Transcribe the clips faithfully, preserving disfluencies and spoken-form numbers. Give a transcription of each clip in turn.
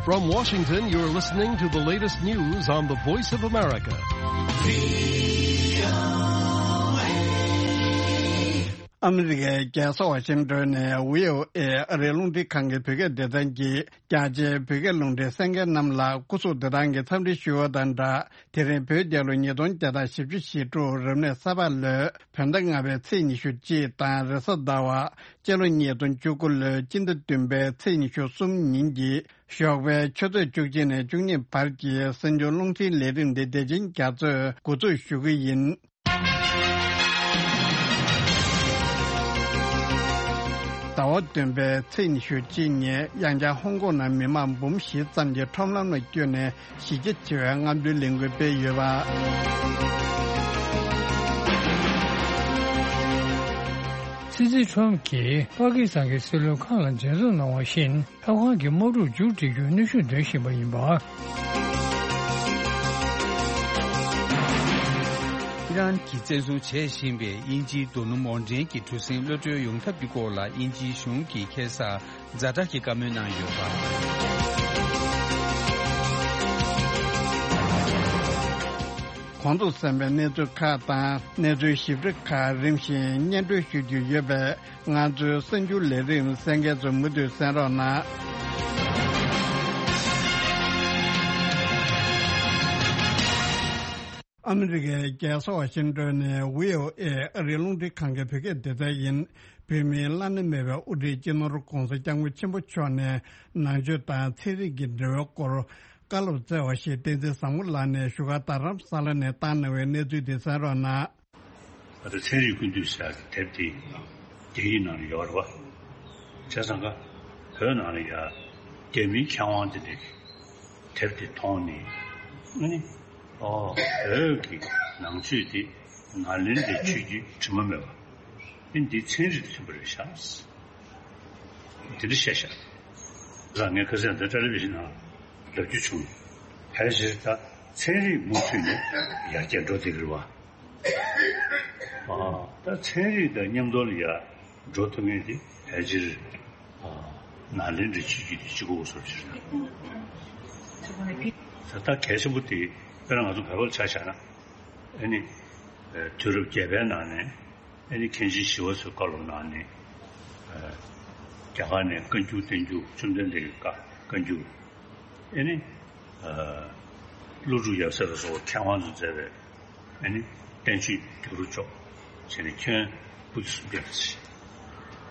From Washington, you're listening to the latest news on the Voice of America. ཨ་མི་རི་ཀའི་རྒྱལ་ས་ཝ་ཤིང་ཏོན་ནས་བྷི་ཨོ་ཨེ་ཨ་རིའི་རླུང་འཕྲིན་ཁང་གི་བོད་སྐད་སྡེ་ཚན་གྱིས། རྒྱ་ཆེའི་བོད་སྐད་རླུང་འཕྲིན་གསན་མཁན་རྣམས་ལ་སྐུ་གཟུགས་བདེ་ཐང་གི་འཚམས་འདྲི་ཞུ་བ་དང་སྦྲགས། དེ་རིང་བོད་རྒྱལ་ལོ་ཉིས་སྟོང་བརྒྱ་དང་བཞི་བཅུ་ཞེ་དྲུག་རབ་གནས་ས་ཕག་ལོའི་བོད་ཟླ་ལྔ་པའི་ཚེས་ཉི་ཤུ་གཅིག་དང་རེས་གཟའ་ཟླ་བ་སྤྱི་ལོ་ཉིས་སྟོང་བཅུ་དགུ་ལོའི་སྤྱི་ཟླ་བདུན་པའི་ཚེས་ཉི་ཤུ་གསུམ་ཉིན་གྱི་ཞོགས་པའི་ཆུ་ཚོད་བཅུ་གཅིག་ནས་བཅུ་གཉིས་བར་གྱི་གསར་འགྱུར་རླུང་འཕྲིན་ལས་རིམ་འདི་དེ་བཞིན་རྒྱ་མཚོས་འགོ་འཛུགས་ཞུ་གི་ཡིན། ཟླ་བ་བདུན་པའི་ཚེས་ཉི་ཤུ་གཅིག་ཉིན་ཡང་བསྐྱར་ཧོང་ཀོང་ནང་མི་མང་འབུམ་བཞི་ཙམ་གྱིས་ཁྲོམ་ལམ་ལ་བསྐྱོད་ནས་གཞི་རྒྱ་ཆེ་བའི་རྔམ་སྟོན་ལས་འགུལ་སྤེལ་ཡོད་པ། སྲིད་འཛིན་ཁྲོམ་གྱིས་པ་ཀི་སི་ཐན་གྱི་སྲིད་བློན་ཁག་ལ་མཛད་གཙོ་གནང་བ་བཞིན། ཐབ་ཁང་གི་དམག་འཁྲུག་མཇུག་སྒྲིལ་རྒྱུའི་གནོན་ཤུགས་འདོན་བཞིན་པ་ཡིན་པ། ཨི་རན་གྱིས་བཙན་བཟུང་བྱེད་བཞིན་པའི་དབྱིན་ཇིའི་རྡོ་སྣུམ་འོར་འདྲེན་གྱི་གྲུ་གཟིངས་གློད་གྲོལ་ཡོང་ཐབས་ཀྱི་སྐོར་ལ་དབྱིན་ཇིའི་གཞུང་གིས་ཁ་སང་ཛ་དྲག་གི་བཀའ་མོལ་གནང་ཡོད་པ། གོང་དུ་གསན་པའི་གནས་ཚུལ་ཁག་དང་གནས་ཚུལ་ཞིབ་ཕྲ་ཁག་རིམ་བཞིན་སྙན་སྒྲོན་ཞུ་རྒྱུ་ཡོད་པས། ང་ཚོའི་གསར་འགྱུར་ལས་རིམ་གསན་མཁན་ཚོ་མུ་མཐུད་གསན་རོགས་གནང་། ཨ་མི་རི་ཀའི་རྒྱལ་ས་ཝ་ཤིང་ཏོན་ནས་བྷི་ཨོ་ཨེ་ཨ་རིའི་རླུང་འཕྲིན་ཁང་གི་བོད་སྐད་སྡེ་ཚན་ཡིན། བོད་མིའི་བླ་ན་མེད་པའི་དབུ་ཁྲིད་སྤྱི་ནོར་༧གོང་ས་༧སྐྱབས་མགོན་ཆེན་པོ་མཆོག་ནས་ནང་ཆོས་དང་ཚན་རིག་གི་འབྲེལ་བའི་སྐོར་བཀའ་སློབ་སྩལ་བ་ཞིག་བསྟན་འཛིན་བཟང་མོ་ལགས་ནས་བཞུགས་སྒར་རྡ་རམ་ས་ལ་ནས་བཏང་གནང་བའི་གནས་ཚུལ་དེ་གསན་རོགས་གནང་། ད་ལྟ་ཚན་རིག་ཀུན་བཏུས་ཟེར་ཡག་གི་དེབ་དེ་རྒྱ་ཡིག་ནང་ལ་ཡོད་རེད་བ། བྱས་ཙང་ཀ་བོད་ནང་ལ་ཡ་རྒྱ་མིའི་མཁས་དབང་དེ་འདྲས་ཀྱིས་དེབ་དེ་མཐོང་ནས་ཨ་ནི་ཨོ་བོད་ཀྱི་ནང་ཆོས་དེ་ནཱ་ལེནྡྲའི་ཆོས་བརྒྱུད་དྲི་མ་མེད་པ་ཨ་ནི་འདི་ཚན་རིག་དང་མཐུན་པ་རེད་ཤག་དེ་འདྲ་བཤད་ཤག་ད་ངས་ཁ་སང་འདི་ཊེ་ལི་བི་ཤན་ནང་ལབ་རྒྱུ་བྱུང་། ཕལ་ཆེར་ད་ཚན་རིག་མུ་མཐུད་ནས་ཡར་རྒྱས་འགྲོ་བསྡད་ཀྱི་རེད་བ། ཨ། ད་ཚན་རིག་དང་མཉམ་དུ་ལ་ཡར་འགྲོ་ཐུབ་མཁན་དེ་ཕལ་ཆེར། ཨ། ནཱ་ལེནྡྲའི་ཆོས་བརྒྱུད་དེ་གཅིག་པོ་བཟོ་ཕྱིར་ན། ད་ལྟ་གལ་ཆེན་པོ་དེ་དཔེར་ན་ང་ཚོ་བོད་པ་ལ་ཆ་བཞག་ན། ཨ་ནི། ཨ། དུས་རབས་བརྒྱད་པའི་ནང་ནས་ཨ་ནི་མཁན་ཆེན་ཞི་བ་འཚོའི་བཀའ་སློབ་གནང་ནས། ཨ། རྒྱ་གར་ནས་བཀའ་འགྱུར་བསྟན་འགྱུར་བཅོམ་ལྡན་འདས་ཀྱི་བཀའ་བཀའ་འགྱུར། ཨེ་ནི། ཨ། ཀླུ་སྒྲུབ་ཡབ་སྲས་ལ་སོགས་པ་མཁས་དབང་ཚོས་མཛད་པའི་ཨེ་ནི་བསྟན་བཅོས་བསྒྱུར་ཕྱོགས་བྱས་ནས་ཁྱོན་བུ་ཚོ་སུམ་བརྒྱ་ལ་ཕྱིན།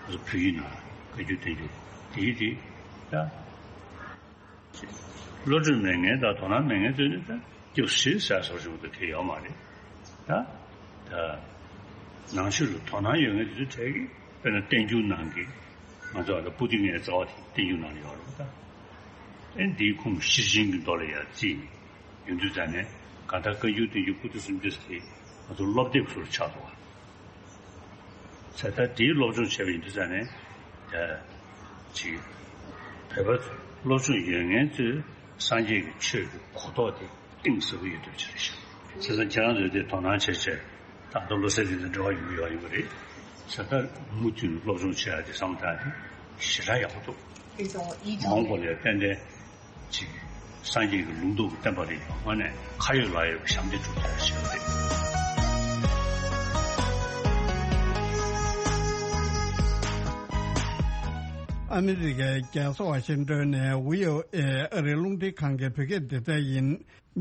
ང་ཚོ་བོད་ཡིག་ནང་བཀའ་འགྱུར་བསྟན་འགྱུར་དེའི་དེ་ད་བློ་གྲོས་མེད་མཁན་དང་དོ་སྣང་མེད་མཁན་ཚོས་ནི་ད་སྐྱོ་ཤོས་ཟེར་སོགས་བྱུང་དུ་དེ་ཡོད་མ་རེད། ད་ད་ནང་ཆོས་ལ་དོ་སྣང་ཡོད་མཁན་དེ་ཚོའི་གྲས་ཀྱིས་དཔེར་ན་བསྟན་འགྱུར་ནང་གི་ང་ཚོ་ཨ་ད་པོ་ཏི་ལྔའི་རྩ་བ་དེ་བསྟན་འགྱུར་ནང་ལ་ཡོད་རེད་པ། ད་ཨེ་འདིའི་ཁུངས་ཤེར་ཕྱིན་གྱི་མདོ་ལ་ཡར་བརྩིས་ནས་ཡོང་དུས་ཙང་ནས་གང་ལྟར་བཀའ་འགྱུར་བསྟན་འགྱུར་པོ་ཏི་སུམ་ཅུ་ཟེར་དེ་ང་ཚོ་སློབ་དེབ་ཚུར་ཆགས་འདུག་བ། ས་ད་དེའི་སློབ་སྦྱོང་བྱས་པ་ཡིན་དུས་ཙང་ནས་ད་ཅིག་བོད་པ་སློབ་སྦྱོང་ཡོད་མཁན་ཚོས་སངས་རྒྱས་ཀྱི་ཆོས་ཀྱི་གོ་རྟོགས་དེ་གཏིང་ཟབ་པོ་ཡོད་ཐུབ་ཅིག་རེད་ཤག་བྱས་ཙང་ཁྱེད་རང་ཚོས་དེ་དོ་སྣང་བྱས་བྱས་ད་ལྟ་བློ་གསལ་དེ་ཚོ་འབྲེལ་བ་ཡོང་གི་ཡོད་ཡིན་པ་རེད། ས་ད་མུ་མཐུད་ནས་སློབ་སྦྱོང་བྱེད་ཡག་དེ་བསམ་བློ་བཏང་ཡག་དེ་ཞེ་དྲག་ཡག་པོ་འདུག་མ་འོངས་པ་ལ་ཡང་ཏན་ཏན་ཅིག་སངས་རྒྱས་ཀྱི་ལུང་རྟོགས་ཀྱི་བསྟན་པ་རེད་པ། དངོས་གནས་ཁ་ཡོད་ལག་ཡོད་པའི་ཞབས་འདེགས་སྒྲུབ་ཐུབ་པ་ཞིག་རེད། ཨ་མི་རི་ཀའི་རྒྱལ་ས་ཝ་ཤིང་ཏོན་ནས་བྷི་ཨོ་ཨེ་ཨ་རིའི་རླུང་འཕྲིན་ཁང་གི་བོད་སྐད་སྡེ་ཚན་ཡིན།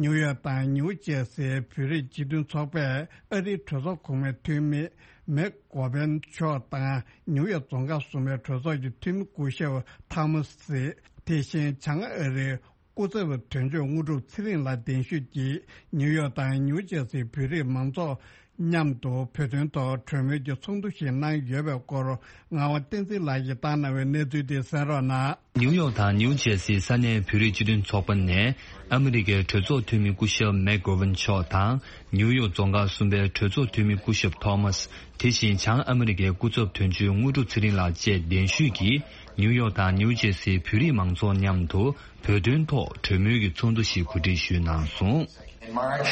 ནིའུ་ཡོག་དང་ནིའུ་ཇེར་སིའི་བོད་རིགས་སྤྱི་མཐུན་ཚོགས་པས་ཨ་རིའི་གྲོས་ཚོགས་གོང་མའི་འཐུས་མི་མེག་གོ་བན་མཆོག་དང་ནིའུ་ཡོག་རྫོང་ཁག་གསུམ་པའི་གྲོས་ཚོགས་ཀྱི་འཐུས་མི་སྐུ་ཞབས་ཐོ་མ་སི། དེ་བཞིན་བྱང་ཨ་རིའི་སྐུ་ཚབ་དོན་གཅོད་དངོས་གྲུབ་ཚེ་རིང་ལགས་གདན་ཞུས་ཀྱིས་ནིའུ་ཡོག་དང་ནིའུ་ཇེར་སིའི་བོད་རིགས་མང་ཚོགས་མཉམ་དུ་བོད་དོན་ཐོག་གྲོས་མོལ་གྱི་ཚོགས་འདུ་ཞིག་གནང་ཡོད་པའི་སྐོར་ངག་དབང་བསྟན་འཛིན་ལགས་ཀྱིས་བཏང་གནང་བའི་གནས་ཚུལ་དེ་གསན་རོགས་གནང་། ནིའུ་ཡོག་དང་ནིའུ་ཇེར་སིའི་ས་གནས་བོད་རིགས་སྤྱི་མཐུན་ཚོགས་པ་ནས་ཨ་མི་རི་ཀའི་གྲོས་ཚོགས་འཐུས་མི་སྐུ་ཞབས་མེག་གོ་ཝན་མཆོག་དང་། ནིའུ་ཡོག་རྫོང་ཁག་གསུམ་པའི་གྲོས་ཚོགས་འཐུས་མི་སྐུ་ཞབས་ཐོ་མཱས། དེ་བཞིན་བྱང་ཨ་མི་རི་ཀའི་སྐུ་ཚབ་དོན་གཅོད་དངོས་གྲུབ་ཚེ་རིང་ལགས་བཅས་གདན་ཞུས་ཀྱིས་ནིའུ་ཡོག་དང་ནིའུ་ཇེར་སིའི་བོད་རིགས་མང་ཚོགས་མཉམ་དུ་བོད་དོན་ཐོག་གྲོས་མོལ་གྱི་ཚོགས་འདུ་ཞིག་གོ་སྒྲིག་ཞུས་གནང་སོང་། In March,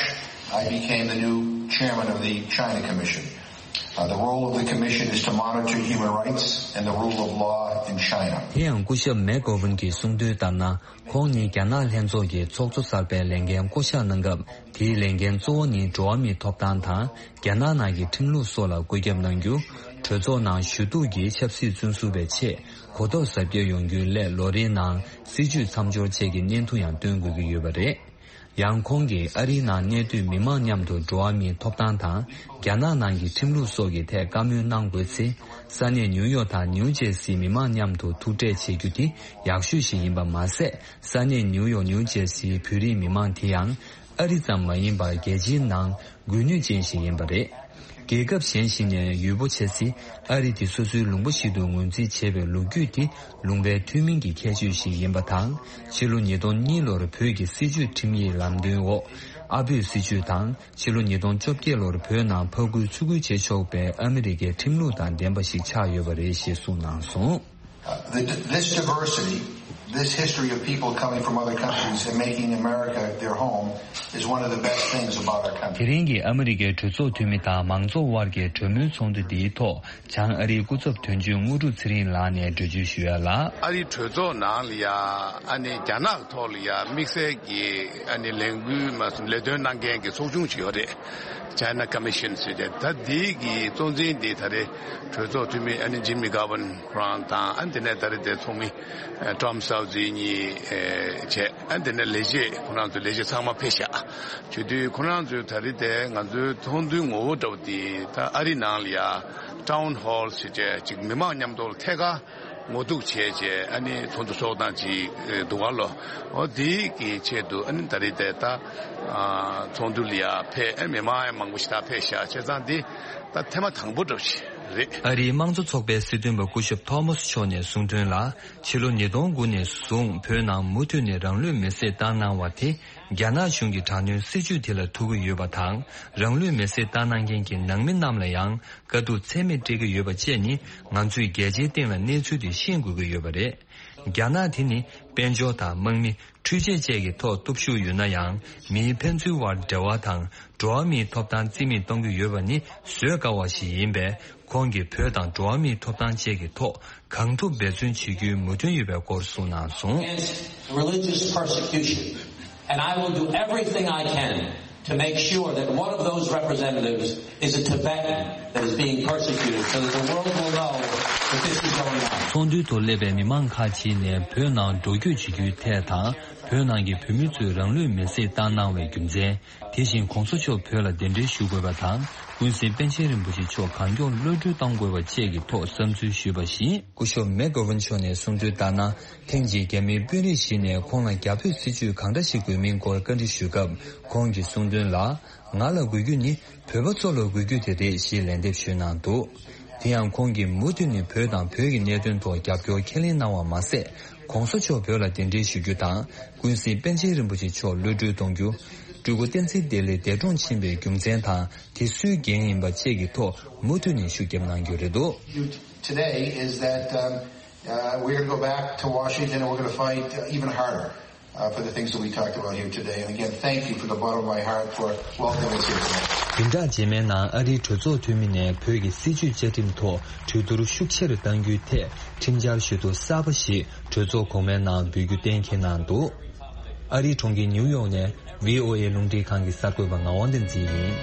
I became the new chairman of the China Commission. Uh, the role of the commission is to monitor human rights and the rule of law in China. དེ་ཡང་སྐུ་ཞབས་མེག་གོ་ཝན་གྱིས་གསུངས་དོན་ལྟར་ན། ཁོང་ནི་རྒྱ་ནག་ལྷན་ཚོགས་ཀྱི་ཚོགས་གཙོ་གསར་པའི་ལས་འགན་བསྐོ་གཞག་གནང་སྐབས། དེའི་ལས་འགན་གཙོ་བོ་ནི་འགྲོ་བ་མིའི་ཐོབ་ཐང་དང་། རྒྱ་ནག་ནང་གི་ཁྲིམས་ལུགས་སོགས་ལ་བཀོད་ཁྱབ་གནང་རྒྱུ། གྲོས་ཚོགས་ནང་ཞུ་གཏུག་གིས་ཆབ་སྲིད་བཙོན་ཟུར་པའི་ཆེད་གོ་རྟོགས་ཟབ་རྒྱས་ཡོང་རྒྱུའི་སླད། ལོ་རེའི་ནང་སྲིད་བྱུས་མཚམས་སྦྱོར་བཅས་ཀྱི་བརྙན་ཐུང་ཡང་སྟོན་དགོས་ཀྱི་ཡོད་པ་རེད། ཡང་ཁོང་གིས་ཨ་རིའི་ནང་གནས་སྡོད་མི་མང་མཉམ་དུ་འགྲོ་བ་མིའི་ཐོབ་ཐང་དང་། རྒྱ་ནག་ནང་གི་ཁྲིམས་ལུགས་སོགས་ཀྱི་ཐད་བཀའ་མོལ་གནང་དགོས་ཚེ། ས་གནས་ནིའུ་ཡོག་དང་ནིའུ་ཇེར་སིའི་མི་མང་མཉམ་དུ་ཐུག་འཕྲད་བྱེད་རྒྱུ་དེ་ཡག་ཤོས་ཤིག་ཡིན་པ་མ་ཟད། ས་གནས་ནིའུ་ཡོག་ནིའུ་ཇེར་སིའི་བོད་རིགས་མི་མང་དེ་ཡང་ཨ་རི་ཙམ་མ་ཡིན་པར་རྒྱལ་སྤྱིའི་ནང་། དགོས་ནུས་ཅན་ཞིག་ཡིན་པ་རེད། རྒྱལ་ཁབ་གཞན་ཞིག་ནས་ཡུལ་པོ་ཆེ་སྲིད་ཨ་རི་དེ་སོ་སོའི་ལུང་པ་ཞིག་ཏུ་ངོས་འཛིན་བྱེད་པའི་ལོ་རྒྱུས་དེ་ལུང་པའི་ཐུན་མིན་གྱི་ཁྱད་ཆོས་ཤིག་ཡིན་པ་དང་། ཕྱི་ལོ་ཉིས་སྟོང་གཉིས་ལོར་བོད་ཀྱི་སྲིད་བྱུས་ཁྲིམས་ཡིག་ལམ་སྟོན་འོག་ཨ་བོད་སྲིད་བྱུས་དང་། ཕྱི་ལོ་ཉིས་སྟོང་བཅོ་བརྒྱད་ལོར་བོད་ནང་ཕར་རྒོལ་ཚུར་རྒོལ་བྱེད་ཆོག་པའི་ཨ་མི་རི་ཀའི་ཁྲིམས་ལུགས་དང་ལྡན་པ་ཞིག་ཆགས་ཡོད་པ་རེད་ཞེས་གསུངས་གནང་སོང་། Uh, the, this diversity, this history of people coming from other countries and making America their home is one of the best things about our country. དེ་རིང་གི་ཨ་མི་རི་ཀའི་གྲོས་ཚོགས་འཐུས་མི་དང་མང་ཚོགས་དབར་གྱི་གྲོས་མོལ་ཚོགས་འདུ་འདིའི་ཐོག་བྱང་ཨ་རིའི་སྐུ་ཚབ་དོན་གཅོད་དངོས་གྲུབ་ཚེ་རིང་ལགས་ནས་འགྲེལ་བརྗོད་ཞུ་ཡ་ལ། ཨ་རིའི་གྲོས་ཚོགས་ནང་ལ་ཡ་ཨ་ནི་རྒྱ་ནག་ཐོག་ལ་ཡ་དམིགས་བསལ་གྱི་ཨ་ནི་ལས་འགུལ་མ་ལས་དོན་གནང་མཁན་གྱི་ཚོགས་ཆུང་ཞིག་ཡོད་རེད། China Commission ཟེར་ཏེ། ད་འདི་གི་གཙོ་འཛིན་འདི་ད་རེས་གྲོས་ཚོགས་འཐུས་མི་ཨ་ནི་ཇིམ་མི་གྷ་ཝན་ཁོ་རང་དང་། ཨ་ནི་དེ་ནས་ད་རེས་དེ་ཚོགས་མི་ཨ་ཊོམ་སའུ་ཛི་གཉིས་ཨེ་བྱས། ཨ་ནི་དེ་ནས་ལས་བྱེད་ཁོ་རང་ཚོ་ལས་བྱེད་ཚང་མ་ཕེབས་ཤག་བྱེད་དུས་ཁོ་རང་ཚོས་ད་རེས་དེ་ང་ཚོའི་ཚོགས་འདུའི་ངོ་བོ་འདྲ་བོ་འདི་ད་ཨ་རི་ནང་ལ་ཡ་ཊའུན་ཧོལ་ཟེར་བྱས་ཅིག་མི་མང་མཉམ་དུ་ཐད་ཀར་ངོ་ཐུག་བྱས་བྱས་ཨ་ནི་ཚོགས་འདུ་ཚོགས་སྟངས་ཅིག་འདུག་ག་ལོ། འོ་དེའི་གི་ཆེད་དུ་ཨ་ནི་ད་རེས་དེ་ད་ཨ་ཚོགས་འདུ་ལ་ཡ་ཕེབས། ཨ་མི་མང་ཡང་མང་པོ་ཞིག་ད་ཕེབས་ཤག་བྱས་ཙང་འདི་ད་ཐེངས་མ་དང་པོ་འདྲ་བོ་ཞིག་རེད། ཨ་རིའི་དམངས་གཙོ་ཚོགས་པའི་སྲིད་དོན་པ་སྐུ་ཞབས་ཐོ་མཱས་མཆོག་ནས་གསུངས་དོན་ལ། ཕྱི་ལོ་ཉིས་སྟོང་དགུ་ནས་བཟུང་བོད་ནང་མུ་མཐུད་ནས་རང་ལུས་མེར་སྲེག་བཏང་གནང་བ་དེ། རྒྱ་ནག་གཞུང་གི་དྲག་གནོན་སྲིད་བྱུས་དེ་ལ་ཐུག་གི་ཡོད་པ་དང་། རང་ལུས་མེར་སྲེག་བཏང་གནང་མཁན་གྱི་ནང་མི་རྣམས་ལ་ཡང་དཀའ་སྡུག་ཚད་མེད་སྤྲད་ཀྱི་ཡོད་པ་བཅས་ནི། ང་ཚོས་རྒྱལ་སྤྱིའི་སྟེང་ལ་གནས་ཚུལ་དེ་ཤེས་དགོས་ཀྱི་ཡོད་པ་རེད། རྒྱ་ནག་དེ་ནི་དཔལ་འབྱོར་དང་དམག་མི། འཕྲུལ་ཆས་བཅས་ཀྱི་ཐོག་སྟོབས་ཤུགས་ཡོད་ན་ཡང་། མིའི་ཕན་ཚུན་དབར་འབྲེལ་བ་དང་། འགྲོ་བ་མིའི་ཐོབ་ཐང་རྩིས་མེད་གཏོང་གི་ཡོད་པ་ནི་བཟོད་དཀའ་བ་ཞིག་ཡིན་པས། ཁོང་གིས་བོད་དང་འགྲོ་བ་མིའི་ཐོབ་ཐང་བཅས་ཀྱི་ཐོག་གང་ཐུབ་འབད་བརྩོན་བྱེད་རྒྱུའི་མོས་མཐུན་ཡོད་པའི་སྐོར་གསུངས་གནང་སོང་། Against religious persecution, and I will do everything I can to make sure that one of those representatives is a Tibetan that is being persecuted, so that the world will know that this is going on. ཚོགས་འདུའི་ཐོག་སླེབས་པའི་མི་མང་ཁག་ཅིག་ནས་བོད་ནང་འགྲོ་སྐྱོད་བྱེད་རྒྱུའི་ཐད་དང་། བོད་ནང་གི་བོད་མི་ཚོས་རང་ལུས་མེར་སྲེག་བཏང་གནང་བའི་རྒྱུ་མཚན། དེ་བཞིན་གོང་ས་མཆོག་བོད་ལ་གདན་འདྲེན་ཞུ་དགོས་པ་དང་། ཀུན་གཟིགས་པཎ་ཆེན་རིན་པོ་ཆེ་མཆོག་གང་མགྱོགས་གློད་གྲོལ་གཏང་དགོས་པ་བཅས་ཀྱི་ཐོག་བསམ་ཚུལ་ཞུས་པ་བཞིན། སྐུ་ཞབས་མེག་གྷོ་ཝན་མཆོག་ནས་གསུངས་དོན་ལྟར་ན། ཐེངས་གཅིག་རྒྱ་མིའི་དཔོན་རིགས་ཤིག་ནས་ཁོང་ལ་རྒྱ་བོད་སྲིད་བྱུས་གང་འདྲ་ཞིག་དགོས་མིན་སྐོར་བཀའ་འདྲི་ཞུས་སྐབས། ཁོང་གིས་གསུངས་དོན་ལ། ང་ལ་དགོས་རྒྱུ་ནི་བོད་པ་ཚོ་ལ་དགོས་རྒྱུ་དེ་རེད་ཞེས་ལན་འདེབས་ཞུས་གནང་འདུག་དེ་ཡང་ཁོང་གིས་མུ་མཐུད་ནས་བོད་དང་བོད་ཀྱི་གནད་དོན་ཐོག་རྒྱབ་སྐྱོར་ཁས་ལེན་གནང་བ་མ་ཟད། གོང་ས་མཆོག་བོད་ལ་གདན་འདྲེན་ཞུ་རྒྱུ་དང་། ཀུན་གཟིགས་པཎ་ཆེན་རིན་པོ་ཆེ་མཆོག་གློད་གྲོལ་གཏོང་རྒྱུ། སྤྲུལ་སྐུ་བསྟན་འཛིན་བདེ་ལེགས་འདས་གྲོངས་ཕྱིན་པའི་རྒྱུ་མཚན་དང་། དེ་སུའི་འགན་ཡིན་པ་བཅས་ཀྱི་ཐོག་མུ་མཐུད་ནས་ཤུགས་བརྒྱབ་གནང་རྒྱུ་རེད་འདུག Today is that, um, uh, we're gonna go back to Washington and we're gonna fight, uh, even harder, uh, for the things that we talked about here today. And again, thank you from the bottom of my heart for welcoming us here tonight. བདུན་ཕྲག་རྗེས་མའི་ནང་ཨ་རིའི་གྲོས་ཚོགས་འཐུས་མི་ནས་བོད་ཀྱི་སྲིད་བྱུས་བཅའ་ཁྲིམས་ཐོག་གྲོས་བསྡུར་ཤུགས་ཆེ་རུ་གཏང་རྒྱུའི་ཐད་ཁྲིམས་འཆར་ཞུ་གཏུག་གསར་པ་ཞིག་གྲོས་ཚོགས་གོང་མའི་ནང་འབུལ་རྒྱུ་གཏན་འཁེལ་གནང་འདུག་ཨ་རིའི་གྲོང་ཁྱེར་ནིའུ་ཡོག་ནས་ཝི་ཨོ་ཨེ་རླུང་འཕྲིན་ཁང་གི་གསར་འགོད་པ་ངག་དབང་བསྟན་འཛིན་ཡིན།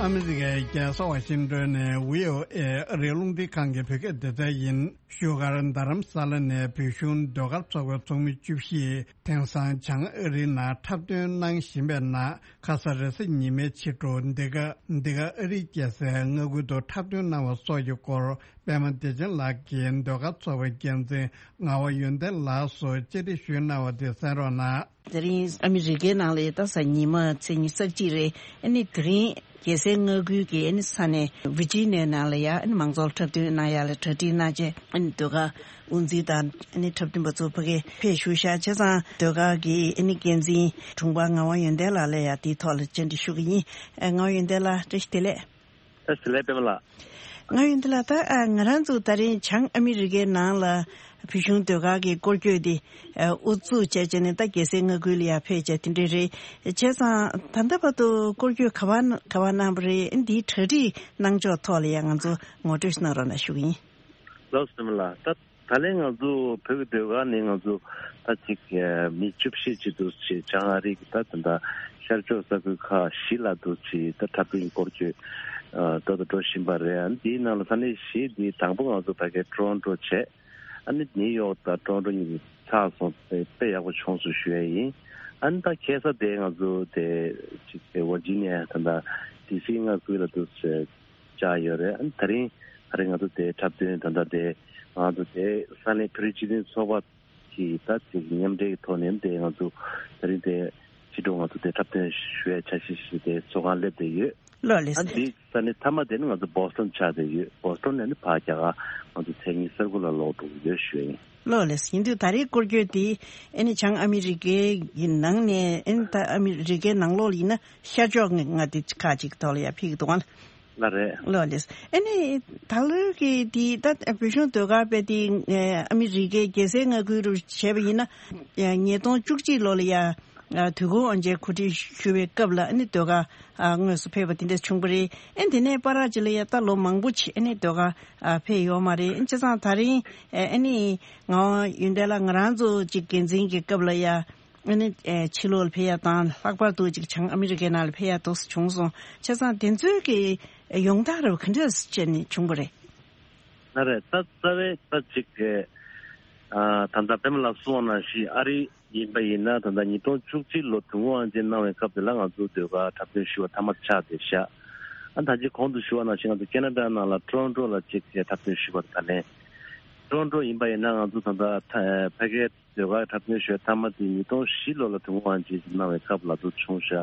ཨ་མི་རི་ཀའི་རྒྱལ་ས་ཝ་ཤིང་ཏོན་ནས་ཝི་ཨོ་ཨེ་ཨ་རིའི་རླུང་འཕྲིན་ཁང་གི་བོད་སྐད་སྡེ་ཚན་ཡིན། བཞུགས་སྒར་རྡ་རམ་ས་ལ་ནས་བོད་གཞུང་ཟློས་གར་ཚོགས་པའི་ཚོགས་མི་བཅུ་བཞི་དེང་སང་བྱང་ཨ་རིའི་ནང་འཁྲབ་སྟོན་གནང་བཞིན་པའི་ནང་། ཁ་ས་རེས་གཟའ་ཉི་མའི་ཕྱི་དྲོ་འདི་ག་འདི་ག་ཨ་རིའི་རྒྱལ་སའི་མངའ་ཁུལ་དུ་འཁྲབ་སྟོན་གནང་བ་སོགས་ཀྱི་སྐོར། པད་མ་བདེ་ཆེན་ལགས་ཀྱིས་ཟློས་གར་ཚོགས་པའི་འགན་འཛིན་ངག་དབང་ཡོན་ཏན་ལགས་སུ་བཅར་འདྲི་ཞུས་གནང་བ་དེ་གསན་རོགས་གནང་། དེ་རིང་ཨ་མི་རི་ཀའི་ནང་ལ་ད་གཟའ་ཉི་མ་ཚེས་ཉི་ཤུ་རྩ་གཅིག་རེད། ཨ་ནི་དེ་རིང་རྒྱལ་སའི་མངའ་ཁུལ་གྱི་ཨ་ནི་ས་གནས་ཝི་ཇི་ནི་ཡ་ནང་ལ་ཡ་ཨ་ནི་མང་ཚོགས་འཁྲབ་སྟོན་གནང་ཡ་ལ་གྲ་སྒྲིག་གནང་བྱས། ཨ་ནི་ཟློས་གར་དབུ་འཛིན་དང་ཨ་ནི་འཁྲབ་སྟོན་པ་ཚོ་ཕ་གིར་ཕེབས་བཞུགས་ཤག་བྱས་ཙང་ཟློས་གར་གྱི་ཨ་ནི་འགན་འཛིན་དྲུང་འཕར་ངག་དབང་ཡོན་ཏན་ལགས་ལ་ཡ་དེའི་ཐོག་ལ་བཅར་འདྲི་ཞུ་གི་ཡིན། ཨ་ངག་དབང་ཡོན་ཏན་ལགས་བཀྲ་ཤིས་བདེ་ལེགས། བཀྲ་ཤིས་བདེ་ལེགས་པད་མ་ལགས། ངག་དབང་ཡོན་ཏན་ལགས། ད་ཨ་ང་རང་ཚོ་ད་རིང་བྱང་ཨ་མི་རི་ཀའི་ནང་ལ་ བོད་གཞུང་ཟློས་གར་གྱི་སྐོར་སྐྱོད་དེ་ཨ་དབུ་འཛུགས་བྱས་བྱས་ནས་ད་རྒྱལ་སའི་མངའ་ཁུལ་ལ་ཡར་ཕེབས་བྱས་དེ་འདྲ་རེད། བྱས་ཙང་ད་ལྟ་བར་དུ་སྐོར་སྐྱོད་ག་བ་ག་བ་གནང་བ་རེད། འདིའི་གྲ་སྒྲིག་གནང་ཕྱོགས་ཐོག་ལ་ཡང་ང་ཚོ་ངོ་སྤྲོད་གནང་རོགས་གནང་ཞུ་གི་ཡིན། ལགས་སོ་ལགས། ད་ད་ལན་ང་ཚོ་བོད་ཀྱི་ཟློས་གར་ནི་ང་ཚོ་ད་ཅིག་མི་བཅུ་བཞི་ཅིག་འདུག་ཅེས་བྱང་ཨ་རི་གི་ད་ད་ལྟ་ཤར་ཕྱོགས་ས་ཁུལ་ཁག་བཞི་ལ་འདུག་ཅེས་ད་འཁྲབ་སྟོན་སྐོར་སྐྱོད་ཨ་ཏོག་ཏོ་འགྲོ་བཞིན་པ་རེད། ཨ་ནི་དེའི་ནང་ལ་ས་གནས་བཞི་འདི་དང་པོ་ང་ཚོ་ཕ་གིའི་ཀྲོན་ཀྲོ་བྱས། ཨ་ནི་ནིའུ་ཡོག་དང་ཀྲོན་ཀྲོ་གཉིས་ཀྱི་ཚར་སོང་། དཔེ་དཔེ་ཡག་པོ་བྱུང་སོང་ཞུ་ཡ་ཡིན། ཨ་ནི་ད་ཁ་སང་དེ་ང་ཚོ་དེ་ཅིག་དེ་ཝར་ཇི་ནི་ཡ་ད་ད་ཌི་སི་མངའ་ཁུལ་ལ་འདུག་ཅེས་བཅར་ཡོད་རེད། ཨ་ནི་ད་རིང་ད་རིང་ང་ཚོ་དེ་འཁྲབ་སྟོན་ད་ལྟ་དེ་ང་ཚོ་དེ་ས་གནས་བོད་རིགས་སྤྱི་མཐུན་ཚོགས་པ་གི་ད་ཅིག་མཉམ་འབྲེལ་གྱི་ཐོག་ནས་དེ་ང་ཚོ་ད་རིང་དེ་ཕྱི་དྲོ་ང་ཚོ་དེ་འཁྲབ་སྟོན་ཞུ་ཡའི་འཆར་གཞི་ཞིག་དེ་ཚོགས་ཁང་སླེབས་བསྡད་ཡོད། ལགས་ལགས་ཨ་སེ། འདི་ས་གནས་མཐའ་མ་དེ་ནི་ང་ཚོ་བོ་སི་ཊོན་ཆགས་བསྡད་ཡོད། བོ་སི་ཊོན་ནས་ནི་ཕར་རྒྱ་གར་ང་ཚོ་མཚན་ཉིད་གསར་བུ་ལ་ལོག་འགྲོ་གི་ཡོད་ཞུ་ཡ་ཡིན། ལགས་ལགས་སེ། ཡིན་དུས་ད་རེས་སྐོར་སྐྱོད་དེ་ཨ་ནི་བྱང་ཨ་མི་རི་ཀའི་ནང་ནས་ཨ་ནི་ད་ཨ་མི་རི་ཀའི་ནང་ལོགས་ལ་ཡིན་ན་ཤར་ཕྱོགས་ལྔ་དེ་ཁག་ཅིག་ཐོག་ལ་ཡར་ཕེབས་ཀྱི་འདུག་ག་ལགས་རེད། ལགས་ལགས་སེ། ཨ་ནི་ད་ལོའི་གི་དེ་ད་བོད་གཞུང་ཟློས་གར་པས་དེ་ཨ་མི་རི་ཀའི་རྒྱལ་སའི་མངའ་ཁུལ་རུ་བྱས་པ་ཡིན་ན་ཉིས་སྟོང་བཅུ་གཅིག་ལོ་ལ་ཡ་དུས་འཁོར་དབང་ཆེན་གོ་སྒྲིག་ཞུ་བའི་སྐབས་ལ་ཨ་ནི་ཟློས་གར་དངོས་སུ་ཕེབས་པ་དེ་འདྲ་བྱུང་བ་རེད། ཨ་ནི་དེ་ནས་བར་ཅིག་ལ་ཡ་ད་ལོ་མང་པོ་ཅིག་ཨ་ནི་ཟློས་གར་ཕེབས་ཡོད་མ་རེད། བྱས་ཙང་ད་རིང་ཨ་ནི་ང་ཡོན་ཏན་ལགས་ང་རང་ཚོ་ཅིག་འགན་འཛིན་གྱི་སྐབས་ལ་ཡ་ཨ་ནི་ཕྱི་ལོགས་ལ་ཕེབས་ཡ་དང་ལྷག་པར་དུ་ཅིག་བྱང་ཨ་མི་རི་ཀའི་ནང་ལ་ཕེབས་ཡ་ཏོག་ཙམ་བྱུང་སོང་། བྱས་ཙང་དེ་ཚོའི་གི་ཡོང་སྟངས་རེ་བ་ག་འདྲ་བྱས་ནས་བྱུང་བ་རེད། ལགས་རེད། ད་རྩ་བའི་ད་ཅིག་གི་ཨ་ད་ལྟ་པད་མ་ལགས་གསུངས་པ་ནང་བཞིན་ཨ་རི་ཡིན་པ་ཡིན་ན་ད་ལྟ་ཉིས་སྟོང་བཅུ་གཅིག་ལོ་དུས་འཁོར་དབང་ཆེན་གནང་བའི་སྐབས་དེ་ལ་ང་ཚོ་ཟློས་གར་འཁྲབ་སྟོན་ཞུ་བ་མཐའ་མ་ཆགས་བསྡད་ཤག་ཨ་ད་ཅི་གོང་དུ་ཞུ་བ་ནང་བཞིན་ང་ཚོ་ཁེ་ན་ཌ་ནང་ལ་ཀྲོན་ཀྲོ་ལ་ཅིག་གི་འཁྲབ་སྟོན་ཞུ་བར་ད་ལན་ཀྲོན་ཀྲོ་ཡིན་པ་ཡིན་ན་ང་ཚོ་ད་ལྟ་ཕ་གིའི་ཟློས་གར་འཁྲབ་སྟོན་ཞུ་བའི་མཐའ་མ་དེ་ཉིས་སྟོང་བཞི་ལོ་ལ་དུས་འཁོར་དབང་ཆེན་ཞིག་གནང་བའི་སྐབས་ལ་ཚུར་བྱུང་ཤག་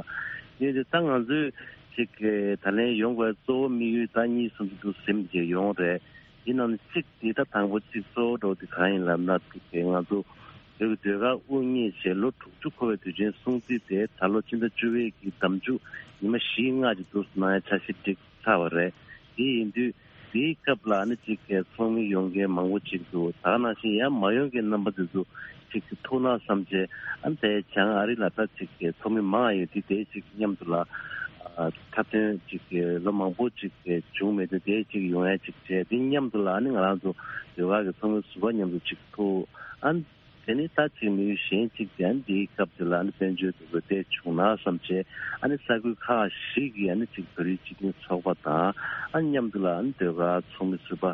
ཡིན་དེ་ད་ང་ཚོས་ཅིག་གི་ད་ལན་ཡོང་དགོས་གཙོ་བོ་དམིགས་ཡུལ་ད་གཉིས་གསུམ་ཅིག་ཏུ་ཟིན་བྱས་ཡོང་རེད། ཡིན་ནའང་གཅིག་དེ་ད་དང་པོ་གཅིག་གཙོ་བོ་འདྲ་བོ་དེ་གང་ཡིན་ལབ་ན་ཅིག་གི་ང་ཚོ་བོད་ཀྱི་ཟློས་གར་དབུ་བརྙེས་བྱས་ལོ་དྲུག་ཅུ་འཁོར་བའི་དུས་ཆེན་སྲུང་བརྩི་དེ་ད་ལོ་ཕྱི་ཟླ་བཅུ་པའི་གི་ཟླ་མཇུག་ཉི་མ་བཞི་ལྔ་ཅིག་ཏུ་གནང་ཡ་འཆར་གཞི་བསྒྲིགས་ཚར་བ་རེད། དེ་ཡིན་དུས་དེའི་སྐབས་ལ་ནི་གཅིག་གི་ཚོགས་མི་ཡོང་མཁན་མང་པོ་ཅིག་འདུག་ད་ག་ནང་བཞིན་ཡང་མ་ཡོང་མཁན་རྣམ་པ་དེ་ཚོ་ཅིག་གི་ཐུགས་སྣང་བསམ་བྱས་ཨ་ནི་དེ་བྱང་ཨ་རི་ལ་ད་ཅིག་གི་ཚོགས་མི་མང་ཡོད་དུས་དེ་ཅིག་མཉམ་དུ་ལ་ཨ་འཁྲབ་སྟོན་ཅིག་གི་ལོ་མང་པོ་ཅིག་གི་བྱུང་མེད་དུས་དེ་ཅིག་ཡོང་ཡ་ཅིག་བྱས། དེ་མཉམ་དུ་ལ་ཨ་ནི་ང་རང་ཚོ་ཟློས་གར་གི་ཚོགས་མི་ཟུར་པ་མཉམ་དུ་ཅིག་ཐུག་ཨ་ནི་དེ་ནི་ད་ཅིག་དམིགས་ཡུལ་གཞན་གཅིག་དེ་ཨ་ནི་འདིའི་སྐབས་དེ་ལ་ཨ་ནི་དཔལ་འབྱོར་དེ་ཚོ་བདེ་བྱུང་ན་བསམ་བྱས་ཨ་ནི་ས་ཁུལ་ཁག་ཞིག་གི་ཨ་ནི་ཅིག་བོད་རིགས་སྤྱི་མཐུན་ཚོགས་པ་དང་ཨ་ནི་མཉམ་དུ་ལ་ཨ་ནི་ཟློས་གར་ཚོགས་མི་ཟུར་པ་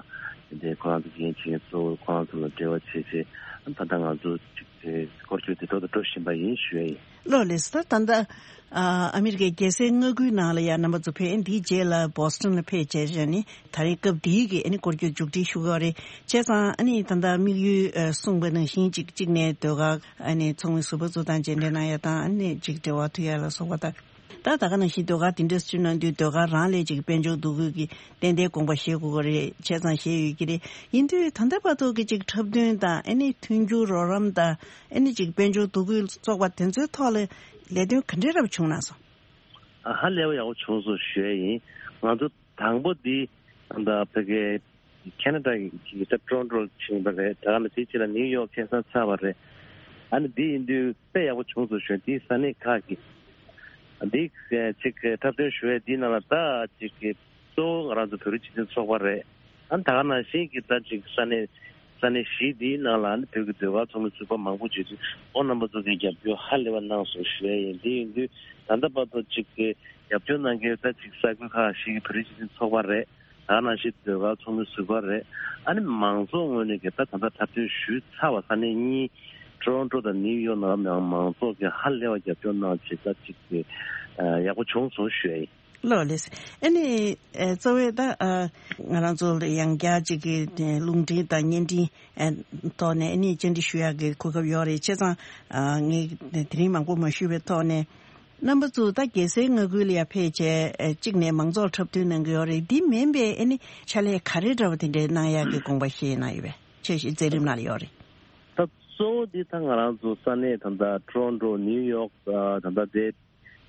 དེ་འདྲའི་ཁོ་རང་ཚོ་འགན་འཁྱེར་མཁན་གཙོ་བོ་ཁོ་རང་ཚོ་ལ་འབྲེལ་བ་བྱས་བྱས་ཨ་ནི་ད་ལྟ་ང་ཚོ་ཅིག་དེ་སྐོར་སྐྱོད་དེ་ཏོག་ཏོ་འགྲོ་བཞིན་པ་ཡིན་ཞུ་ཡ་ཡིན། ལགས་ལགས་སེ། ད་ད་ལྟ་ཨ་ཨ་མི་རི་ཀའི་རྒྱལ་སའི་མངའ་ཁུལ་ནང་ལ་ཡ་རྣམ་པ་ཚོ་ཕེབས། འདིའི་རྗེས་ལ་བོ་སི་ཊོན་ལ་ཕེབས་བྱས་བྱས་ནས་ད་རེས་སྐབས་འདིའི་གི་ཨ་ནི་སྐོར་སྐྱོད་མཇུག་སྒྲིལ་ཞུ་གི་ཡོད་རེད། བྱས་ཙང་ཨ་ནི་ད་ལྟ་དམིགས་ཡུལ་ཨ་གསུངས་པ་ནང་བཞིན་གཅིག་གཅིག་ནས་ཟློས་གར་ཨ་ནི་ཚོགས་མི་ཟུར་པ་ཚོ་དང་མཇལ་འཕྲད་གནང་ཡ་དང་ཨ་ནི་ཅིག་འབྲེལ་བ་མཐུད་ཡ་ལ་སོགས་པ་དང་། ད་ད་ག་ནང་བཞིན་ཟློས་གར་དེ་འདྲ་སུ་གནང་དུས་ཟློས་གར་རང་ལས་ཅིག་དཔལ་འབྱོར་འདུ་འགོད་ཀྱི་ཏན་ཏན་དགོངས་པ་བཞེས་དགོས་ཀྱི་རེད། བྱས་ཙང་བཞེས་ཡོད་ཀྱི་རེད། ཡིན་དུས་ད་ལྟ་བར་དུ་གི་ཅིག་འཁྲབ་སྟོན་དང་ཨ་ནི་མཐུན་འགྱུར་རོགས་རམ་དང་ཨ་ནི་ཅིག་དཔལ་འབྱོར་འདུ་འགོད་སོགས་པ་དེ་ཚོའི་ཐོག་ལ་ལས་དོན་ག་འདྲའི་རབ་བྱུང་ན་སོང་། ཨ་ཧ་ལས་པ་ཡག་པོ་བྱུང་སོང་ཞུ་ཡ་ཡིན། ང་ཚོ་དང་པོ་འདི་ད་ལྟ་ཕ་གི་ཁེ་ན་ཌ་གི་ད་ཀྲོན་ཀྲོ་ཕྱིན་པ་རེད། ད་ག་ནང་བཞིན་ཅིག་ལ་ནིའུ་ཡོག་ཁ་སང་ཚར་བ་རེད། ཨ་ནི་འདི་ཡིན་དུས་དཔེ་ཡག་པོ་བྱུང་སོང་ཞུ་ཡ། འདིའི་ས་གནས་ཁག་གི་འདི་ཅིག་འཁྲབ་སྟོན་ཞུ་ཡ་འདིའི་ནང་ལ་ད་ཅིག་གི་གཙོ་བོ་ང་རང་ཚོ་བོད་རིགས་སྤྱི་མཐུན་ཚོགས་པ་རེད། ཨ་ནི་ད་ག་ནང་བཞིན་གྱི་ད་ཅིག་ས་གནས་ས་གནས་བཞི་འདིའི་ནང་ལ་ཨ་ནི་བོད་ཀྱི་ཟློས་གར་ཚོགས་མི་ཟུར་པ་མང་པོ་བྱུང་དུས་ཁོང་རྣམ་པ་ཚོ་གིས་རྒྱབ་སྐྱོར་ཧ་ལས་པ་གནང་སོང་ཞུ་ཡ་ཡིན། འདི་ཡིན་དུས་ད་ལྟ་བར་དུ་ཅིག་གི་རྒྱབ་སྐྱོར་གནང་མཁན་ད་ཅིག་ས་ཁུལ་ཁག་ཞིག་གི་བོད་རིགས་སྤྱི་མཐུན་ཚོགས་པ་རེད། ད་ག་ནང་བཞིན་ཟློས་གར་ཚོགས་མི་ཟུར་པ་རེད། ཨ་ནི་མང་ཚོགས་ངོས་ནས་ཀྱི་ད་ད་ལྟ་འཁྲབ་སྟོན་ཞུས་ཚར་བ་ས་གནས་གཉིས་ཀྲོན་ཀྲོ་དང་ནིའུ་ཡོག་ནང་ལ་མང་ཚོགས་ཀྱིས་ཧ་ལས་པ་རྒྱབ་སྐྱོར་གནང་བྱས་ད་ཅིག་གི་ཡག་པོ་བྱུང་སོང་ཞུ་ཡ་ཡིན། ལགས་ལགས། ཨ་ནི་ཨ་གཙོ་བོ་ད་ཨ་ང་རང་ཚོ་ལ་ཡང་བསྐྱར་ཅིག་གི་རླུང་འཕྲིན་དང་བརྙན་འཕྲིན་ཨ་ཐོག་ནས་ཨ་ནི་བཅར་འདྲི་ཞུ་ཡག་གི་གོ་སྐབས་ཡོད་རེད། བྱས་ཙང་ཨ་ངས་དེ་རིང་མང་པོ་མ་ཞུས་པའི་ཐོག་ནས་རྣམ་པ་ཚོ་ད་རྒྱལ་སའི་མངའ་ཁུལ་ལ་ཡར་ཕེབས་བྱས་ཨ་གཅིག་ནས་མང་ཚོགས་འཁྲབ་སྟོན་གནང་གི་ཡོད་རེད། འདི་མིན་པའི་ཨ་ནི་ཕྱག་ལས་ག་རེ་འདྲ་བ་དེ་འདྲའི་གནང་ཡག་གི་དགོངས་པ་བཞེས་གནང་ཡོད་པས། འཆར་གཞི་མཛད་རིམ་ནང་ལ་ཡོད་རེད། ད་གཙོ་བོ་འདི་ད་ང་རང་ཚོ་ས་གནས་ད་ལྟ་ཀྲོན་ཀྲོ་ནིའུ་ཡོག་ད་ལྟ་དེ་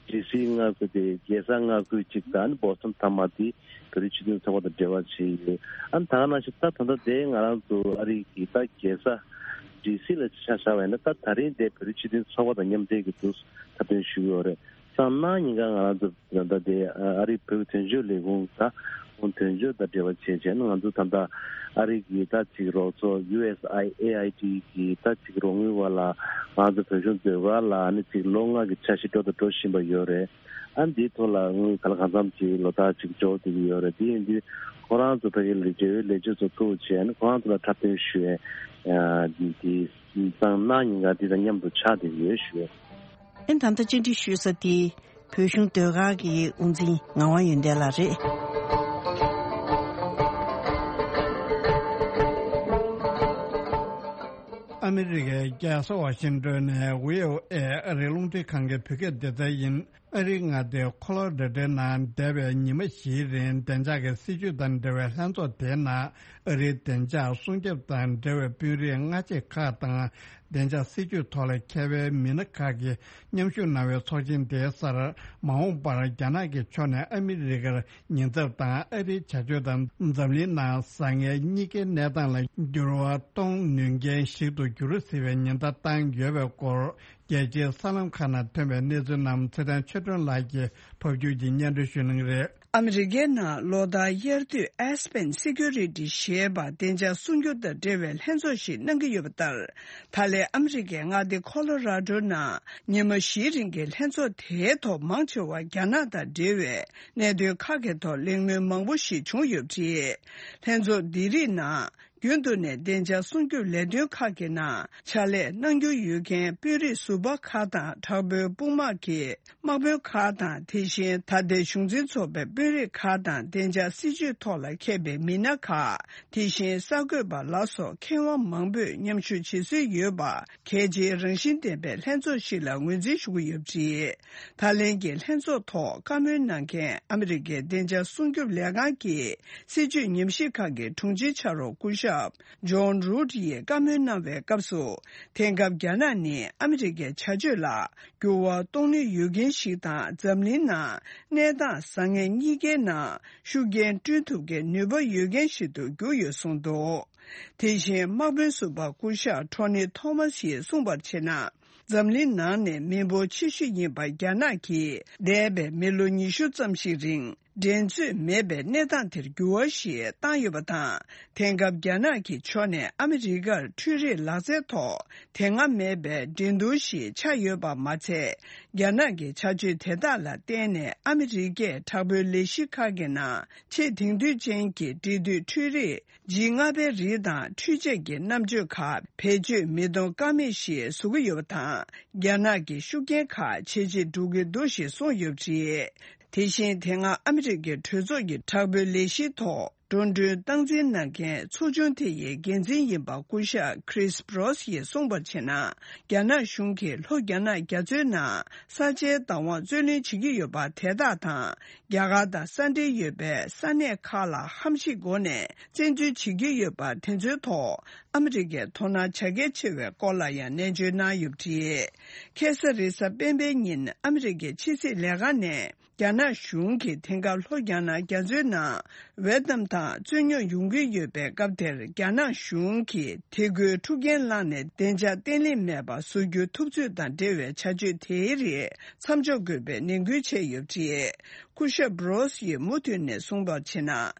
ཌི་སི་མངའ་ཁུལ་དེ་རྒྱལ་ས་མངའ་ཁུལ་གཅིག་དང་ཨ་ནི་བོ་སི་ཊོན་མཐའ་མ་དེ་བོད་རིགས་སྤྱི་མཐུན་ཚོགས་པ་དང་འབྲེལ་བ་བྱས་ཡོད། ཨ་ནི་ད་ག་ནང་བཞིན་ད་ད་ལྟ་དེ་ང་རང་ཚོ་ཨ་རི་གི་ད་རྒྱལ་ས་ཌི་སི་ལ་ཆ་བཞག་པ་ཡིན་ན། ད་ད་རིང་དེ་བོད་རིགས་སྤྱི་མཐུན་ཚོགས་པ་དང་མཉམ་འབྲེལ་གྱི་འདུག་འཁྲབ་སྟོན་ཞུས་ཡོད་རེད། སང་གནངས་ཉིན་ཀ་ང་རང་ཚོ་ད་ལྟ་དེ་ཨ་རི་བོད་ཀྱི་དོན་གཅོད་ལས་ཁུངས་ད་ཁོང་དོན་གཅོད་དང་འབྲེལ་བ་བྱས་བྱས་ན། ང་ཚོ་ད་ལྟ་ཨ་རི་གི་ད་ཅིག་རོགས་ཚོགས་ཡུ་ཨེས་ཨའི་ཨེ་ཨའི་ཌི་གི་ད་ཅིག་རོགས་དངུལ་བ་ལ་ང་ཚོ་བོད་གཞུང་ཟློས་གར་ལ་ཨ་ནི་ཅིག་ལོ་ལྔ་གི་འཆར་གཞི་འགྲོ་དང་འགྲོ་བཞིན་པ་ཡོད་རེད། ཨ་ནི་འདིའི་ཐོག་ལ་དངུལ་ག་ལ་གང་འཚམ་ཅིག་ལོ་ལྟར་ཅིག་འབྱོར་བསྡད་ཀྱི་ཡོད་རེད། དེ་ཡིན་དུས་ཁོ་རང་ཚོ་ཕ་གི་ལ་འབྲེལ་ཡོད་ལས་བྱེད་ཚོ་ཐུག་བྱས་ནས་ཁོ་རང་ཚོ་ལ་འཁྲབ་སྟོན་ཞུ་ཡས་འདི་སང་གནངས་ཉིན་ཀ་འདི་དང་མཉམ་དུ་ཆགས་བསྡད་ཀྱི་ཡོད་ཞུ། ཨེ་ད་ལྟ་བཅར་འདྲི་ཞུ་ས་དེ་བོད་གཞུང་ཟློས་གར་གྱི་དབུ་འཛིན་ངག་དབང་ཡོན་ཏན་ལགས་རེད། ཨ་མི་རི་ཀའི་རྒྱལ་ས་ཝ་ཤིང་ཏོན་ནས་ཝི་ཨོ་ཨེ་ཨ་རིའི་རླུང་འཕྲིན་ཁང་གི་བོད་སྐད་སྡེ་ཚན་ཡིན། ཨ་རིའི་མངའ་སྡེ་ཁོ་ལོ་ར་ཌོ་ནང་འདས་པའི་ཉི་མ་བཞིའི་རིང་བདེ་འཇགས་ཀྱི་སྲིད་ཇུས་དང་འབྲེལ་བའི་ལྷན་ཚོགས་དེའི་ནང་ཨ་རིའི་བདེ་འཇགས་སྲུང་སྐྱོབ་དང་འབྲེལ་བའི་དཔོན་རིགས་སྔ་རྗེས་ཁག་དང་། བདེ་འཇགས་སྲིད་ཇུས་ཐོག་ལ་མཁས་པའི་མི་སྣ་ཁག་གིས་མཉམ་ཞུགས་གནང་བའི་ཚོགས་ཆེན་དེའི་སར། མ་འོངས་པར་རྒྱ་ནག་གི་ཕྱོགས་ནས་ཨ་མི་རི་ཀར་ཉེན་ཚབས་དང་ཨ་རིའི་བྱ་སྤྱོད་དང་འཛམ་གླིང་ནང་བཟང་ངན་གཉིས་ཀའི་གནས་སྟངས་ལ་འགྱུར་བ་གཏོང་ནུས་མཁན་ཞིག་ཏུ་འགྱུར་སྲིད་པའི་ཉེན་བརྡ་བཏང་ཡོད་པའི་སྐོར། རྒྱལ་སྤྱིའི་གསར་ལམ་ཁག་ནང་ཐོན་པའི་གནས་ཚུལ་རྣམས་ཚེ་བརྟན་ཆོས་སྒྲོན་ལགས་ཀྱིས་ཕབ་སྒྱུར་གྱིས་སྙན་སྒྲོན་ཞུ་གནང་གི་རེད། ཨ་མི་རི་ཀའི་ནང་ལོ་ལྟར་དབྱར་དུས་Aspen Security ཞེས་པ་བདེ་འཇགས་སྲུང་སྐྱོབ་དང་འབྲེལ་བའི་ལྷན་ཚོགས་ཤིག་གནང་གི་ཡོད་པ་ལྟར། ད་ལན་ཨ་མི་རི་ཀའི་མངའ་སྡེ་ཁོ་ལོ་ར་ཌོ་ནང་ཉི་མ་བཞིའི་རིང་གི་ལྷན་ཚོགས་དེའི་ཐོག་མང་ཆེ་བ་རྒྱ་ནག་དང་འབྲེལ་བའི་གནད་དོན་ཁག་གི་ཐོག་གླེང་མོལ་མང་པོ་ཞིག་བྱུང་ཡོད་པ་རེད། ལྷན་ཚོགས་འདི་རིགས་ནང་རྒྱུན་དུ་ནས་བདེ་འཇགས་སྲུང་སྐྱོབ་ལས་དོན་ཁག་གི་ནང་ཕྱག་ལས་གནང་རྒྱུ་ཡོད་མཁན་དཔོན་རིགས་ཟུར་པ་ཁག་དང་། དྲག་པོའི་དཔུང་དམག་གི་དམག་དཔོན་ཁག་དང་། དེ་བཞིན་ད་ལྟའི་གཞུང་འཛིན་ཚོགས་པའི་དཔོན་རིགས་ཁག་དང་། བདེ་འཇགས་སྲིད་ཇུས་ཐོག་ལ་མཁས་པའི་མི་སྣ་ཁག་དེ་བཞིན་གསར་འགོད་པ་ལ་སོགས་མཁས་དབང་མང་པོས་མཉམ་ཞུགས་བྱེད་སྲོལ་ཡོད་པ། གལ་ཆེའི་རང་བཞིན་ལྡན་པའི་ལྷན་ཚོགས་ཤིག་ལ་ངོས་འཛིན་ཞུ་གི་ཡོད་པ་རེད། ད་ལན་གྱི་ལྷན་ཚོགས་ཐོག་བཀའ་མོལ་གནང་མཁན་ཨ་མི་རི་ཀའི་བདེ་འཇགས་སྲུང་སྐྱོབ་ལས་ཁང་གི་སྲིད་ཇུས་ཉམས་ཞིབ་ཁང་གི་དྲུང་ཆེ་ཕྱག་རོགས་སྐུ་ཞབས་ཇོན་རུད་ཡིས་བཀའ་མོལ་གནང་བའི་སྐབས་སུ། དེང་སྐབས་རྒྱ་ནག་ནི་ཨ་མི་རི་ཀའི་བྱ་སྤྱོད་ལ་འགྱུར་བ་གཏོང་ནུས་ཡོད་མཁན་ཞིག་དང་། འཛམ་གླིང་ནང་གནས་སྟངས་བཟང་ངན་གཉིས་ཀའི་ནང་ཤུགས་རྐྱེན་བསྐྲུན་ཐུབ་མཁན་ནུས་པ་ཡོད་མཁན་ཞིག་ཏུ་གྱུར་ཡོད་གསུངས་འདུག་དེ་བཞིན་དམག་དཔོན་ཟུར་པ་སྐུ་ཞབས་ཊོ་ནི་ཐོ་མཱ་སི་ཡིས་གསུངས་པར་བྱས་ན། འཛམ་གླིང་ནང་ནས་མི་འབོར་ཆེ་ཤོས་ཡིན་པ་རྒྱ་ནག་གིས་འདས་པའི་མི་ལོ་ཉི་ཤུ་ཙམ་ཞིག་རིང་འགྲན་རྩོད་མེད་པའི་གནས་སྟངས་དེར་འགྱུར་བ་ཞིག་བཏང་ཡོད་པ་དང་། དེང་སྐབས་རྒྱ་ནག་གི་ཕྱོགས་ནས་ཨ་མི་རི་ཀར་འཕྲུལ་རིག་ལག་རྩལ་ཐོག་དེ་སྔ་མེད་པའི་འགྲན་བསྡུར་ཞིག་ཆགས་ཡོད་པ་མ་ཚད། རྒྱ་ནག་གི་བྱ་སྤྱོད་དེ་དག་ལ་བརྟེན་ནས་ཨ་མི་རི་ཀས་དྲག་པོའི་ལས་གཞི་ཁག་གི་ནང་ཆེས་དེང་དུས་ཅན་གྱི་འབྲེལ་མཐུད་འཕྲུལ་རིག་ཇི་ལྔ་པའི་རིགས་དང་འཕྲུལ་ཆས་ཀྱི་རྣམ་དཔྱོད་ཁག་བེད་སྤྱོད་མི་གཏོང་ཀ་མེད་ཞིག་བཟོ་གི་ཡོད་པ་དང་། རྒྱ་ནག་གི་ཤུགས་རྐྱེན་ཁག་ཇེ་ཆེར་འགྲོ་གི་འདུག་ཞེས་གསུངས་ཡོད་པ་རེད། དེ་བཞིན་དེ་སྔ་ཨ་མི་རི་ཀའི་གྲོས་ཚོགས་ཀྱི་དྲག་པོའི་ལས་གཞིའི་ཐོག་འགྲོ་གྲོན་སྟངས་འཛིན་གནང་མཁན་ཚོགས་ཆུང་དེ་ཡི་འགན་འཛིན་ཡིན་པ་སྐུ་ཞབས་Chris Brose ཡིས་གསུངས་པར་བྱས་ན། རྒྱ་ནག་གཞུང་གིས་ལྷོ་རྒྱ་ནག་རྒྱ་མཚོའི་ནང་ས་ཆའི་བདག་དབང་རྩོད་ལེན་བྱེད་ཀྱི་ཡོད་པ་དེ་དག་དང་། རྒྱ་གར་དང་ས་འབྲེལ་ཡོད་པའི་ས་གནས་ཁག་ལ་ཧམ་བཤད་སྒོ་ནས་བཙན་འཛུལ་བྱེད་ཀྱི་ཡོད་པ་དེ་ཚོའི་ཐོག་ཨ་མི་རི་ཀས་དོ་སྣང་བྱ་གལ་ཆེ་བའི་སྐོར་ལ་ཡང་ནན་བརྗོད་གནང་ཡོད་པ་རེད། ཁ་སང་རེས་གཟའ་སྤེན་པའི་ཉིན་ཨ་མི་རི་ཀའི་ཕྱི་སྲིད་ལས་ཁང་ནས། རྒྱ་ནག་གཞུང་གིས་དེང་སྐབས་ལྷོ་རྒྱ་ནག་རྒྱ་མཚོའི་ནང་ཝེ་ཏམ་དང་རྩོད་རྙོག་ཡོང་གི་ཡོད་པའི་སྐབས་དེར། རྒྱ་ནག་གཞུང་གིས་དེ་ཁུལ་འཁྲུག་རྐྱེན་བསླངས་ནས་བདེ་འཇགས་བརྟན་ལྷིང་མེད་པ་བཟོ་རྒྱུའི་ཐུབ་ཚོད་དང་འབྲེལ་བའི་བྱ་སྤྱོད་དེའི་རིགས་མཚམས་འཇོག་དགོས་པའི་ནན་སྐུལ་བྱས་ཡོད་པ་རེད། སྐུ་ཞབས་སྦྲོ་སི་ཡིས་མུ་མཐུད་ནས་གསུངས་པར་བྱས་ན།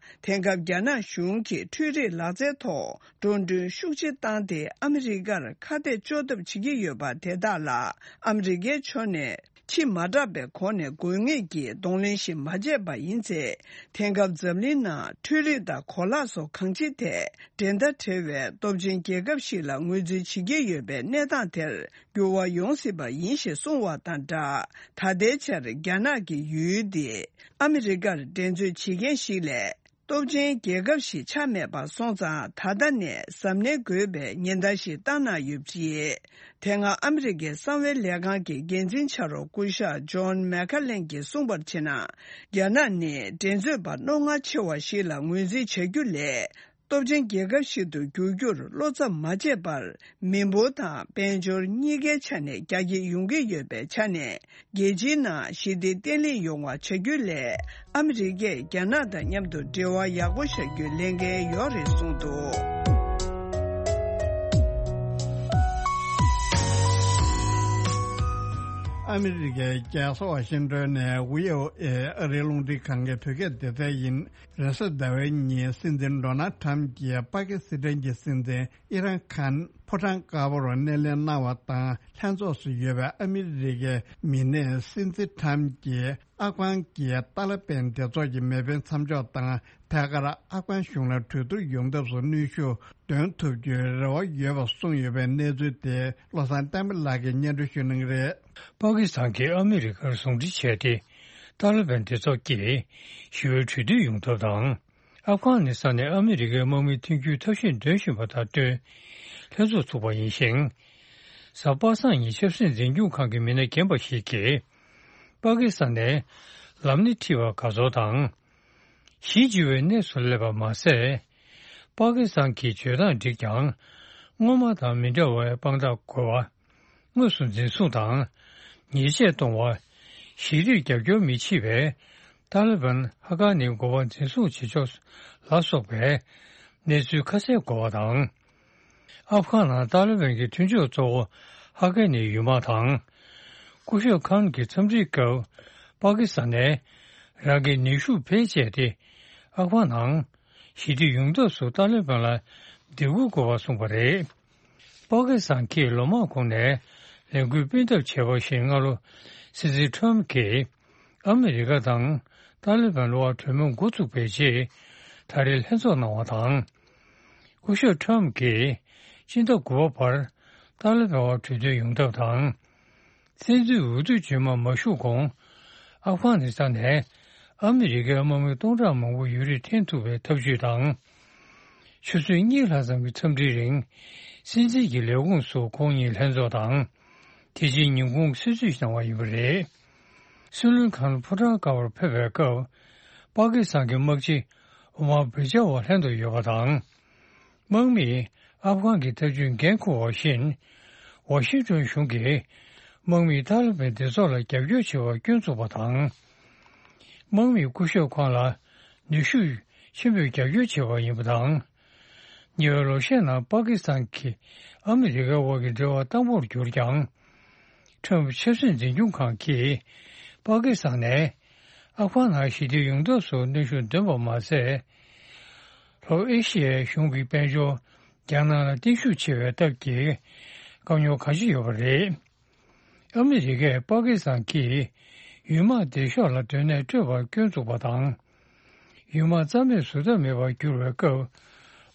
དེང་སྐབས་རྒྱ་ནག་གཞུང་གིས་འཕྲུལ་རིག་ལག་རྩལ་ཐོག་འགྲོ་གྲོན་ཤུགས་ཆེ་བཏང་སྟེ། ཨ་མི་རི་ཀར་ཁ་གཏད་གཅོག་ཐབས་བྱེད་ཀྱི་ཡོད་པ་དེ་དག་ལ་ཨ་མི་རི་ཀའི་ཕྱོགས་ནས། ཕྱི་མ་དྲག་པའི་སྒོ་ནས་དགོས་ངེས་ཀྱི་གདོང་ལེན་ཞིག་མ་བྱས་པ་ཡིན་ཚེ། དེང་སྐབས་འཛམ་གླིང་ནང་འཕྲུལ་རིག་དང་གོ་ལག་སོགས་གང་ཅིའི་ཐད་འགྲན་ཟླ་བྲལ་བའི་སྟོབས་ཆེན་རྒྱལ་ཁབ་ཞིག་ལ་ངོས་འཛིན་བྱེད་ཀྱི་ཡོད་པའི་གནས་སྟངས་དེར་འགྱུར་བ་ཡོང་སྲིད་པ་ཡིན་ཞེས་གསུངས་བ་དང་སྦྲགས། ད་ལྟའི་ཆར་རྒྱ་ནག་གི་ཡུལ་འདི་ཨ་མི་རི་ཀར་འགྲན་རྩོད་བྱེད་མཁན་ཞིག་ལས། སྟོབས་ཆེན་རྒྱལ་ཁབ་ཞིག་ཆགས་མེད་པ་སོང་ཙང་། ད་ལྟ་ནས་གཟབ་ནན་དགོས་པའི་ཉེན་བརྡ་ཞིག་བཏང་གནང་ཡོད་པ་རེད། དེ་སྔ་ཨ་མི་རི་ཀའི་གསང་བའི་ལས་ཁང་གི་འགན་འཛིན་ཕྱག་རོགས་སྐུ་ཞབས་ཇོན་མེ་ཁ་ལན་གྱིས་གསུངས་པར་བྱས་ན། རྒྱ་ནག་ནི་འགྲན་རྩོད་པ་རྣོ་ངར་ཆེ་བ་ཞིག་ལ་ངོས་འཛིན་བྱ་རྒྱུ་ལས། སྟོབས་ཆེན་རྒྱལ་ཁབ་ཞིག་ཏུ་འགྱུར་རྒྱུར་བློ་འཚབ་མ་བྱས་པར། མི་འབོར་དང་དཔལ་འབྱོར་གཉིས་ཀའི་ཆ་ནས་རྒྱ་སྐྱེད་ཡོང་གི་ཡོད་པའི་ཆ་ནས། རྒྱལ་སྤྱིའི་ནང་ཞི་བདེ་བརྟན་ལྷིང་ཡོང་བ་བྱ་རྒྱུ་ལས། ཨ་མི་རི་ཀས་རྒྱ་ནག་དང་མཉམ་དུ་འབྲེལ་བ་ཡག་པོ་བཞག་རྒྱུའི་ལས་འགན་ཡོད་རེད་གསུངས་འདུག། ཨ་མི་རི་ཀའི་རྒྱལ་ས་ཝ་ཤིང་ཏོན་ནས་ཝི་ཨོ་ཨེ་ཨ་རིའི་རླུང་འཕྲིན་ཁང་གི་བོད་སྐད་སྡེ་ཚན་ཡིན། རེས་གཟའ་ཟླ་བའི་ཉིན་སྲིད་འཛིན་ཌོ་ནལ་ཊམ་གྱིས་པ་ཀི་སི་ཐན་གྱི་སྲིད་འཛིན་ཨི་རན་ཁཱན་ཕོ་བྲང་དཀར་པོར་སྣེ་ལེན་གནང་བ་དང་། ལྷན་ཚོགས་སུ་ཡོད་པའི་ཨ་མི་རི་ཀའི་མི་སྣས་སྲིད་འཛིན་ཊམ་གྱིས་ཨབ་གྷན་གྱི་ཏཱ་ལི་བན་སྡེ་ཚོགས་ཀྱི་མེ་འཕེན་མཚམས་འཇོག་དང་། ཐད་ཀར་ཨབ་གྷན་གཞུང་ལ་གྲོས་བསྡུར་ཡོང་ཐབས་སུ་གནོན་ཤུགས་འདོན་ཐུབ་རྒྱུའི་རེ་བ་ཡོད་པ་གསུངས་ཡོད་པའི་གནས་ཚུལ་དེ་བློ་བཟང་བསྟན་པ་ལགས་ཀྱིས་སྙན་སྒྲོན་ཞུ་གནང་གི་རེད། པ་ཀི་སི་ཐན་གྱིས་ཨ་མི་རི་ཀར་ཟུང་འབྲེལ་བྱས་ཏེ། ཏཱ་ལི་བན་སྡེ་ཚོགས་ཀྱིས་ཞི་བའི་གྲོས་མཐུན་ཡོང་ཐབས་དང་། ཨབ་གྷ་ནི་སི་ཐན་ནས་ཨ་མི་རི་ཀའི་དམག་མི་འཐེན་རྒྱུའི་ཐབས་ཤེས་འདོན་བཞིན་པ་དང་བསྟུན། ལྷན་ཚོགས་ཚུགས་པ་ཡིན་ཞིང་། གཟའ་པ་སངས་ཉིན་ཆབ་སྲིད་འཛིན་སྐྱོང་ཁང་གི་མི་སྣ་རྒན་པ་ཞིག་གིས། པ་ཀི་སི་ཐན་ནས་ལམ་སྣེ་ཁྲིད་པ་དགའ་ཚོར་དང་། གཞིས་བྱེས་པའི་གནས་སུ་སླེབས་པ་མ་ཟད། པ་ཀི་སི་ཐན་གྱི་བྱེད་སྟངས་འགྲིག་ཀྱང་། སྔོན་མ་དང་མི་འདྲ་བའི་དཔང་རྟགས་དགོས་པ། དངོས་སུ་འཛིན་བཟུང་དང་། ཉེས་ཆད་གཏོང་བ། ཞི་བདེར་རྒྱབ་སྐྱོར་མི་བྱེད་པའི་ཏཱ་ལི་བན་ཧ་ཀ་ནི་འགོ་པ་འཛིན་བཟུང་བྱེད་ཕྱོགས་ལ་སོགས་པའི་གནས་ཚུལ་ཁ་གསལ་དགོས་པ་དང་། ཨབ་གྷ་ནང་ཏཱ་ལི་བན་གྱི་མཐུན་ཕྱོགས་གཙོ་བོ་ཧ་ཀ་ནི་ཡུལ་དམག་དང་། སྐུ་ཞབས་ཁཱན་གྱི་འཚམས་འདྲིའི་སྐབས་པ་ཀི་སི་ཐན་ནས་རང་གི་ནུས་ཤུགས་བེད་སྤྱད་དེ་ཨབ་གྷ་ནང་ཞི་བདེ་ཡོང་ཐབས་སུ་ཏཱ་ལི་བན་ལ་འདེད་འགོག་དགོས་པ་གསུངས་པ་རེད། པ་ཀི་སི་ཐན་གྱིས་ལོ་མང་གོང་ནས་ལས་འགུལ་སྤེལ་ཐབས་བྱས་པ་བཞིན། སྔ་ལོ་སྲིད་འཛིན་ཁྲོམ་གྱིས་ཨ་མི་རི་ཀ་དང་ཏཱ་ལི་བན་བར་གྲོས་མོལ་འགོ་བཙུགས་པའི་རྗེས། ད་རེས་ལྷན་ཚོགས་གནང་བ་དང་། སྐུ་ཞབས་ཁྲོམ་གྱིས་སྤྱི་ཟླ་དགུ་པ་བར་ཏཱ་ལི་བན་བར་གྲོས་མཐུན་ཡོང་ཐབས་དང་། བཙན་འཛུལ་འོས་བསྡུ་རྗེས་མ་མ་ཞུགས་གོང་། ཨབ་གྷ་ནི་སི་ཐན་ནས་ཨ་མི་རི་ཀའི་དམག་མི་སྟོང་ཕྲག་མང་པོ་ཡུན་རིང་འཐེན་ཐུབ་པའི་ཐབས་ཇུས་དང་། ཆུ་ཚོད་གཉིས་ལྷག་ཙམ་གྱི་འཚམས་འདྲིའི་རིང་། སྲིད་འཛིན་གྱི་ལས་ཁུངས་སུ་ཁོང་གཉིས་ལྷན་ཚོགས་དང་། དེ་རྗེས་ཉིན་གུང་གསོལ་ཚིགས་གནང་བ་ཡིན་པ་རེད། སྲིད་བློན་ཁཱན་ཕོ་བྲང་དཀར་པོར་ཕེབས་པའི་སྐབས། པ་ཀི་སི་ཐན་གྱི་དམག་སྤྱི་ཨོ་མར་བྷེ་ཇ་ཝ་ལྷན་དུ་ཡོད་པ་དང་། དམག་མིས་ཨབ་གྷན་གྱི་ཐབས་ཇུས་འགན་འཁུར་བ་བཞིན། ཝ་ཤིང་ཏོན་གཞུང་གིས་དམག་མིས་ཏཱ་ལི་བན་སྡེ་ཚོགས་ལ་རྒྱབ་སྐྱོར་བྱེད་པར་སྐྱོན་བཙུགས་པ་དང་། དམག་མིས་སྐུ་ཞབས་ཁཱན་ལ་ནུས་ཤུགས་ཆེན་པོས་རྒྱབ་སྐྱོར་བྱས་པ་ཡིན་པ་དང་། ཉེ་བའི་ལོ་ཤས་ནང་པ་ཀི་སི་ཐན་གྱིས་ཨ་མི་རི་ཀའི་དབར་གྱི་འབྲེལ་བ་དྭངས་པོར་གྱུར་ཀྱང་། ཁྲོམ་ཆབ་སྲིད་འཛིན་སྐྱོང་ཁང་གིས་པ་ཀི་སི་ཐན་ནས་ཨབ་གྷ་ནང་ཞི་བདེ་ཡོང་ཐབས་སུ་གནོན་ཤུགས་འདོན་པ་མ་ཟད། ལྷོ་ཨེ་ཤི་ཡའི་གཞུང་གི་དཔལ་འབྱོར་རྒྱ་ནག་ལ་བརྟན་ཤུགས་ཆེ་བའི་སྟབས་ཀྱིས་དཀའ་རྙོག་གང་ཅི་ཡོད་པ་རེད། ཨ་མི་རི་ཀས་པ་ཀི་སི་ཐན་གྱིས་ཡུལ་དམག་སྡེ་ཤོག་ལ་སྡོད་གནས་སྤྲོད་པར་སྐྱོན་བཙུགས་པ་དང་། ཡུལ་དམག་རྩ་མེད་བཟོ་ཐབས་མེད་པར་གྱུར་བའི་སྐབས།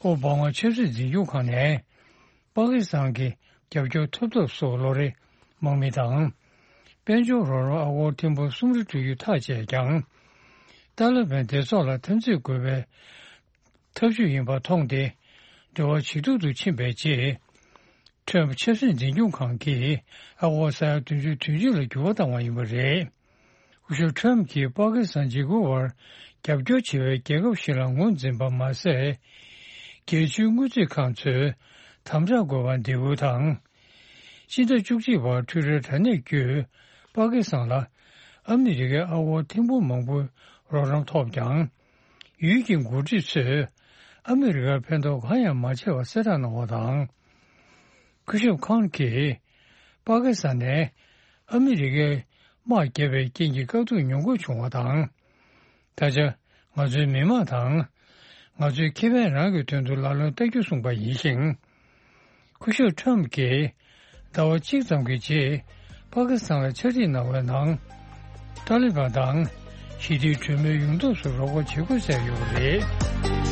ཨོ་བྷ་མ་ཆབ་སྲིད་འཛིན་སྐྱོང་ཁང་ནས་པ་ཀི་སི་ཐན་གྱི་རྒྱབ་སྐྱོར་ཐོབ་ཐབས་སུ་ལོ་རེ་དམག་མི་དང་། དཔལ་འབྱོར་རོགས་རམ་ཨ་སྒོར་ཐེར་འབུམ་སུམ་རེ་སྤྲོད་རྒྱུ་ཐག་བཅད་ཀྱང་། ཏཱ་ལི་བན་སྡེ་ཚོགས་ལ་འཐབ་འཛིང་དགོས་པའི་ཐབས་ཇུས་ཡིན་པ་མཐོང་སྟེ། འབྲེལ་བ་ཇེ་སྡུག་ཏུ་ཕྱིན་པའི་རྗེས། ཁྲོམ་ཆབ་སྲིད་འཛིན་སྐྱོང་ཁང་གིས་ཨ་སྒོར་ས་ཡ་བདུན་ཅུ་དོན་གཅིག་ལ་འགྱུར་བ་བཏང་བ་ཡིན་པ་རེད། སྐུ་ཞབས་ཁྲོམ་གྱིས་པ་ཀི་སི་ཐན་འཇིགས་སྐུལ་བར་རྒྱབ་སྐྱོར་བྱེད་པའི་རྒྱལ་ཁབ་ཞིག་ལ་ངོས་འཛིན་པ་མ་ཟད། རྒྱལ་སྤྱིའི་དངུལ་རྩིས་ཁང་ཚོས་དམ་དྲག་དགོས་པར་འདེད་སྐུལ་དང་། སྤྱི་ཟླ་བཅུ་གཅིག་པར་འཕྲུལ་རའི་དྲ་གནས་བརྒྱུད་པ་ཀི་སི་ཐན་ལ་ཨ་མི་རི་ཀའི་ཨ་སྒོར་ཐེར་འབུམ་མང་པོའི་རོགས་རམ་ཐོབ་ཀྱང་། ཡུལ་གྱི་འགོ་ཁྲིད་ཚོས་ཨ་མི་རི་ཀར་ཕན་ཐོགས་གང་ཡང་མ་བྱས་པ་གསལ་བསྒྲགས་གནང་བ་དང་། སྐུ་ཞབས་ཁཱན་གྱིས་པ་ཀི་སི་ཐན་ནས་ཨ་མི་རི་ཀའི་དམག་བརྒྱབ་པའི་རྐྱེན་གྱིས་དཀའ་སྡུག་མྱོང་དགོས་བྱུང་བ་དང་། ད་ཆ་ང་ཚོའི་མི་དམངས་དང་། ང་ཚོའི་ཁེ་ཕན་རང་གི་དོན་དུ་ལག་ལེན་བསྟར་རྒྱུ་གསུངས་པ་ཡིན་ཞིང་། སྐུ་ཞབས་ཁྲོམ་གྱིས་ཟླ་བ་གཅིག་ཙམ་གྱི་རྗེས་པ་ཀི་སི་ཐན་ལ་ཕྱག་བྲིས་གནང་བའི་ནང་། ཏཱ་ལི་བན་དང་ཞི་བདེའི་གྲོས་མོལ་ཡོང་ཐབས་སུ་རོགས་པ་བྱེད་དགོས་གསལ་ཡོད་པ་རེད།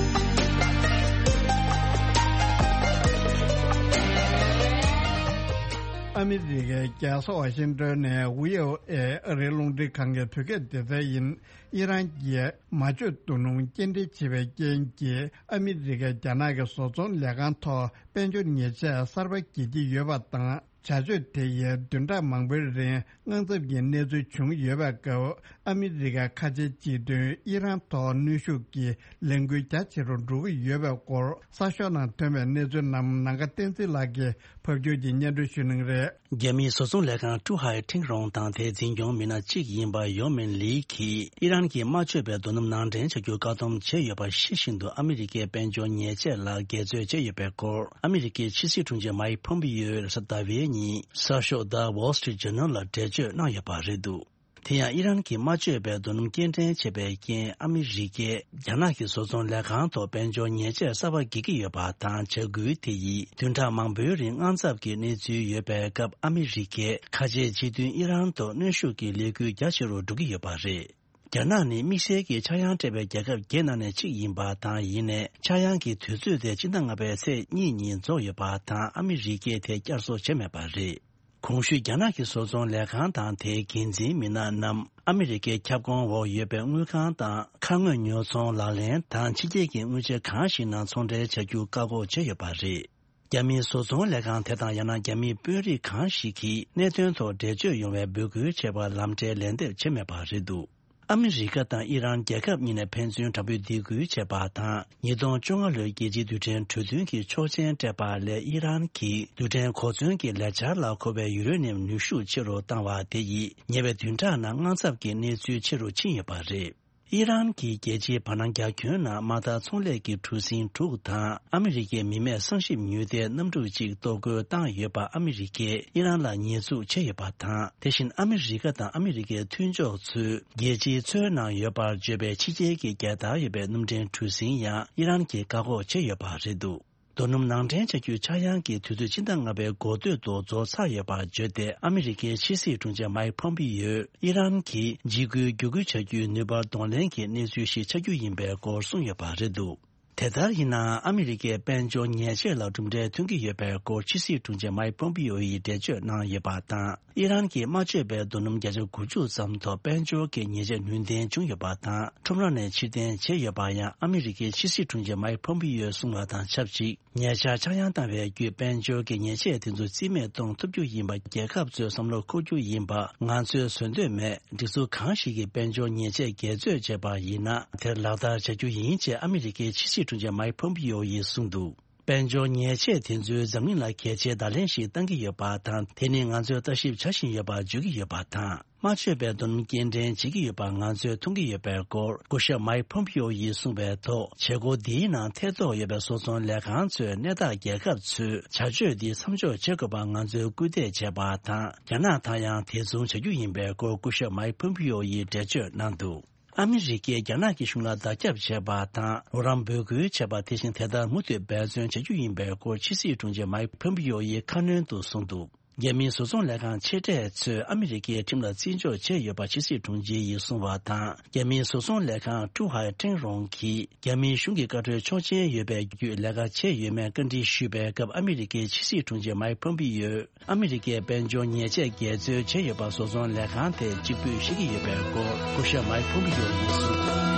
ཨ་མི་རི་ཀའི་རྒྱལ་ས་ཝ་ཤིང་ཏོན་ནས་ཝི་ཨོ་ཨེ་ཨ་རིའི་རླུང་འཕྲིན་ཁང་གི་བོད་སྐད་སྡེ་ཚན་ཡིན། ཨི་རན་གྱིས་མ་བཅོས་རྡོ་སྣུམ་སྐྱེལ་འདྲེན་བྱེད་པའི་རྐྱེན་གྱིས་ཨ་མི་རི་ཀས་རྒྱ་ནག་གི་བཟོ་ཚོང་ལས་ཁང་ཐོག་དཔལ་འབྱོར་ཉེས་ཆད་གསར་པ་འགེལ་གྱི་ཡོད་པ་དང་ བྱ་སྤྱོད་དེ་ཡིས་བདུན་ཕྲག་མང་པོའི་རིང་དངངས་འཚབ་ཀྱི་གནས་ཚུལ་བྱུང་ཡོད་པའི་སྐབས། ཨ་མི་རི་ཀའི་ཁ་ཆེའི་སྤྱི་མཐུན་ཨི་རན་ཐོག་གནོན་ཤུགས་ཀྱི་ལས་འགུལ་རྒྱ་ཆེ་རུ་འགྲོ་གི་ཡོད་པའི་སྐོར། གསར་ཤོག་ནང་ཐོན་པའི་གནས་ཚུལ་རྣམས་ནམ་མཁའ་བསྟན་འཛིན་ལགས་ཀྱིས་ཕབ་སྒྱུར་གྱིས་སྙན་སྒྲོན་ཞུ་གནང་གི་རེད། རྒྱ་མིའི་བཟོ་ཚོང་ལས་ཁང་ཀྲུ་ཧའེ་ཁྲེང་རོང་དང་དེའི་འཛིན་སྐྱོང་མི་སྣ་གཅིག་ཡིན་པ་ཡོ་མིན་ལི་གིས་ཨི་རན་གྱིས་མ་བཅོས་པའི་རྡོ་སྣུམ་ནང་འདྲེན་བྱ་རྒྱུ་བཀག་སྡོམ་བྱས་ཡོད་པ་ཤེས་བཞིན་དུ། ཨ་མི་རི་ཀའི་དཔལ་འབྱོར་ཉེས་ཆད་ལ་འགལ་རྩོད་བྱས་ཡོད་པའི་སྐོར། ཨ་མི་རི་ཀའི་ཕྱི་སྲིད་དྲུང་ཆེ་མའིག་ཕོམ་པི་ཡོས་རེས་གཟའ་ཟླ་བའི་ཉིན་གསར་ཤོག་The Wall Street Journal ལ་འགྲེལ་བརྗོད་གནང་ཡོད་པ་རེད་འདུག་དེ་ཡང་ཨི་རན་གྱིས་མ་བཅོས་པའི་རྡོ་སྣུམ་སྐྱེལ་འདྲེན་བྱས་པའི་རྐྱེན། ཨ་མི་རི་ཀས་རྒྱ་ནག་གི་བཟོ་ཚོང་ལས་ཁང་ཐོག་དཔལ་འབྱོར་ཉེས་ཆད་གསར་པ་འགེལ་གྱི་ཡོད་པ་དང་། བྱ་འགུལ་དེ་ཡིས་བདུན་ཕྲག་མང་པོའི་རིང་དངངས་འཚབ་ཀྱི་གནས་ཚུལ་ཡོད་པའི་སྐབས། ཨ་མི་རི་ཀས་ཁ་ཆེའི་སྤྱི་མཐུན་ཨི་རན་ཐོག་གནོན་ཤུགས་ཀྱི་ལས་འགུལ་རྒྱ་ཆེ་རུ་འགྲོ་གི་ཡོད་པ་རེད། རྒྱ་ནག་ནི་དམིགས་བསལ་གྱི་ཆག་ཡང་སྤྲད་པའི་རྒྱལ་ཁབ་བརྒྱད་ནང་ནས་གཅིག་ཡིན་པ་དང་། ཡིན་ནའི་ཆག་ཡང་གི་དུས་ཚོད་དེ་སྤྱི་ཟླ་ལྔ་པའི་ཚེས་གཉིས་ཉིན་རྫོགས་ཡོད་པ་དང་། ཨ་མི་རི་ཀས་དེ་བསྐྱར་གསོ་བྱས་མེད་པ་རེད། གོང་ཞུས་རྒྱ་ནག་གི་བཟོ་ཚོང་ལས་ཁང་དང་དེའི་འགན་འཛིན་མི་སྣ་རྣམས་ཨ་མི་རི་ཀའི་ཁྱབ་ཁོངས་འོག་ཡོད་པའི་དངུལ་ཁང་དང་། ཁ་དངོས་ཉོ་ཚོང་ལག་ལེན་དང་ཕྱི་རྒྱལ་གྱི་དངུལ་ཆེ་གང་ཞིག་ནང་ཚོང་འབྲེལ་བྱ་རྒྱུ་བཀག་འགོག་བྱས་ཡོད་པ་རེད། རྒྱ་མིའི་བཟོ་ཚོང་ལས་ཁང་དེ་དང་ཡང་ན་རྒྱ་མིའི་དཔོན་རིགས་གང་ཞིག་གིས་གནད་དོན་ཐོག་འགྲེལ་བརྗོད་ཡོང་བའི་འབོད་སྐུལ་བྱས་པར་ལམ་འབྲེལ་ལན་འདེབས་བྱས་མེད་པ་རེད་འདུག་ཨ་མི་རི་ཀ་དང་ཨི་རན་རྒྱལ་ཁབ་གཉིས་ནས་ཕན་ཚུན་དྲག་པོའི་སྡིགས་སྐུལ་བྱས་པ་དང་། ཉིས་སྟོང་བཅོ་ལྔ་ལོའི་རྒྱལ་སྤྱིའི་རྡུལ་ཕྲན་གྲོས་མཐུན་གྱི་ཆོག་མཆན་སྤྲད་པ་ལས། ཨི་རན་གྱིས་རྡུལ་ཕྲན་གོ་མཚོན་གྱི་ལས་འཆར་ལ་གོ་བའི་ཡུ་རེ་ནི་ཡམ་ནུས་ཤུགས་ཆེ་རུ་བཏང་བ་དེ་ཡིས་ཉེ་བའི་བདུན་ཕྲག་ནང་དངངས་འཚབ་ཀྱི་གནས་ཚུལ་ཆེ་རུ་ཕྱིན་ཡོད་པ་རེད། ཨི་རན་གྱིས་རྒྱལ་སྤྱིའི་བར་སྣང་རྒྱ་ཁྱོན་ནང་དམག་དང་ཚོང་ལས་ཀྱི་གྲུ་གཟིངས་དྲུག་དང་། ཨ་མི་རི་ཀའི་མི་མེད་བསམ་ཤེས་མྱུལ་ལྡན་གནམ་གྲུ་གཅིག་གཏོར་རྒོལ་བཏང་ཡོད་པ་ཨ་མི་རི་ཀས་ཨི་རན་ལ་ཉེས་འཛུགས་བྱས་ཡོད་པ་དང་། དེ་བཞིན་ཨ་མི་རི་ཀ་དང་ཨ་མི་རི་ཀའི་མཐུན་ཕྱོགས་ཚོས་རྒྱལ་སྤྱིའི་མཚོའི་ནང་ཡོད་པར་བརྗོད་པའི་ཕྱི་རྒྱལ་གྱི་རྒྱལ་དར་ཡོད་པའི་གནམ་གྲུའི་གྲུ་གཟིངས་ཡང་ཨི་རན་གྱིས་བཀག་འགོག་བྱས་ཡོད་པ་རེད་འདུག་རྡོ་སྣུམ་ནང་འདྲེན་བྱ་རྒྱུའི་ཆག་ཡང་གི་དུས་ཚོད་སྤྱི་ཟླ་ལྔ་པའི་འགོ་སྟོད་དུ་རྫོགས་ཚར་ཡོད་པར་བརྗོད་དེ། ཨ་མི་རི་ཀའི་ཕྱི་སྲིད་དྲུང་ཆེ་མའིག་ཕོམ་པི་ཡོས་ཨི་རན་གྱིས་འཇིགས་སྐུལ་བརྒྱུད་སྐུལ་བྱ་རྒྱུའི་ནུས་པར་གདོང་ལེན་གྱི་གནས་ཚུལ་ཞིག་ཆགས་རྒྱུ་ཡིན་པའི་སྐོར་གསུངས་ཡོད་པ་རེད་འདུག་དེ་ལྟར་ཡིན་ནའང་ཨ་མི་རི་ཀས་དཔལ་འབྱོར་ཉེས་ཆད་ལ་གྲུབ་འབྲས་ཐོན་གྱི་ཡོད་པའི་སྐོར་ཕྱི་སྲིད་དྲུང་ཆེ་མའིག་ཕོམ་པི་ཡོ་ཡིས་འགྲེལ་བརྗོད་གནང་ཡོད་པ་དང་། ཨི་རན་གྱིས་མ་བཅོས་པའི་རྡོ་སྣུམ་བརྒྱ་ཆ་དགུ་བཅུ་ཙམ་ཐོག་དཔལ་འབྱོར་གྱི་ཉེས་ཆད་ནུས་ལྡན་བྱུང་ཡོད་པ་དང་། ཁྲོམ་ར་ནས་ཕྱིར་འཐེན་བྱས་ཡོད་པ་ཡང་ཨ་མི་རི་ཀའི་ཕྱི་སྲིད་དྲུང་ཆེ་མའིག་ཕོམ་པི་ཡོས་གསུངས་པ་དང་ཆབས་ཅིག་ཉེ་ཆར་ཆག་ཡང་བཏང་བའི་བརྒྱུད་དཔལ་འབྱོར་གྱི་ཉེས་ཆད་དེ་ཚོ་རྩིས་མེད་གཏོང་ཐུབ་རྒྱུ་ཡིན་པ་རྒྱལ་ཁབ་ཚོས་བསམ་བློ་འཁོར་རྒྱུ་ཡིན་པ་ང་ཚོས་བཟོད་འདོད་མེད། སྒྲིག་འཛུགས་གང་ཞིག་གིས་དཔལ་འབྱོར་ཉེས་ཆད་འགལ་རྩོད་བྱས་པ་ཡིན་ན་དེར་ལག་བསྟར་བྱ་རྒྱུ་ཡིན་ཅེས་ཨ་མི་རི་ཀའི་ཕྱི་སྲིད་དྲུང་ཆེ་མའིག་ཕོམ་པི་ཡོ་ཡིས་གསུངས་འདུག་དཔལ་འབྱོར་ཉེས་ཆད་དེ་ཚོས་འཛམ་གླིང་ལ་གལ་ཆེའི་བརྡ་ལན་ཞིག་བཏང་གི་ཡོད་པ་དང་། དེ་ནི་ང་ཚོས་ལྟ་ཞིབ་བྱ་བཞིན་ཡོད་པ་བརྗོད་ཀྱི་ཡོད་པ་དང་། མ་བཅོས་པའི་རྡོ་སྣུམ་སྐྱེལ་འདྲེན་བྱེད་ཀྱི་ཡོད་པ་ང་ཚོས་མཐོང་གི་ཡོད་པའི་སྐོར་སྐུ་ཞབས་མའིག་ཕོམ་པི་ཡོ་ཡིས་གསུངས་པའི་ཐོག་བྱེད་སྒོ་འདིའི་ནང་ཐེ་གཏོགས་ཡོད་པའི་བཟོ་ཚོང་ལས་ཁང་ཚོས་གནད་བདག་རྒྱལ་ཁབ་ཚོས་བྱ་སྤྱོད་འདི་མཚམས་འཇོག་བྱེད་དགོས་པར་ང་ཚོས་སྐུལ་འདེད་བྱས་པ་དང་། རྒྱ་ནག་དང་ཡང་དེ་མཚུངས་བྱ་རྒྱུ་ཡིན་པའི་སྐོར་སྐུ་ཞབས་མའིག་ཕོམ་པི་ཡོ་ཡིས་འགྲེལ་བརྗོད་གནང་འདུག་ཨ་མི་རི་ཀས་རྒྱ་ནག་གི་གཞུང་ལ་བརྡ་ཁྱབ་བྱས་པ་དང་། རོགས་རམ་འབོད་སྐུལ་བྱས་པ་དེ་བཞིན་དེ་ལྟར་མུ་མཐུད་འབད་བརྩོན་བྱ་རྒྱུ་ཡིན་པའི་སྐོར་ཕྱི་སྲིད་དྲུང་ཆེ་མའིག་ཕོམ་པི་ཡོ་ཡིས་ཁ་སྣོན་དུ་གསུངས་འདུག་རྒྱ་མིའི་བཟོ་ཚོང་ལས་ཁང་ཆེ་གྲས་ཚོས་ཨ་མི་རི་ཀའི་ཁྲིམས་ལ་བརྩི་འཇོག་བྱས་ཡོད་པ་ཕྱི་སྲིད་དྲུང་ཆེ་ཡིས་གསུངས་པ་དང་། རྒྱ་མིའི་བཟོ་ཚོང་ལས་ཁང་ཀྲུ་ཧའེ་ཁྲེང་རོང་གིས་རྒྱ་མིའི་གཞུང་གི་བཀའ་འཁྲོལ་ཆོག་མཆན་ཡོད་པའི་བརྒྱུད་ལས་ཀ་བྱས་ཡོད་མེད་བཀའ་འདྲི་ཞུས་པའི་སྐབས། ཨ་མི་རི་ཀའི་ཕྱི་སྲིད་དྲུང་ཆེ་མའིག་ཕོམ་པི་ཡོས་ཨ་མི་རི་ཀས་དཔལ་འབྱོར་ཉེས་ཆད་འགལ་འཛོལ་བྱས་ཡོད་པ་བཟོ་ཚོང་ལས་ཁང་དེས་གཅིག་པུས་ཤེས་ཀྱི་ཡོད་པའི་སྐོར་སྐུ་ཞབས་མའིག་ཕོམ་པི་ཡོ་ཡིས་གསུངས་འདུག་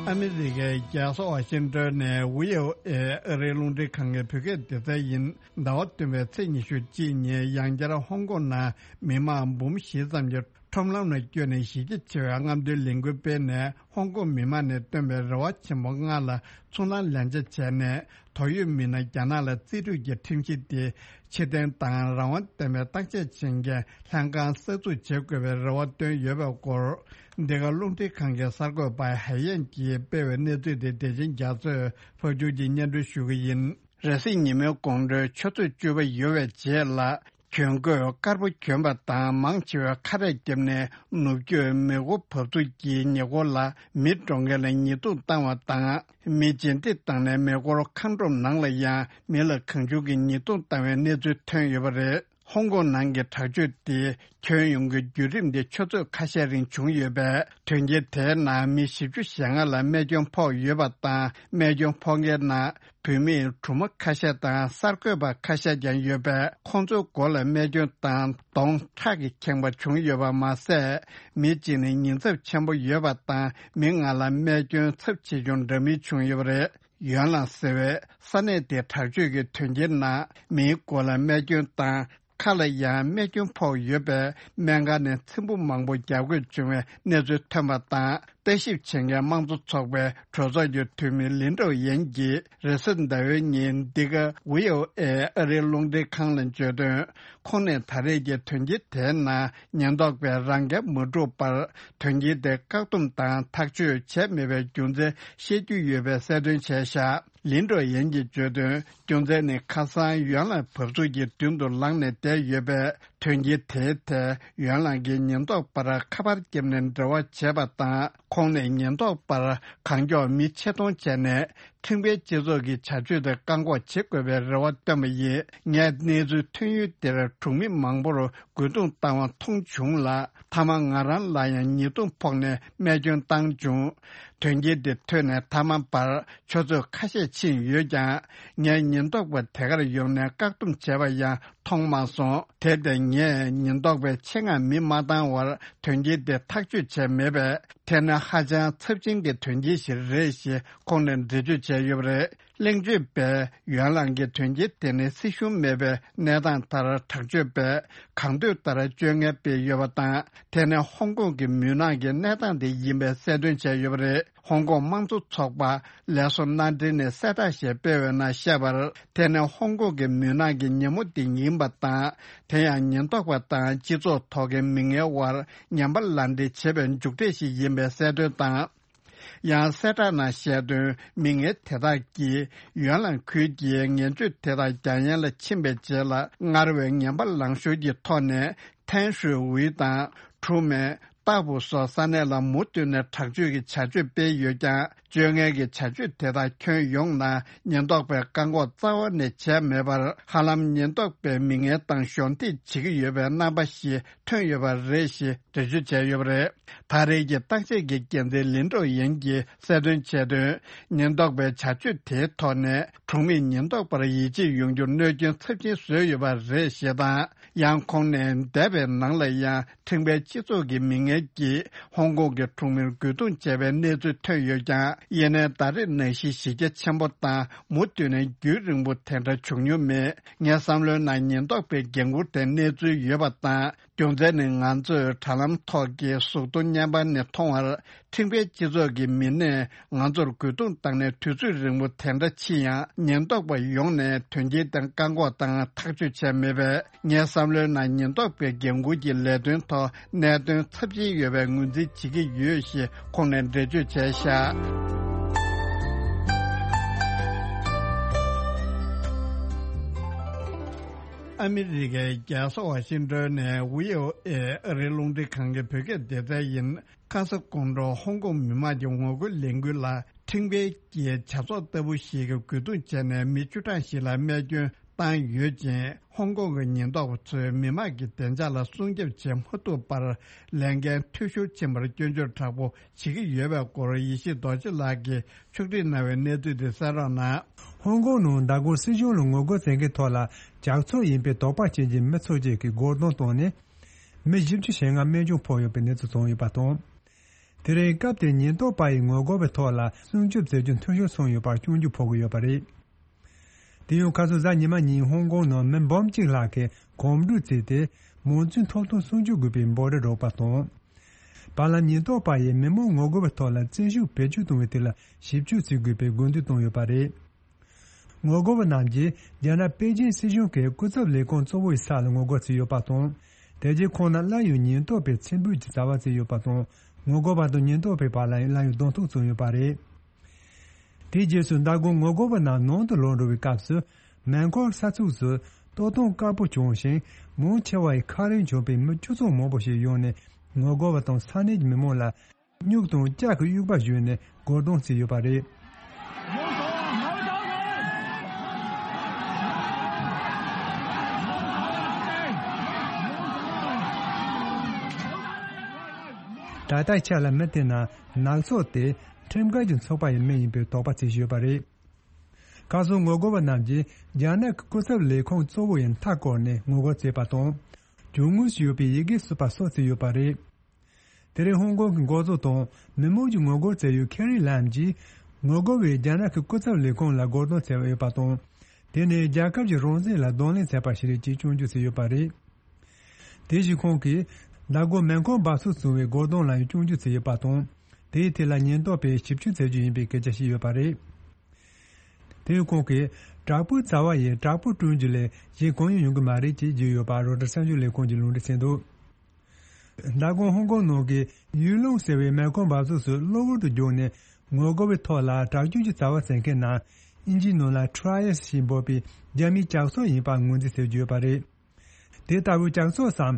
ཨ་མི་རི་ཀའི་རྒྱལ་ས་ཝ་ཤིང་ཏོན་ནས་ཝི་ཨོ་ཨེ་ཨ་རིའི་རླུང་འཕྲིན་ཁང་གི་བོད་སྐད་སྡེ་ཚན་ཡིན། ཟླ་བ་བདུན་པའི་ཚེས་ཉི་ཤུ་གཅིག་ཉིན་ཡང་བསྐྱར་ཧོང་ཀོང་ནང་མི་མང་འབུམ་བཞི་ཙམ་གྱིས་ཁྲོམ་ལམ་ལ་བསྐྱོད་ནས་གཞི་རྒྱ་ཆེ་བའི་རྔམ་སྟོན་ལས་འགུལ་སྤེལ་ནས། ཧོང་ཀོང་མི་མང་ནས་བཏོན་པའི་རེ་བ་ཆེན་པོ་ལྔ་ལ་ཚུར་སྣང་ལན་ཆ་བྱས་ནས། དོགས་ཡོད་མི་སྣ་རྒྱ་ནག་ལ་རྩིས་སྤྲོད་ཀྱི་ཁྲིམས་གཞི་དེ་ཕྱིར་འཐེན་དང་། རང་དབང་ལྡན་པའི་བརྟག་དཔྱད་བྱེད་མཁན་ལྷན་ཁང་གསར་འཛུགས་བྱེད་དགོས་པའི་རེ་བ་བཏོན་ཡོད་པའི་སྐོར། འདི་ག་རླུང་འཕྲིན་ཁང་གི་གསར་འགོད་པ་ཧའེ་ཡན་གྱིས་སྤེལ་བའི་གནས་ཚུལ་དེ་བདེ་ཆེན་རྒྱ་མཚོས་ཕབ་སྒྱུར་གྱིས་སྙན་སྒྲོན་ཞུ་གི་ཡིན། རེས་གཟའ་ཉི་མའི་དགོང་དྲོའི་ཆུ་ཚོད་བཅུ་པ་ཡོལ་བའི་རྗེས་ལ། གྱོན་གོས་དཀར་པོ་གྱོན་པ་དང་། མང་ཆེ་བས་ཁ་རས་བརྒྱབ་ནས་ནུབ་རྒྱུད་མེ་འཁོར་བབས་ཚུགས་ཀྱི་ཉེ་འཁོར་ལ་མི་འགྲོ་མཁན་ལ་ཉེས་རྡུང་བཏང་བ་དང་། མི་རྗེས་འདེད་བཏང་ནས་མེ་འཁོར་མཁའ་འགྲོམ་ནང་ལ་ཡང་མི་ལ་གང་བྱུང་གིས་ཉེས་རྡུང་བཏང་བའི་གནས་ཚུལ་ཐོན་ཡོད་པ་རེད། ཧོང་ཀོང་ནང་གི་དྲག་སྤྱོད་དེ་ཁྱོན་ཡོངས་ཀྱི་བརྒྱུད་རིམ་དེ་ཆུ་ཚོད་ཁ་ཤས་རིང་བྱུང་ཡོད་པས། དོན་རྐྱེན་དེའི་ནང་མི་བཞི་བཅུ་ཞེ་ལྔ་ལ་རྨས་སྐྱོན་ཕོག་ཡོད་པ་དང་། རྨས་སྐྱོན་ཕོག་མཁན་ནང་བུད་མེད་སྦྲུམ་མ་ཁ་ཤས་དང་གསར་འགོད་པ་ཁ་ཤས་ཀྱང་ཡོད་པས། ཁོང་ཚོའི་མགོ་ལ་རྨས་སྐྱོན་དང་གདོང་ཁྲག་གིས་ཁེངས་པ་བྱུང་ཡོད་པ་མ་ཟད། མི་གཅིག་ནི་ཉེན་ཚབས་ཆེན་པོ་ཡོད་པ་དང་། མི་ལྔ་ལ་རྨས་སྐྱོན་ཚབས་ཆེ་ཆུང་འདྲ་མིན་བྱུང་ཡོད་པ་རེད། ཡོན་ལང་ཟེར་བའི་ས་གནས་དེའི་དྲག་སྤྱོད་ཀྱི་དོན་རྐྱེན་ནང་མིའི་མགོ་ལ་རྨས་སྐྱོན་བཏང་། ཁ་ལ་ཡང་རྨས་སྐྱོན་ཕོག་ཡོད་པས། སྨན་ཁང་ནས་ཚེམ་བུ་མང་པོ་བརྒྱབ་དགོས་བྱུང་བའི་གནས་ཚུལ་ཐོན་པ་དང་། ལྟ་ཞིབ་བྱེད་མཁན་དམངས་གཙོ་ཚོགས་པའི་གྲོས་ཚོགས་ཀྱི་འཐུས་མི་ལིན་ཀྲོའུ་ཡན་གྱིས་རེས་གཟའ་ཟླ་བའི་ཉིན་འདི་ག་ཝི་ཨོ་ཨེ་ཨ་རིའི་རླུང་འཕྲིན་ཁང་ལ་བརྗོད་དོན། ཁོང་ནས་ད་རེས་ཀྱི་དོན་རྐྱེན་དེའི་ནང་ཉེན་རྟོག་པས་རང་འགན་མ་བསྒྲུབས་པར། དོན་རྐྱེན་དེ་བཀག་སྡོམ་དང་ཐག་གཅོད་བྱས་མེད་པའི་རྒྱུ་མཚན་བཤད་རྒྱུ་ཡོད་པའི་གསལ་སྟོན་བྱས་བཞག་ལིན་ཀྲོའུ་ཡན་གྱིས་བརྗོད་དོན། རྒྱུ་མཚན་ནི་ཁ་སང་ཡོན་ལང་བབས་ཚུགས་ཀྱི་མདུན་དུ་ལངས་ནས་བསྡད་ཡོད་པས། དོན་རྐྱེན་དེའི་ཐད་ཡོན་ལང་གིས་ཉེན་རྟོག་པར་ཁ་པར་བརྒྱབ་ནས་འབྲེལ་བ་བྱས་པ་དང་། ཁོང་ནས་ཉེན་རྟོག་པར་གང་མགྱོགས་མི་ཆེད་གཏོང་བྱས་ནས། ཁྲིམས་འགལ་སྤྱི་ཚོགས་ཀྱི་བྱ་སྤྱོད་དེ་བཀག་འགོག་བྱེད་དགོས་པའི་རེ་བ་བཏོན་པ་ཡིན། ངས་གནས་ཚུལ་ཐོན་ཡུལ་དེར་གྲོང་མི་མང་པོར་རྒོལ་རྡུང་བཏང་བ་མཐོང་བྱུང་ལ། མཐའ་མ་ང་རང་ལ་ཡང་ཉེས་རྡུང་ཕོག་ནས་རྨས་སྐྱོན་བཏང་བྱུང་། དོན་རྐྱེན་འདི་ཐོན་ནས་མཐའ་མ་བར་ཆུ་ཚོད་ཁ་ཤས་ཕྱིན་ཡོད་ཀྱང་། ངས་ཉེན་རྟོག་པ་དེ་གར་ཡོང་ནས་བཀག་སྡོམ་བྱས་པ་ཡང་མཐོང་མ་སོང་། དེར་བརྟེན་ངས་ཉེན་རྟོག་པའི་ཆེད་མངགས་མི་མ་བཏང་བར་དོན་རྐྱེན་དེ་ཐག་གཅོད་བྱས་མེད་པས། དེ་ནི་ཧ་ཅང་ཚབས་ཆེན་གྱི་དོན་རྐྱེན་ཞིག་རེད་ཞེས་ཁོང་ནས་འགྲེལ་བརྗོད་བྱས་ཡོད་པ་རེད། གླེང་བརྗོད་པས་ཡོན་ལང་གིས་དོན་རྐྱེན་དེ་ནི་སྲིད་གཞུང་མེད་པའི་གནས་སྟངས་ལྟར་དྲག་སྤྱོད་པས་གང་འདོད་ལྟར་སྤྱོད་ངན་སྤེལ་ཡོད་པ་དང་། དེ་ནི་ཧོང་ཀོང་གི་མུན་ནག་གི་གནས་སྟངས་དེ་ཡིན་པའི་གསལ་སྟོན་བྱས་ཡོད་པ་རེད། ཧོང་ཀོང་དམངས་གཙོ་ཚོགས་པ་ལས་བཟོ་མནའ་འབྲེལ་ནས་གསལ་བསྒྲགས་ཤིག་སྤེལ་བའི་ནང་བཤད་པར། དེ་ནི་ཧོང་ཀོང་གི་མུན་ནག་གི་ཉིན་མོ་དེ་ཡིན་པ་དང་། དེ་ཡང་ཉེན་རྟོག་པ་དང་སྤྱི་ཚོགས་ཐོག་གི་མི་ངན་དབར་ངན་པ་ལག་འབྲེལ་བྱེད་པའི་མཇུག་འབྲས་ཤིག་ཡིན་པའི་གསལ་སྟོན་དང་། ཡང་གསལ་བསྒྲགས་ནང་བཤད་དོན། མི་ངན་དེ་དག་གིས་ཡོན་ལང་ཁུལ་གྱི་ངན་སྤྱོད་དེ་དག་རྒྱ་ཡན་ལ་ཕྱིན་པའི་རྗེས་ལ། སྔར་བས་ངན་པ་ལངས་ཤོར་གྱི་ཐོག་ནས། ཐན་ཧྲུའེ་ཝུའེ་དང་། ཁྲུའུ་མེན། ཏཱ་ཕུའུ་སོགས་ས་གནས་ལ་མུ་མཐུད་ནས་དྲག་སྤྱོད་ཀྱི་བྱ་སྤྱོད་སྤེལ་ཡོད་ཀྱང་། སྤྱོད་ངན་གྱི་བྱ་སྤྱོད་དེ་དག་ཁྱོན་ཡོངས་ནང་ཉེན་རྟོག་པས་བཀག་འགོག་རྩ་བ་ནས་བྱས་མེད་པར། ཧ་ལམ་ཉེན་རྟོག་པས་མི་ངན་དང་གཞོགས་འདེགས་བྱེད་ཀྱི་ཡོད་པའི་རྣམ་པ་ཞིག་ཐོན་ཡོད་པ་རེད་ཞེས་འགྲེལ་བརྗོད་བྱས་ཡོད་པ་རེད། ད་རེས་ཀྱི་བརྟག་དཔྱད་ཀྱི་འགན་འཛིན་ལིན་ཀྲོའུ་ཡན་གྱིས་གསལ་སྟོན་བྱས་དོན། ཉེན་རྟོག་པའི་བྱ་སྤྱོད་དེའི་ཐོག་ནས་གྲོང་མིས་ཉེན་རྟོག་པར་ཡིད་ཆེས་ཡོང་རྒྱུར་གནོད་སྐྱོན་ཚབས་ཆེན་བཟོས་ཡོད་པ་རེད་ཞེས་དང་། ཡང་ཁོང་ནས་འདས་པའི་ནང་ལ་ཡང་ཁྲིམས་འགལ་སྤྱི་ཚོགས་ཀྱི་མི་ངན་གྱིས་ཧོང་ཀོང་གི་གྲོང་མིར་རྒོལ་རྡུང་བྱས་པའི་གནས་ཚུལ་ཐོན་ཡོད་ཀྱང་། ཡིན་ནའི་ད་རེས་ནང་བཞིན་གཞི་རྒྱ་ཆེན་པོ་དང་མུ་མཐུད་ནས་རྒྱུན་རིང་པོ་དེ་འདྲ་བྱུང་མྱོང་མེད། ངའི་བསམ་བློའི་ནང་ཉེན་རྟོག་པའི་འགན་འཁུར་དེ་གནས་ཚུལ་ཡོད་པ་དང་། རྒྱུ་མཚན་ནི་ང་ཚོས་དྲ་ལམ་ཐོག་གི་གཟུགས་མཐོང་བརྙན་པར་ནས་མཐོང་བར། ཁྲིམས་འགལ་སྤྱི་ཚོགས་ཀྱི་མི་སྣས་ང་ཚོར་རྒོལ་རྡུང་བཏང་ནས་དུས་ཚོད་རིང་པོ་དེ་འདྲ་ཕྱིན་ཡང་། ཉེན་རྟོག་པ་ཡོང་ནས་དོན་རྐྱེན་དེ་བཀག་འགོག་དང་ཐག་གཅོད་བྱས་མེད་པས། ངའི་བསམ་བློའི་ནང་ཉེན་རྟོག་པའི་འགན་འཁུར་གྱི་ལས་དོན་ཐོག་གནད་དོན་ཚབས་ཆེན་ཡོད་པའི་ངོས་འཛིན་བྱེད་ཀྱི་ཡོད་ཞེས་ཁོང་ནས་འགྲེལ་བརྗོད་བྱས་བཞག་ཨ་མི་རི་ཀའི་རྒྱལ་ས་ཝ་ཤིང་ཏོན་ནས་ཝི་ཨོ་ཨེ་ཨ་རིའི་རླུང་འཕྲིན་ཁང་གི་བོད་སྐད་སྡེ་ཚན་ཡིན། ཁ་ས་ཀོང་ཀྲོའུ་ཧོང་ཀོང་མི་དམངས་ཀྱི་ངོ་རྒོལ་ལས་འགུལ་ལ་ཁྲིམས་འགལ་གྱི་བྱ་ཚོགས་ལྟ་བུ་ཞིག་གིས་རྒོལ་རྡུང་བྱས་ནས་མི་བཅུ་གྲངས་ཤིག་ལ་རྨས་སྐྱོན་བཏང་ཡོད་ཅིང་། ཧོང་ཀོང་གི་ཉེན་རྟོག་པ་ཚོས་མི་དམངས་ཀྱི་བདེ་འཇགས་ལ་སྲུང་སྐྱོབ་བྱེད་མ་ཐུབ་པར་ལས་འགན་འཐུས་ཤོར་ཕྱིན་པར་སྐྱོན་བརྗོད་དྲག་པོ་བྱེད་ཀྱི་ཡོད་པའི་སྐོར་ཡེ་ཤེས་རྡོ་རྗེ་ལགས་ཀྱིས་ཕྱོགས་སྒྲིག་གནང་བའི་གནས་ཚུལ་དེ་གསན་རོགས་གནང་། ཧོང་ཀོང་ནང་མདང་དགོང་སྲིད་གཞུང་ལ་ངོ་རྒོལ་བྱེད་མཁན་ཐོག་ལ་ཇག་ཚོགས་ཡིན་པའི་དོགས་པ་ཅན་གྱི་མི་ཚོ་གཅིག་གིས་རྒོལ་རྡུང་བཏང་ནས། མི་བཞི་བཅུ་ཞེ་ལྔ་རྨས་སྐྱོན་ཕོག་ཡོད་པའི་གནས་ཚུལ་བྱུང་ཡོད་པ་དང་། དེ་རིང་སྐབས་དེར་ཉེན་རྟོག་པ་ཡིས་ངོ་རྒོལ་བའི་ཐོག་ལ་སྲུང་སྐྱོབ་མཛད་རྒྱུ་འཐུས་ཤོར་སོང་ཡོད་པར་སྐྱོན་བརྗོད་ཕོག་གི་ཡོད་པ་རེད། དེ་ཡང་ཁ་སང་གཟའ་ཉི་མ་ཉིན་ཧོང་ཀོང་ནང་མི་འབུམ་གཅིག་ལྷག་གིས་གོམ་བགྲོད་བྱས་ཏེ། མང་གཙོའི་ཐོབ་ཐང་སྲུང་སྐྱོབ་དགོས་པའི་འབོད་སྒྲ་སྒྲོག་པ་དང་། བར་ལམ་ཉེན་རྟོག་པ་ཡིས་མི་མང་ངོ་རྒོལ་བའི་ཐོག་ལ་བཙན་ཤུགས་བེད་སྤྱོད་གཏོང་བའི་ཐད་ལ་ཞིབ་དཔྱོད་བྱེད་དགོས་པའི་དགོས་འདུན་བཏང་ཡོད་པ་རེད། ངོ་རྒོལ་བ་རྣམས་ཀྱིས་རྒྱ་ནག་པེ་ཅིན་སྲིད་གཞུང་གི་སྐུ་ཚབ་ལས་ཁུངས་གཙོ་བོ་ཡི་ས་ལ་ངོ་རྒོལ་བྱས་ཡོད་པ་དང་། དེ་རྗེས་ཁོང་རྣམས་སླར་ཡང་ཉེན་རྟོག་པས་ཚེམ་བུ་གྱིས་བཙལ་བ་བྱས་ཡོད་པ་དང་། ངོ་རྒོལ་བ་དང་ཉེན་རྟོག་པའི་བར་ལ་ཡང་སླར་ཡང་གདོང་ཐུག་བྱུང་ཡོད་པ་རེད། དེའི་རྗེས་སུ་མདང་དགོང་ངོ་རྒོལ་བ་རྣམས་ནང་དུ་ལོག་འགྲོ་བའི་སྐབས་སུ། མེ་འཁོར་ས་ཚུགས་སུ་ལྟོ་སྟངས་དཀར་པོ་བྱུང་ཞིང་། མང་ཆེ་བ་ཡི་ཁ་རིང་བྱུང་བའི་མི་སྤྱི་ཚོགས་མང་པོ་ཞིག་ཡོང་ནས། ངོ་རྒོལ་བ་དང་ས་གནས་ཀྱི་མི་མང་ལ། སྨྱུག་དང་ལྕགས་ཀྱི་དབྱུག་པ་གཞུས་ནས་རྒོལ་རྡུང་བྱས་ཡོད་པ་རེད། ད་ལྟའི་ཆ་ལ་མི་དེ་རྣམས་ནག་ཚོགས་དེ་ཁྲིམས་འགལ་གྱི་ཚོགས་པ་ཡི་མི་ཡིན་པའི་དོགས་པ་བྱེད་བཞིན་ཡོད་པ་རེད། ཁ་སང་ངོ་རྒོལ་བ་རྣམས་ཀྱིས་རྒྱ་ནག་གི་སྐུ་ཚབ་ལས་ཁུངས་གཙོ་བོ་ཡི་མཐའ་བསྐོར་ནས་ངོ་རྒོལ་བྱས་པ་དང་། རྒྱུ་དངོས་སུ་ཡོད་པའི་ཡི་གེ་གསུམ་པ་སོགས་བརྩིས་ཡོད་པ་རེད། དེ་རིང་ཧོང་ཀོང་གི་འགོ་གཙོ་དང་མི་མང་གིས་ངོ་རྒོལ་བྱས་ཡོད་ཁེ་རི་ལམ་གྱིས། ངོ་རྒོལ་བས་རྒྱ་ནག་གི་སྐུ་ཚབ་ལས་ཁུངས་ལ་རྒོལ་རྡུང་བྱས་ཡོད་པ་དང་། དེ་ནི་རྒྱལ་ཁབ་ཀྱི་རང་བཙན་ལ་གདོང་ལེན་བྱས་པ་ཞིག་རེད་ཅེས་སྐྱོན་བརྗོད་བྱས་ཡོད་པ་རེད། དེ་བཞིན་ཁོང་གིས་མདའ་དགོང་མེ་འཁོར་འབབ་ཚུགས་བཟུང་བའི་རྒོལ་རྡུང་ལ་ཡང་སྐྱོན་བརྗོད་བྱས་ཡོད་པ་དང་། དེའི་ཐད་ལ་ཉེན་རྟོག་པས་ཞིབ་དཔྱོད་བྱེད་རྒྱུ་ཡིན་པའི་སྐད་ཆ་བཤད་ཡོད་པ་རེད། དེ་ཡང་ཁོང་གིས་དྲག་པོའི་བྱ་བ་ཡིས་དྲག་པོ་བསྐྲུན་རྒྱུ་ལས་གཞན་གང་ཡང་ཡོང་གི་མ་རེད་ཅེས་བརྗོད་ཡོད་པ་རོའི་ཊར་གསར་འགྱུར་ལས་ཁུངས་ཀྱིས་ལུང་འདྲེན་བྱས་འདུག་མདའ་དགོང་ཧོང་ཀོང་ནང་གི་ཡུས་ལུང་ཟེར་བའི་མེ་འཁོར་འབབ་ཚུགས་སུ་གློ་བུར་དུ་རྒྱུགས་ནས་ངོ་རྒོལ་བའི་ཐོག་ལ་དྲག་སྐྱོན་གྱི་བྱ་བ་བྱེད་མཁན་རྣམས་ཨིན་ཇིའི་ནང་ལ་ཁྲའི་ཡེ་སི་ཞེས་འབོད་པའི་རྒྱ་མིའི་ཇག་ཚོགས་ཡིན་པ་ངོས་འཛིན་བྱེད་ཀྱི་ཡོད་པ་རེད། དེ་ལྟ་བུའི་ཇག་ཚོགས་སམ།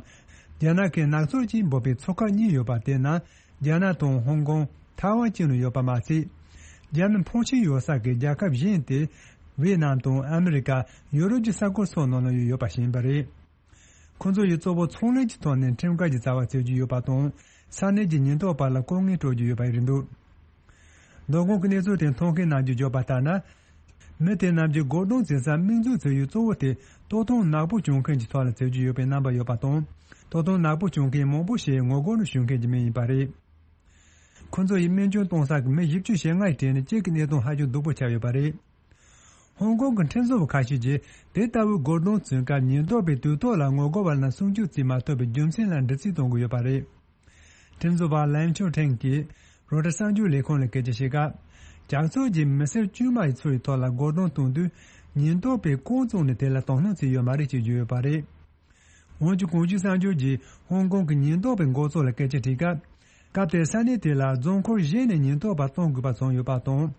རྒྱ་ནག་གི་ནག་ཚོགས་ཀྱིས་འབོད་པའི་ཚོགས་ཁག་གཉིས་ཡོད་པ་དེ་ནི་རྒྱ་ནག་དང་ཧོང་ཀོང་། ཐའེ་ཝན་བཅས་ནང་ཡོད་པ་མ་ཟད། རྒྱ་མི་ཕོན་ཆེན་ཡོད་ས་གི་རྒྱལ་ཁབ་གཞན་ཏེ། ཝེ་ནམ་དང་ཨ་མི་རི་ཀ། ཡོ་རོབ་ཀྱི་ས་ཁུལ་སོགས་ནང་ལ་ཡོད་པ་ཞིག་ཡིན་པ་རེད། ཁོ་ཚོ་ཡིས་གཙོ་བོ་ཚོང་ལས་ཀྱི་ཐོག་ནས་ཁྲིམས་འགལ་གྱི་བྱ་བ་བྱེད་ཀྱི་ཡོད་པ་དང་། ས་གནས་ཀྱི་ཉེན་རྟོག་པ་ལ་ལྐོག་རྔན་སྤྲོད་ཀྱི་ཡོད་པ་རེད་འདུག་མདོ་དགོང་གི་གནས་ཚུལ་དེ་མཐོང་མཁན་རྣམས་ཀྱིས་བརྗོད་པ་ལྟར་ན། མི་དེ་རྣམས་ཀྱིས་སྒོ་རྡུང་བྱེད་སར་དམིགས་འཛུགས་བྱེད་ཡུལ་གཙོ་བོ་དེ་སྟོད་ཐུང་ནག་པོ་གྱོན་མཁན་གྱི་ཐོག་ལ་བྱེད་ཀྱི་ཡོད་པའི་རྣམ་པ་ཡོད་པ་དང་། སྟོད་ཐུང་ནག་པོ་གྱོན་མཁན་མང་པོ་ཞིག་ངོ་རྒོལ་ནང་ཞུགས་མཁན་གྱི་མི་ཡིན་པ་རེད། ཁོ་ཚོ་ཡིས་སྨན་བཅོས་གཏོང་ས་གི་མི་བཞི་བཅུ་ཞེ་ལྔ་ཡི་གྲས་ནས་གཅིག་གི་གནས་སྟངས་ཧ་ཅང་སྡུག་པོ་ཆགས་ཡོད་པ་རེད། ཧོང་ཀོང་གི་ཁྲིམས་བཟོ་བ་ཁ་ཤས་ཀྱིས་དེ་ལྟ་བུའི་སྒོ་རྡུང་བྱུང་སྐབས་ཉེན་རྟོག་པས་དུས་ཐོག་ལ་ངོ་རྒོལ་བ་རྣམས་སྲུང་སྐྱོབ་བྱེད་མ་ཐུབ་པའི་རྒྱུ་མཚན་ལ་འདྲི་རྩད་གཏོང་གི་ཡོད་པ་རེད། ཁྲིམས་བཟོ་བ་ལན་ཆོ་ཁྲེང་གིས་རོའི་ཊར་གསར་འགྱུར་ལས་ཁང་ལ་སྐད་ཆ་བཤད་སྐབས། ཇག་ཚོགས་ཀྱིས་མི་སེར་དཀྱུས་མ་ཡི་ཚོ་ཡི་ཐོག་ལ་སྒོ་རྡུང་གཏོང་དུས། ཉེན་རྟོག་པས་རྐང་བཙུགས་ནས་དེ་ལ་དོ་སྣང་བྱས་ཡོད་མ་རེད་ཅེས་བརྗོད་ཡོད་པ་རེད། འོན་ཀྱང་གོང་ཞུས་གསར་འགྱུར་གྱིས་ཧོང་ཀོང་གི་ཉེན་རྟོག་པའི་འགོ་གཙོ་ལ་སྐད་ཆ་དྲིས་སྐབས། སྐབས་དེར་ས་གནས་དེ་ལ་རྫོང་འཁོར་གཞན་ནས་ཉེན་རྟོག་པ་གཏོང་དགོས་པ་བྱུང་ཡོད་པ་དང་།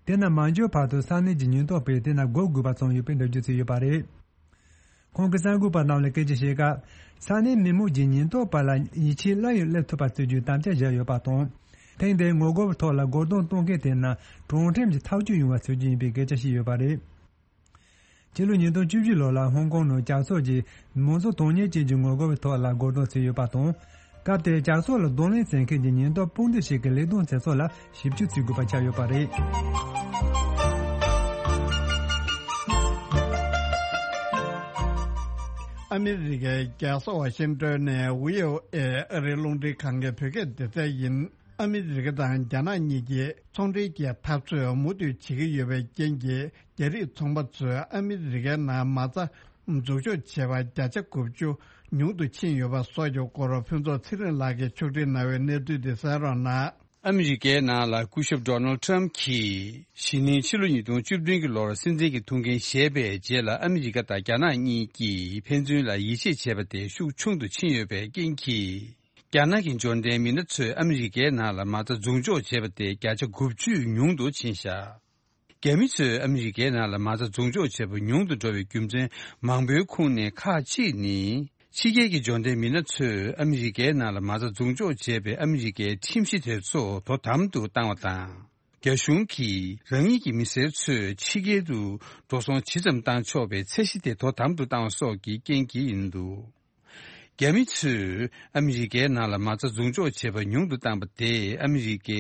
དེ་ན་མ་འབྱོར་བར་དུ་ས་གནས་ཀྱི་ཉེན་རྟོག་པས་དེ་ན་སྒུག་དགོས་པ་བྱུང་ཡོད་པའི་འགྲེལ་བརྗོད་བྱས་ཡོད་པ་རེད། ཁོང་གིས་གསར་འགོད་པ་རྣམས་ལ་སྐད་ཆ་བཤད་སྐབས། ས་གནས་མི་མང་གིས་ཉེན་རྟོག་པ་ལ་ཡིད་ཆེས་སླར་ཡང་སླེབས་ཐུབ་པ་བྱེད་རྒྱུའི་དམ་བཅའ་བཞག་ཡོད་པ་དང་། ཐེངས་འདིའི་ངོ་རྒོལ་བའི་ཐོག་ལ་རྒོལ་རྡུང་གཏོང་མཁན་དེ་རྣམས་གྲོང་ཁྲིམས་ཀྱི་ཐག་གཅོད་ཡོང་བ་བྱེད་རྒྱུ་ཡིན་པའི་སྐད་ཆ་བཤད་ཡོད་པ་རེད། ཕྱི་ལོ་ཉིས་སྟོང་བཅུ་བཞི་ལོ་ལ་ཧོང་ཀོང་ནང་ཇག་ཚོགས་ཀྱིས་མང་གཙོ་དོན་གཉེར་ཅན་གྱི་ངོ་རྒོལ་བའི་ཐོག་ལ་རྒོལ་རྡུང་བྱས་ཡོད་པ་དང་། སྐབས་དེར་ཇག་ཚོགས་ལ་གདོང་ལེན་བྱེད་མཁན་གྱི་ཉེན་རྟོག་དཔུང་སྡེ་ཞིག་གི་ལས་དོན་བྱེད་ཕྱོགས་ལ་ཞིབ་དཔྱོད་བྱེད་དགོས་པ་ཆགས་ཡོད་པ་རེད། ཨ་མི་རི་ཀའི་རྒྱལ་ས་ཝ་ཤིང་ཏོན་ནས་ཝི་ཨོ་ཨེ་ཨ་རིའི་རླུང་འཕྲིན་ཁང་གི་བོད་སྐད་སྡེ་ཚན་ཡིན། ཨ་མི་རི་ཀ་དང་རྒྱ་ནག་གཉིས་ཀྱིས་ཚོང་འབྲེལ་གྱི་འཐབ་རྩོད་མུ་མཐུད་བྱེད་ཀྱི་ཡོད་པའི་རྐྱེན་གྱིས། རྒྱ་རིགས་ཚོང་པ་ཚོས་ཨ་མི་རི་ཀའི་ནང་མ་རྩ་འཛུགས་འཇོག་བྱས་པ་བརྒྱ་ཆ་དགུ་བཅུ་ཉུང་དུ་ཕྱིན་ཡོད་པ་སོགས་ཀྱི་སྐོར་ཕུན་ཚོགས་ཚེ་རིང་ལགས་ཀྱིས་ཕྱོགས་སྒྲིག་གནང་བའི་གནས་ཚུལ་དེ་གསན་རོགས་གནང་། ཨ་མི་རི་ཀའི་ནང་ལ་སྐུ་ཞབས་ཌོ་ནལ་ཊམ་གྱིས་གཞེས་ནིང་ཕྱི་ལོ་ཉིས་སྟོང་བཅུ་བདུན་གྱི་ལོར་སྲིད་འཛིན་གྱི་ཐུགས་འགན་བཞེས་པའི་རྗེས་ལ། ཨ་མི་རི་ཀ་དང་རྒྱ་ནག་གཉིས་ཀྱིས་ཕན་ཚུན་ལ་ཡིད་ཆེས་བྱས་པ་དེ་ཤུགས་ཆུང་དུ་ཕྱིན་ཡོད་པའི་རྐྱེན་གྱིས། རྒྱ་ནག་གི་འབྱོར་ལྡན་མི་སྣ་ཚོས་ཨ་མི་རི་ཀའི་ནང་ལ་མ་རྩ་འཛུགས་འཇོག་བྱས་པ་དེ་བརྒྱ་ཆ་དགུ་བཅུ་ཉུང་དུ་ཕྱིན་བཞག་རྒྱ་མི་ཚོས་ཨ་མི་རི་ཀའི་ནང་ལ་མ་རྩ་འཛུགས་འཇོག་བྱེད་པ་ཉུང་དུ་འགྲོ་བའི་རྒྱུ་མཚན་མང་པོའི་ཁོངས་ནས་ཁག་ཅིག་ནི། ཕྱི་རྒྱལ་གྱི་འབྱོར་ལྡན་མི་སྣ་ཚོས་ཨ་མི་རི་ཀའི་ནང་ལ་མ་རྩ་འཛུགས་འཇོག་བྱས་པའི་ཨ་མི་རི་ཀའི་ཁྲིམས་གཞི་དེ་ཚོ་དོ་དམ་དུ་བཏང་བ་དང་། རྒྱ་གཞུང་གིས་རང་ཉིད་ཀྱི་མི་སེར་ཚོས་ཕྱི་རྒྱལ་དུ་འགྲོ་སོང་ཇི་ཙམ་བཏང་ཆོག་པའི་ཚད་གཞི་དེ་དོ་དམ་དུ་བཏང་བ་སོགས་ཀྱི་རྐྱེན་གྱིས་ཡིན་འདུག་རྒྱ་མི་ཚོས་ཨ་མི་རི་ཀའི་ནང་ལ་མ་རྩ་འཛུགས་འཇོག་བྱེད་པ་ཉུང་དུ་བཏང་པ་དེས། ཨ་མི་རི་ཀའི་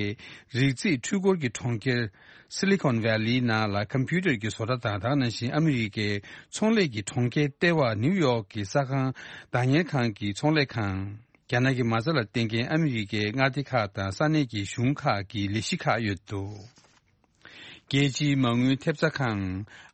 རིགས་རྫས་འཕྲུལ་འཁོར་གྱི་གྲོང་ཁྱེར་སི་ལི་ཀོན་ཝེ་ལིའི་ནང་ལ་ཀམ་པུ་ཊར་གྱི་བཟོ་གྲྭ་དང་། དེ་ནང་བཞིན་ཨ་མི་རི་ཀའི་ཚོང་ལས་ཀྱི་གྲོང་ཁྱེར་ལྟེ་བ་ནིའུ་ཡོག་གི་ས་ཁང་བདག་གཉེར་ཁང་གི་ཚོང་ལས་ཁང་། རྒྱ་ནག་གི་མ་རྩ་ལ་བརྟེན་མཁན་ཨ་མི་རི་ཀའི་མངའ་སྡེ་ཁག་དང་ས་གནས་ཀྱི་གཞུང་ཁག་གི་ལས་གཞི་ཁག་ཡོད་འདུག་རྒྱལ་སྤྱིའི་མ་དངུལ་ཐེབས་རྩ་ཁང་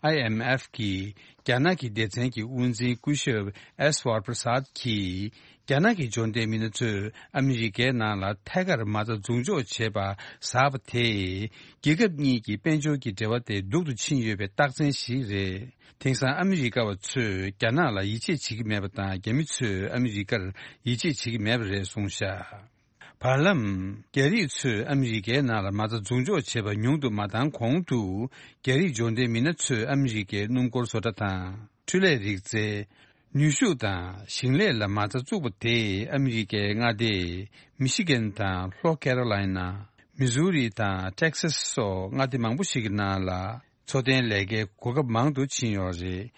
ཨའི་ཨེམ་ཨེཕ་གིས་རྒྱ་ནག་གི་སྡེ་ཚན་གྱི་དབུ་འཛིན་སྐུ་ཞབས་ཨེས་ཝར་པྲ་སཱད་ཀྱིས། རྒྱ་ནག་གི་འབྱོར་ལྡན་མི་སྣ་ཚོས་ཨ་མི་རི་ཀའི་ནང་ལ་ཐད་ཀར་མ་རྩ་འཛུགས་འཇོག་བྱེད་པ་ཟབ་པ་དེས། རྒྱལ་ཁབ་གཉིས་ཀྱི་དཔལ་འབྱོར་གྱི་འབྲེལ་བ་དེ་སྡུག་ཏུ་ཕྱིན་ཡོད་པའི་རྟགས་མཚན་ཞིག་རེད། དེང་སང་ཨ་མི་རི་ཀ་བ་ཚོས་རྒྱ་ནག་ལ་ཡིད་ཆེས་བྱེད་ཀྱི་མེད་པ་དང་། རྒྱ་མི་ཚོས་ཨ་མི་རི་ཀར་ཡིད་ཆེས་བྱེད་ཀྱི་མེད་པ་རེད་གསུངས་བཞག་བར་ལམ། རྒྱ་རིགས་ཚོས་ཨ་མི་རི་ཀའི་ནང་ལ་མ་རྩ་འཛུགས་འཇོག་བྱེད་པ་ཉུང་དུ་མ་བཏང་གོང་དུ། རྒྱ་རིགས་འབྱོར་ལྡན་མི་སྣ་ཚོས་ཨ་མི་རི་ཀའི་སྣུམ་འཁོར་བཟོ་གྲྭ་དང་། འཕྲུལ་ལས་རིག་རྩལ། ནུས་ཤུགས་དང་ཞིང་ལས་ལ་མ་རྩ་བཙུགས་པ་དེས་ཨ་མི་རི་ཀའི་མངའ་སྡེ་མི་ཤི་གན་དང་ལྷོ་ཀེ་རོ་ལའི་ན། མི་ཟུ་རི་དང་ཊེག་སཱས་སོགས་མངའ་སྡེ་མང་པོ་ཞིག་གི་ནང་ལ། འཚོ་རྟེན་ལས་ཀའི་གོ་སྐབས་མང་དུ་ཕྱིན་ཡོད་རེད།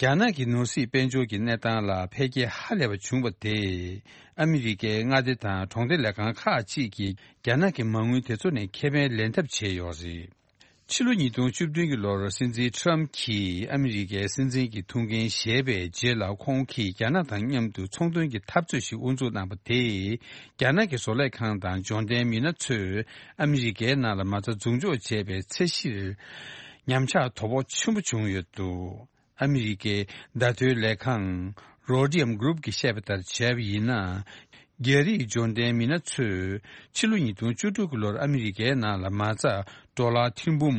རྒྱ་ནག་གི་ནོར་སྲིད་དཔལ་འབྱོར་གྱི་གནས་སྟངས་ལ་འཕེལ་རྒྱས་ཧ་ལས་པ་བྱུང་བ་དེས། ཨ་མི་རི་ཀའི་མངའ་སྡེ་དང་གྲོང་སྡེ་ལས་ཁང་ཁག་ཅིག་གིས་རྒྱ་ནག་གི་མ་དངུལ་དེ་ཚོ་ནས་ཁེ་ཕན་ལེན་ཐབས་བྱས་ཡོད་རེད། ཕྱི་ལོ་ཉིས་སྟོང་བཅུ་བདུན་གྱི་ལོར་སྲིད་འཛིན་ཁྲམ་གྱིས་ཨ་མི་རི་ཀའི་སྲིད་འཛིན་གྱི་ཐུགས་འགན་བཞེས་པའི་རྗེས་ལ། ཁོང་གིས་རྒྱ་ནག་དང་མཉམ་དུ་ཚོང་དོན་གྱི་འཐབ་རྩོད་ཞིག་དབུ་འཛུགས་གནང་པ་དེས། རྒྱ་ནག་གི་བཟོ་ལས་ཁང་དང་འབྱོར་ལྡན་མི་སྣ་ཚོས་ཨ་མི་རི་ཀའི་ནང་ལ་མ་རྩ་འཛུགས་འཇོག་བྱས་པའི་ཚད་གཞིར་ཉམས་ཆག་དོ་ཕོག་ཆེན་པོ་བྱུང་ཡོད་འདུག་ཨ་མི་རི་ཀའི་བརྡ་ཐོའི་ལས་ཁང་Rhodium Group གིས་བཤད་པ་ལྟར་བྱས་པ་ཡིན་ན། རྒྱ་རིགས་འབྱོར་ལྡན་མི་སྣ་ཚོས་ཕྱི་ལོ་ཉིས་སྟོང་བཅུ་དྲུག་གི་ལོར་ཨ་མི་རི་ཀའི་ནང་ལ་མ་རྩ་ཌོ་ལར་ཐེར་འབུམ་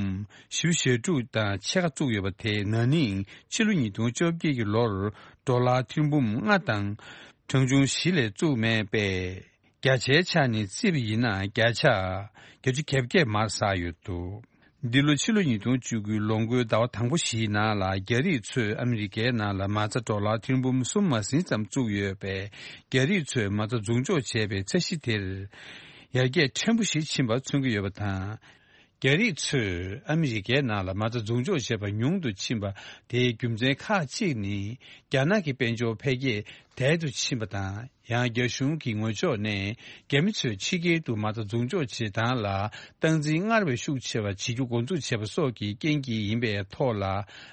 བཞི་བཅུ་ཞེ་དྲུག་དང་ཕྱེད་ཀ་བཙུགས་ཡོད་པ་དེ། ན་ནིང་ཕྱི་ལོ་ཉིས་སྟོང་བཅོ་བརྒྱད་ཀྱི་ལོར་ཌོ་ལར་ཐེར་འབུམ་ལྔ་དང་གྲངས་ཆུང་བཞི་ལས་བཙུགས་མེད་པས། བརྒྱ་ཆའི་ཆ་ནས་བརྩིས་པ་ཡིན་ན། བརྒྱ་ཆ་བརྒྱད་ཅུ་གྱ་བརྒྱད་མར་ཟགས་ཡོད་འདུག་འདི་ལོ་ཕྱི་ལོ་ཉིས་སྟོང་བཅུ་དགུའི་ལོ་འགོའི་ཟླ་བ་དང་པོ་བཞིའི་ནང་ལ། རྒྱ་རིགས་ཚོས་ཨ་མི་རི་ཀའི་ནང་ལ་མ་རྩ་ཌོ་ལར་ཐེར་འབུམ་གསུམ་མ་ཟིན་ཙམ་བཙུགས་ཡོད་པས། རྒྱ་རིགས་ཚོས་མ་རྩ་འཛུགས་འཇོག་བྱས་པའི་ཚད་གཞི་དེར་ཡར་རྒྱས་ཕྲན་བུ་ཞིག་ཕྱིན་པ་མཚོན་གྱི་ཡོད་པ་དང་། རྒྱ་རིགས་ཚོས་ཨ་མི་རི་ཀའི་ནང་ལ་མ་རྩ་འཛུགས་འཇོག་བྱས་པ་ཉུང་དུ་ཕྱིན་པ་དེའི་རྒྱུ་མཚན་ཁག་ཅིག་ནི། རྒྱ་ནག་གི་དཔལ་འབྱོར་འཕེལ་རྒྱས་དལ་དུ་ཕྱིན་པ་དང་། ཡང་རྒྱ་གཞུང་གི་ངོས་ཕྱོགས་ནས་རྒྱ་མི་ཚོས་ཕྱི་རྒྱལ་དུ་མ་རྩ་འཛུགས་འཇོག་བྱེད་སྟངས་ལ་སྟངས་འཛིན་སྔར་བས་ཤུགས་ཆེ་བ་བྱེད་རྒྱུ་འགོ་འཛུགས་བྱས་པ་སོགས་ཀྱི་རྐྱེན་གྱིས་ཡིན་པའི་ཐོག་ལ།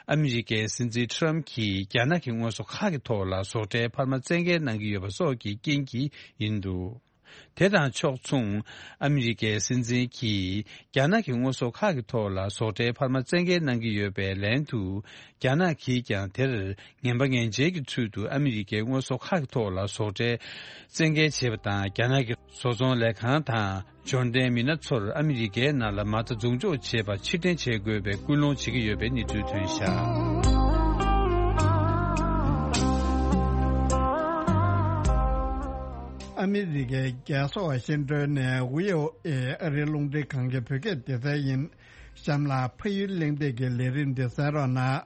ཨ་མི་རི་ཀའི་སྲིད་འཛིན་ཁྲམ་གྱིས་རྒྱ་ནག་གི་དངོས་ཟོག་ཁག་གི་ཐོག་ལ་ཟོག་ཁྲལ་འཕར་མ་བཙན་འགེལ་གནང་གི་ཡོད་པ་སོགས་ཀྱི་རྐྱེན་གྱིས་ཡིན་འདུག་དེ་དང་ཕྱོགས་མཚུངས། ཨ་མི་རི་ཀའི་སྲིད་འཛིན་གྱིས་རྒྱ་ནག་གི་དངོས་ཟོག་ཁག་གི་ཐོག་ལ་ཟོག་ཁྲལ་འཕར་མ་བཙན་འགེལ་གནང་གི་ཡོད་པའི་ལན་དུ། རྒྱ་ནག་གིས་ཀྱང་དེར་ངན་པ་ངན་འཇལ་གྱི་ཚུལ་དུ་ཨ་མི་རི་ཀའི་དངོས་ཟོག་ཁག་གི་ཐོག་ལ་ཟོག་ཁྲལ་བཙན་འགེལ་བྱས་པ་དང་། རྒྱ་ནག་གི་བཟོ་ཚོང་ལས་ཁང་དང་འབྱོར་ལྡན་མི་སྣ་ཚོར་ཨ་མི་རི་ཀའི་ནང་ལ་མ་རྩ་འཛུགས་འཇོག་བྱེད་པ་ཕྱིར་འཐེན་བྱེད་དགོས་པའི་སྐུལ་སློང་བྱེད་ཀྱི་ཡོད་པའི་གནས་ཚུལ་ཐོན་བཞག་ཨ་མི་རི་ཀའི་རྒྱལ་ས་ཝ་ཤིང་ཏོན་ནས་ཝི་ཨོ་ཨེ་ཨ་རིའི་རླུང་འཕྲིན་ཁང་གི་བོད་སྐད་སྡེ་ཚན་ཡིན། གཤམ་ལ་ཕ་ཡུལ་གླེང་སྟེགས་ཀྱི་ལས་རིམ་འདི་གསན་རོགས་གནང་།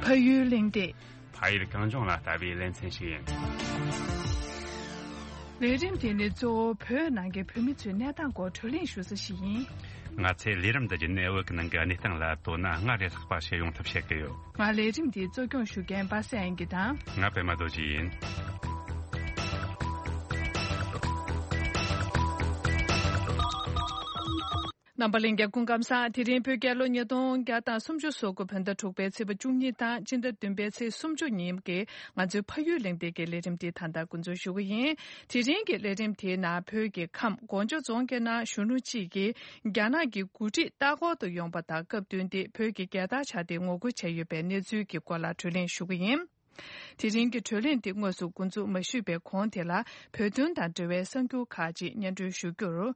ཕ་ཡུལ་གླེང་སྟེགས། ཕ་ཡུལ་གངས་ལྗོངས་ལ་ལྟ་བའི་ལེ་ཚན་ཞིག་ཡིན། ལས་རིམ་དེ་ནི་གཙོ་བོ་བོད་ནང་གི་བོད་མི་ཚོའི་གནས་སྟངས་སྐོར་བགྲོ་གླེང་ཞུ་ས་ཞིག་ཡིན། ང་ཚོས་ལས་རིམ་འདི་བརྒྱུད་ནས་བོད་ཀྱི་ནང་གི་གནས་སྟངས་ལ་དོ་སྣང་སྔར་ལས་ལྷག་པ་ཞིག་ཡོང་ཐབས་བྱེད་ཀྱི་ཡོད། ང་ལས་རིམ་འདི་གཙོ་སྐྱོང་ཞུ་མཁན་པ་སངས་དབྱངས་སྐྱིད་དང་། ང་པད་མ་རྡོ་རྗེ་ཡིན། རྣམ་པ་ལྷན་རྒྱས་སྐུ་ཁམས་བཟང་། དེ་རིང་བོད་རྒྱལ་ལོ་ཉིས་སྟོང་བརྒྱ་དང་སུམ་ཅུ་སོ་དགུ་བོད་ཟླ་དྲུག་པའི་ཚེས་པ་བཅུ་གཉིས་དང་སྤྱི་ཟླ་བདུན་པའི་ཚེས་སུམ་ཅུ་ཉིན་གྱི་ང་ཚོའི་ཕ་ཡུལ་གླེང་སྟེགས་ཀྱི་ལས་རིམ་འདི་ད་ལྟ་འགོ་འཛུགས་ཞུ་གི་ཡིན། དེ་རིང་གི་ལས་རིམ་དེའི་ནང་བོད་ཀྱི་ཁམས་སྒོ་འཇོ་རྫོང་གི་ནང་གཞོན་ནུ་གཅིག་གིས་རྒྱ་ནག་གི་འགོ་ཁྲིད་ལྟ་སྐོར་དུ་ཡོང་པ་དང་སྐབས་བསྟུན་ཏེ་བོད་ཀྱི་རྒྱལ་དར་འཕྱར་ཏེ་ངོ་རྒོལ་བྱས་ཡོད་པའི་གནས་ཚུལ་གྱི་སྐོར་ལ་བགྲོ་གླེང་ཞུ་གི་ཡིན། དེ་རིང་གི་བགྲོ་གླེང་འདི་དངོས་སུ་འགོ་འཛུགས་མ་ཞུས་པའི་གོང་དེ་ལ་བོད་དོན་དང་འབྲེལ་བའི་གསར་འགྱུར་ཁག་ཅིག་སྙན་སྒྲོན་ཞུ་རྒྱུར།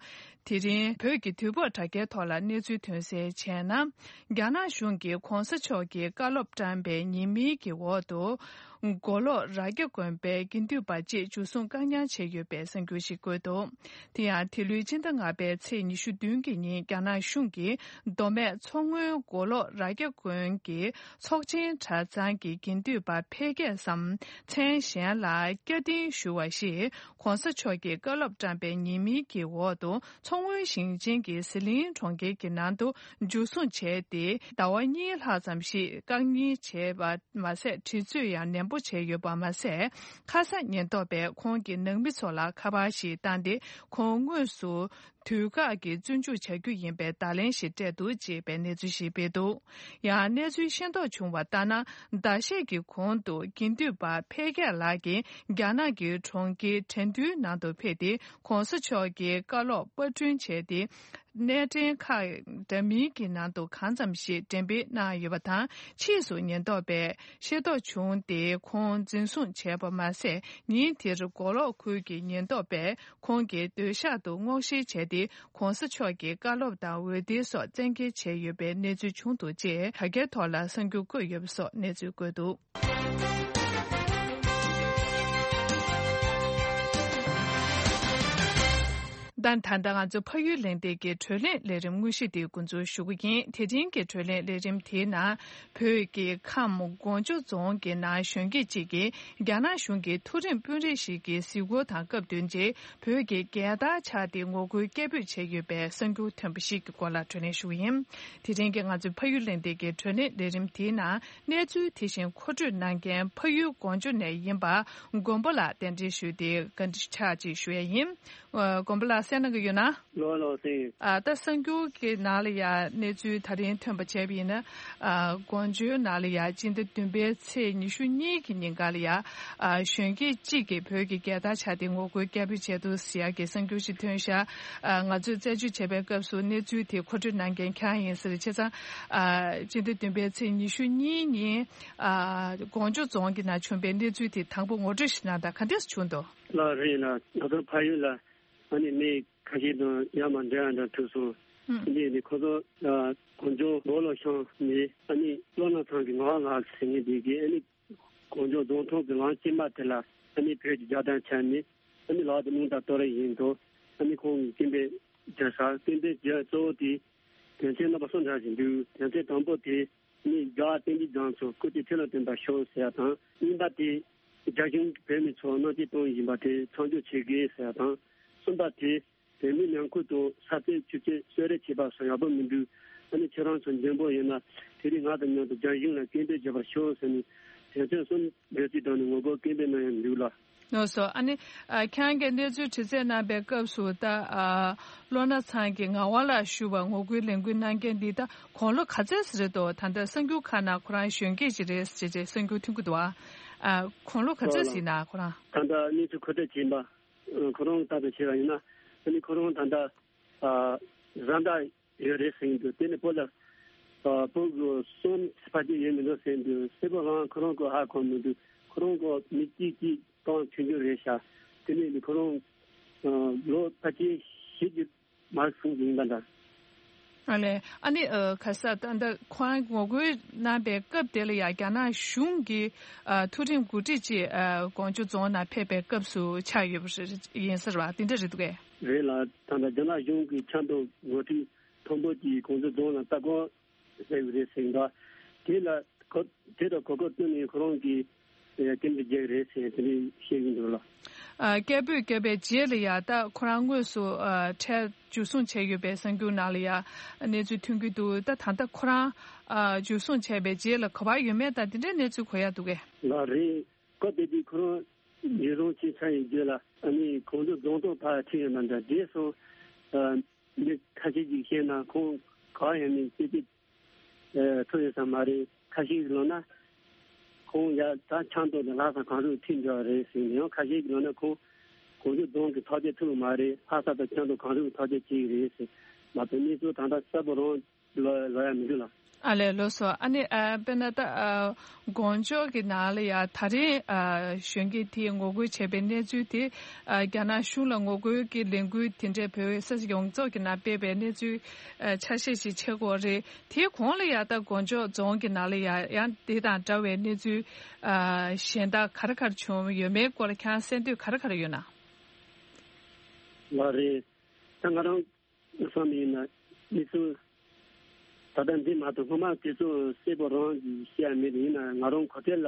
དེ་རིང་བོད་ཀྱི་དུས་བབ་དྲ་རྒྱའི་ཐོག་ལ་གནས་ཚུལ་ཐོན་གསལ་བྱས་ན། རྒྱ་ནག་གཞུང་གིས་༧གོང་ས་མཆོག་གི་བཀའ་སློབ་བཀྲམ་པའི་ཉེས་མིང་གི་འོག་ཏུ། མགོ་ལོག་རྭ་རྒྱ་དགོན་པའི་དགེ་འདུན་པ་བཅས་འཇུ་བཟུང་བཀག་ཉར་བྱས་ཡོད་པའི་གསར་འགྱུར་ཞིག་བཀོད་འདུག་དེ་ཡང་དེ་ལོའི་སྤྱི་ཟླ་ལྔ་པའི་ཚེས་ཉི་ཤུ་བདུན་གྱི་ཉིན་རྒྱ་ནག་གཞུང་གིས་མདོ་སྨད་མཚོ་སྔོན་མགོ་ལོག་རྭ་རྒྱ་དགོན་གྱི་ཚོགས་ཆེན་གྲྭ་ཚང་གི་དགེ་འདུན་པ་ཕལ་སྐད་བསམ་མཚན་གཞན་ལ་བསྐྱར་འདེམས་ཞུ་བ་ཞིག་༧གོང་ས་མཆོག་གི་བཀའ་སློབ་བཀྲམ་པའི་ཉེས་མིང་གི་འོག་ཏུ་མཚོ་སྔོན་ཞིང་ཆེན་གྱི་ཟི་ལིང་གྲོང་ཁྱེར་གྱི་ནང་དུ་འཇུ་བཟུང་བྱས་ཏེ་ཟླ་བ་གཉིས་ལྷག་ཙམ་ཞིག་བཀག་ཉར་བྱས་པ་མ་ཟད། དྲི་རྩད་ཡང་ནན་པོ་བྱས་ཡོད་པ་མ་ཟད། ཁ་ས་ཉེན་རྟོག་པས་ཁོང་གི་ནང་མི་ཚོ་ལ་ཁ་པར་ཞིག་བཏང་སྟེ་ཁོང་དངོས་སུ་དུས་བཀག་གི་བཙོན་འཇུག་བྱ་རྒྱུ་ཡིན་པའི་བརྡ་ལན་ཞིག་སྤྲད་འདུག་ཅེས་པའི་གནས་ཚུལ་ཞིག་སྤེལ་འདུག་ཡང་གནས་ཚུལ་ཤེས་རྟོགས་བྱུང་བ་ལྟར་ན། ཟླ་ཤས་ཀྱི་གོང་དུ་དགེ་འདུན་པ་ཕལ་སྐད་ལགས་ཀྱིས་རྒྱ་ནག་གི་གྲོང་ཁྱེར་ཁྲེང་ཏུའུ་ནང་དུ་ཕེབས་ཏེ་༧གོང་ས་མཆོག་གི་བཀའ་སློབ་པར་སྐྲུན་བྱས་ཏེ། གནས་འདྲེན་ཁག་འདྲ་མིན་གྱི་ནང་དུ་གང་ཙམ་ཞིག་འགྲེམས་སྤེལ་གནང་ཡོད་པ་དང་། ཕྱིས་སུ་ཉེན་རྟོག་པས་ཤེས་རྟོགས་བྱུང་སྟེ་ཁོང་འཛིན་བཟུང་བྱས་པ་མ་ཟད། ཉིན་དེར་མགོ་ལོག་ཁུལ་གྱི་ཉེན་རྟོག་པས་ཁོང་གི་སྡོད་ཤག་ཏུ་སྔོག་བཤེར་བྱས་ཏེ། ༧གོང་ས་མཆོག་གི་བཀའ་སློབ་དང་འོད་སྡེར་སོགས་བཙན་འགེལ་བྱས་ཡོད་པའི་གནས་ཚུལ་བྱུང་འདུག་ཅེས་དྲ་རྒྱའི་ཐོག་ལ་གསར་འགྱུར་བཀོད་ཡོད་པ་སོགས་གནས་ཚུལ་བཀོད་འདུག་ད་ད་ལྟ་ང་ཚོ་ཕ་ཡུལ་གླེང་སྟེགས་ཀྱི་བགྲོ་གླེང་ལས་རིམ་དངོས་གཞི་དེ་འགོ་འཛུགས་ཞུ་གི་ཡིན། དེ་རིང་གི་བགྲོ་གླེང་ལས་རིམ་དེའི་ནང་བོད་ཀྱི་ཁམས་སྒོ་འཇོ་རྫོང་གི་ནང་གཞོན་སྐྱེས་གཅིག་གིས་རྒྱ་ནག་གཞུང་གི་མཐོ་རིམ་དཔོན་རིགས་ཤིག་གི་གཟིགས་སྐོར་དང་སྐབས་བསྟུན་ཏེ་བོད་ཀྱི་རྒྱལ་དར་འཕྱར་ཏེ་ངོ་རྒོལ་སྐད་འབོད་བྱས་ཡོད་པའི་གསར་འགྱུར་ཐོན་པ་ཞིག་གི་སྐོར་ལ་བགྲོ་གླེང་ཞུ་གི་ཡིན། དེ་རིང་གི་ང་ཚོའི་ཕ་ཡུལ་གླེང་སྟེགས་ཀྱི་བགྲོ་གླེང་ལས་རིམ་དེའི་ནང་གནས་ཚུལ་དེ་བཞིན་མཁོ་སྤྲོད་གནང་མཁན་ཕ་ཡུལ་སྒོ་འཇོ་ནས་ཡིན་པ་མགོན་པོ་ལགས་གདན་འདྲེན་ཞུས་ཏེ་བཀའ་འདྲི་ཁག་ཅིག་ཞུ་ཡ་ཡིན། ཨ། མགོན་པོ་ལགས། གསན་གནང་གི་ཡོད་ན། ལགས་ལགས་གསན་ཡོད། ཨ། ད་གསར་འགྱུར་གྱི་ནང་ལ་ཡ་གནས་ཚུལ་ད་རིང་ཐོན་པ་བྱས་པ་ཡིན་ན། ཨ། དགོང་ཇོ་ནང་ལ་ཡ་སྤྱི་ཟླ་བདུན་པའི་ཚེས་ཉི་ཤུ་གཉིས་ཀྱི་ཉིན་ཀ་ལ་ཡ། ཨ། གཞོན་སྐྱེས་གཅིག་གིས་བོད་ཀྱི་རྒྱལ་དར་ཕྱར་ཏེ་ངོ་རྒོལ་སྐད་འབོད་བྱས་འདུག་ཟེར་ཡ་གི་གསར་འགྱུར་ཞིག་ཐོན་ཤག་ཨ། ང་ཚོས་རྩད་གཅོད་བྱས་པའི་སྐབས་སུ་གནས་ཚུལ་དེ་མཁོ་སྤྲོད་གནང་མཁན་ཁྱེད་རང་ཡིན་ཟེར། བྱས་ཙང་། ཨ། སྤྱི་ཟླ་བདུན་པའི་ཚེས་ཉི་ཤུ་གཉིས་ཉིན། ཨ། དགོང་ཇོ་རྫོང་གི་ནང་བྱུང་པའི་གནས་ཚུལ་དེ་དང་པོ་ངོ་སྤྲོད་ཞིག་གནང་དང་། ག་འདྲས་བྱུང་འདུག་ལགས་རེད་ལགས། ང་ཚོ་ཕ་ཡུལ་ལ་ཨ་ནི་མི་ཁ་ཤས་དང་ཡར་མར་འབྲེལ་བ་འདྲ་ཐུབ་སོང་། ཨུམ། འདི་ནི་ཁོ་ཚོ་ཨ་གངས་ལྗོངས་སྦོ་ལོགས་ཤང་ནས་ཨ་ནི་བློ་སྣ་ཚང་གི་ངག་དབང་ལགས་ཟེར་མཁན་དེ་གིས་ཨ་ནི་གངས་ལྗོངས་རྫོང་ཐོག་གི་ལམ་དཀྱིལ་མ་དེ་ལ་ཨ་ནི་བོད་ཀྱི་རྒྱལ་དར་འཕྱར་ནས་ཨ་ནི་ལག་ཏུ་རླུང་རྟ་གཏོར་བཞིན་དུ་ཨ་ནི་ཁོང་གིས་སྐད་འབོད་བརྒྱབ་ཤག་སྐད་འབོད་བརྒྱབ་གཙོ་བོ་དེ་དོན་ཚན་རྣམ་པ་གསུམ་འདྲ་ཞིག་འདུག་དོན་ཚན་དང་པོ་དེ། ནི་རྒྱལ་བ་བསྟན་འཛིན་རྒྱ་མཚོ་སྐུ་ཚེ་ཁྲི་ལོ་བརྟན་པར་ཤོག་ཟེར་ཡ་དང་། གཉིས་པ་དེ། རྒྱ་གཞུང་གིས་བོད་མི་ཚོར་མནར་གཅོད་གཏོང་བཞིན་པ་དེ་མཚམས་འཇོག་བྱེད་དགོས་ཟེར་ཡ་དང་། གསུམ་པ་དེ། བོད་མི་ནང་ཁུལ་དུ་ས་བཙལ་ཆུ་བཙལ་གསོད་རེས་བྱེད་པ་སོགས་ཡག་པོ་མི་འདུག་ཨ་ནི་ཁྱེད་རང་ཚོ་འཇོན་པོ་ཡིན་ན་དེ་རིང་ང་དང་མཉམ་དུ་རྒྱ་གཞུང་ལ་སྐད་འབོད་བརྒྱབ་པར་ཤོག་ཟེར་ནས་དོན་ཚན་གསུམ་འབོད་ཚིག་བཏང་ནས་ངོ་རྒོལ་སྐད་འབོད་གནང་ཡ་འདུག་ལ། ལགས་སོ། ཨ་ནི། ཨ། ཁྱེད་རང་གིས་གནས་ཚུལ་དྲི་རྩད་གནང་པའི་སྐབས་སུ་ད། ཨ། བློ་སྣ་ཚང་གི་ངག་དབང་ལགས་ཞུ་བར་ངོ་རྒོལ་ལས་འགུལ་གནང་མཁན་འདི་ད་དགུང་ལོ་ག་ཚོད་ཙམ་རེད་འདུག་ད་ལྟ་གསར་འགྱུར་ཁག་ནང་ཁོ་རང་གཞོན་སྐྱེས་ཅིག་རེད་ཟེར་བྱས་གསར་འགྱུར་ཐོན་གྱི་འདུག་ཨ། ཨ། དགུང་ལོ་ག་ཚོད་ཙམ་ཡིན་ན་ཁོ་རང་། ད་ལྟ་གནས་ཚུལ་མཁོ་སྤྲོད་བྱས་པ། ཁོ་རང་ལྟ་ལྟ་བྱས་པ་ཡིན་ན། ཨ་ནི་ཁོ་རང་ད་ལྟ། ཨ། བཟའ་ཟླ་ཡོད་རེད་ཟེར་གྱི་འདུག་དེ་ནི་བུ་ལ། ཨ། བུ་གུ་གསུམ་ཕལ་ཆེར་ཡོད་མི་འདུག་ཟེར་གྱི་འདུག་གསལ་པོ་རང་ཁོ་རང་གི་ཧ་གོ་མི་འདུག་ཁོ་རང་གི་མི་གཅིག་གཅིག་སྟོང་ཆུང་ཆུང་རེད་ཤག་དེ་ནས་ནི་ཁོ་རང་། ཨ། ལོ་ཕལ་ཆེར་བཞི་བཅུ་མར་སོང་གི་ཡིན་པ་འདྲ། ཨ་ལས། ཨ་ནི། ཨ། ག་ས་ད་ལྟ་ཁོ་རང་ངོ་རྒོལ་གནང་པའི་སྐབས་དེ་ལ་ཡང་རྒྱ་ནག་གཞུང་གི། ཨ། མཐོ་རིམ་འགོ་ཁྲིད་ཅིག་ཨ། དགོང་ཇོ་རྫོང་ནང་ཕེབས་པའི་སྐབས་སུ་ཆགས་ཡོད་པ་རེད། ཡིན་ས་རེད་པ། དེ་འདྲ་རེད་འདུག་གས། རེད་ལགས། ད་ལྟ་རྒྱ་ནག་གཞུང་གི་ཆབ་མདོ་འགོ་ཁྲིད་མཐོན་པོ་ཅིག་གངས་ལྗོངས་རྫོང་ལ་ལྟ་སྐོར་ཟེར་བ་རེད་ཟེར་འདུག་དེ་ལ་གོ་དེ་དང་གོ་སྐབས་བསྟུན་ནས་ཁོ་རང་གིས་སྐད་འབོད་རྒྱག་རེད་ཟེར་དེ་འདྲ་བཤད་ཀྱི་འདུག་ལགས། ཨ། སྐད་འབོད་བརྒྱབ་པའི་རྗེས་ལ་ཡ་ད་ཁོ་རང་དངོས་སུ་ཨ། འཕྲལ་འཇུ་བཟུང་བྱས་ཡོད་པའི་གསར་འགྱུར་ནང་ལ་ཡ་གནས་ཚུལ་ཐོན་གྱི་འདུག་ད་ད་ལྟ་ཁོ་རང་ཨ། འཇུ་བཟུང་བྱས་པའི་རྗེས་ལ་ག་པར་ཡོད་མེད་དང་དེ་འདྲའི་གནས་ཚུལ་གོ་ཡ་འདུག་གས། ལགས་རེད། སྐབས་དེ་དུས་ཁོ་རང་འཇུ་བཟུང་བྱས་ཚར་ཡི་རྗེས་ལ་ཨ་ནི་གངས་ལྗོངས་རྫོང་ཐོག་ཕར་ཁྲིད་ཡོང་བ་འདྲ་བགྲེས་སོང་། ཨ། མི་ཁ་ཤས་ཀྱིས་བཤད་ན་ཁོང་ག་པར་ཡོད་མེད་ཅི་ཅི་ཐུབ་ཡོད་ས་མ་རེད། ཁ་ཤས་ཀྱིས་ལབ་ན་ཁོང་ཡ་ད་ཆབ་མདོ་ནས་ལྷ་ས་གངས་རི་ཁྲིད་འགྲོ་བ་རེད་ཟེར་ནས། ཡང་ཁ་ཤས་ཀྱིས་ལབ་ན་ཁོང་གངས་ལྗོངས་རྫོང་གི་ཐག་གཅོད་ཐུབ་མ་རེད། ལྷ་ས་དང་ཆབ་མདོ་གངས་རི་གི་ཐག་གཅོད་བྱེད་ཀྱི་རེད་ཟེར། མ་གཏོགས་གནས་ཚུལ་ད་ལྟ་གསལ་པོ་རང་ལོ་ལོ་ཡ་མི་འདུག་ལགས། ཨ་ལས། ལགས་སོ། ཨ་ནི་ཨ། དཔེར་ན་ད་ཨ། གངས་ལྗོངས་ཀྱི་ནང་ལ་ཡ་ད་རེས་ཨ། གཞོན་སྐྱེས་དེས་ངོ་རྒོལ་བྱས་པའི་གནས་ཚུལ་དེ་ཨ། རྒྱ་ནག་གཞུང་ལ་ངོ་རྒོལ་གྱི་ལས་འགུལ་དེ་འདྲའི་བོད་ས་ཡོངས་རྫོགས་ཀྱི་ནང་སྤེལ་བའི་གནས་ཚུལ་ཨ། ཆ་ཤས་ཤིག་ཆགས་ཀྱི་ཡོད་རེད། དེའི་གོང་ལ་ཡ་ད་གངས་ལྗོངས་རྫོང་གི་ནང་ལ་ཡ་ཡང་དེ་དང་འདྲ་བའི་གནས་ཚུལ་ཨ། གཞན་དག་ག་རེ་ག་རེ་བྱུང་ཡོད་མེད་སྐོར་ལ་ཁྱེད་རང་གསན་འདོད་ག་རེ་ག་རེ་ཡོད་ན། ལགས་རེད། ད་ང་རང་བསམ་ཡིན་ན་མི་ཚོ་ད་ལྟ་འདི་མ་གཏོགས་སྔོན་མ་དེ་ཚོ་གསལ་པོ་རང་གི་བཤད་ཡ་མེད། ཡིན་ན་ང་རང་གོ་ཐོས་ལ་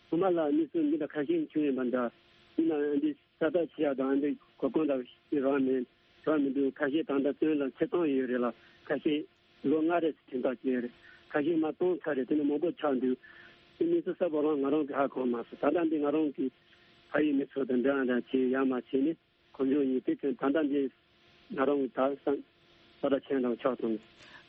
སྔོན་མ་ལ་མི་ཚོ་འདི་འདྲ་ཁ་ཤས་བྱུང་ཡོད་པ་འདྲ། ཡིན་ན་འདི་ས་ཐག་ཆེ་ཡ་དང་འདི་གོ་སྐོན་དང་ཤི་རང་མེད་རང་མི་འདུག་ཁ་ཤས་ད་ལྟ་བཙོན་ལ་ཚེ་བཏང་ཡོད་རེད་ལ། ཁ་ཤས་ལོ་ལྔ་རེ་ཟིན་ཐག་བཅད་རེད། ཁ་ཤས་མ་བཏང་ཚར་རེད། དེ་ནི་མང་པོ་ཆགས་འདུག་དེ་མི་ཚོ་གསལ་པོ་རང་ང་རང་གི་ཧ་གོ་མ་སོང་། ད་ལྟ་འདི་ང་རང་གི་ཕ་ཡུལ་མི་ཚོ་དང་འདྲ་འདྲ་བྱས་ཡ་མ་བྱས་ནས། གོ་སྐྱོན་ཡིན། དེ་ཚོ་ད་ལྟ་འདི་ང་རང་གི་ད་བསམ་ས་ད་ཆེན་རང་ཆགས་སོང་།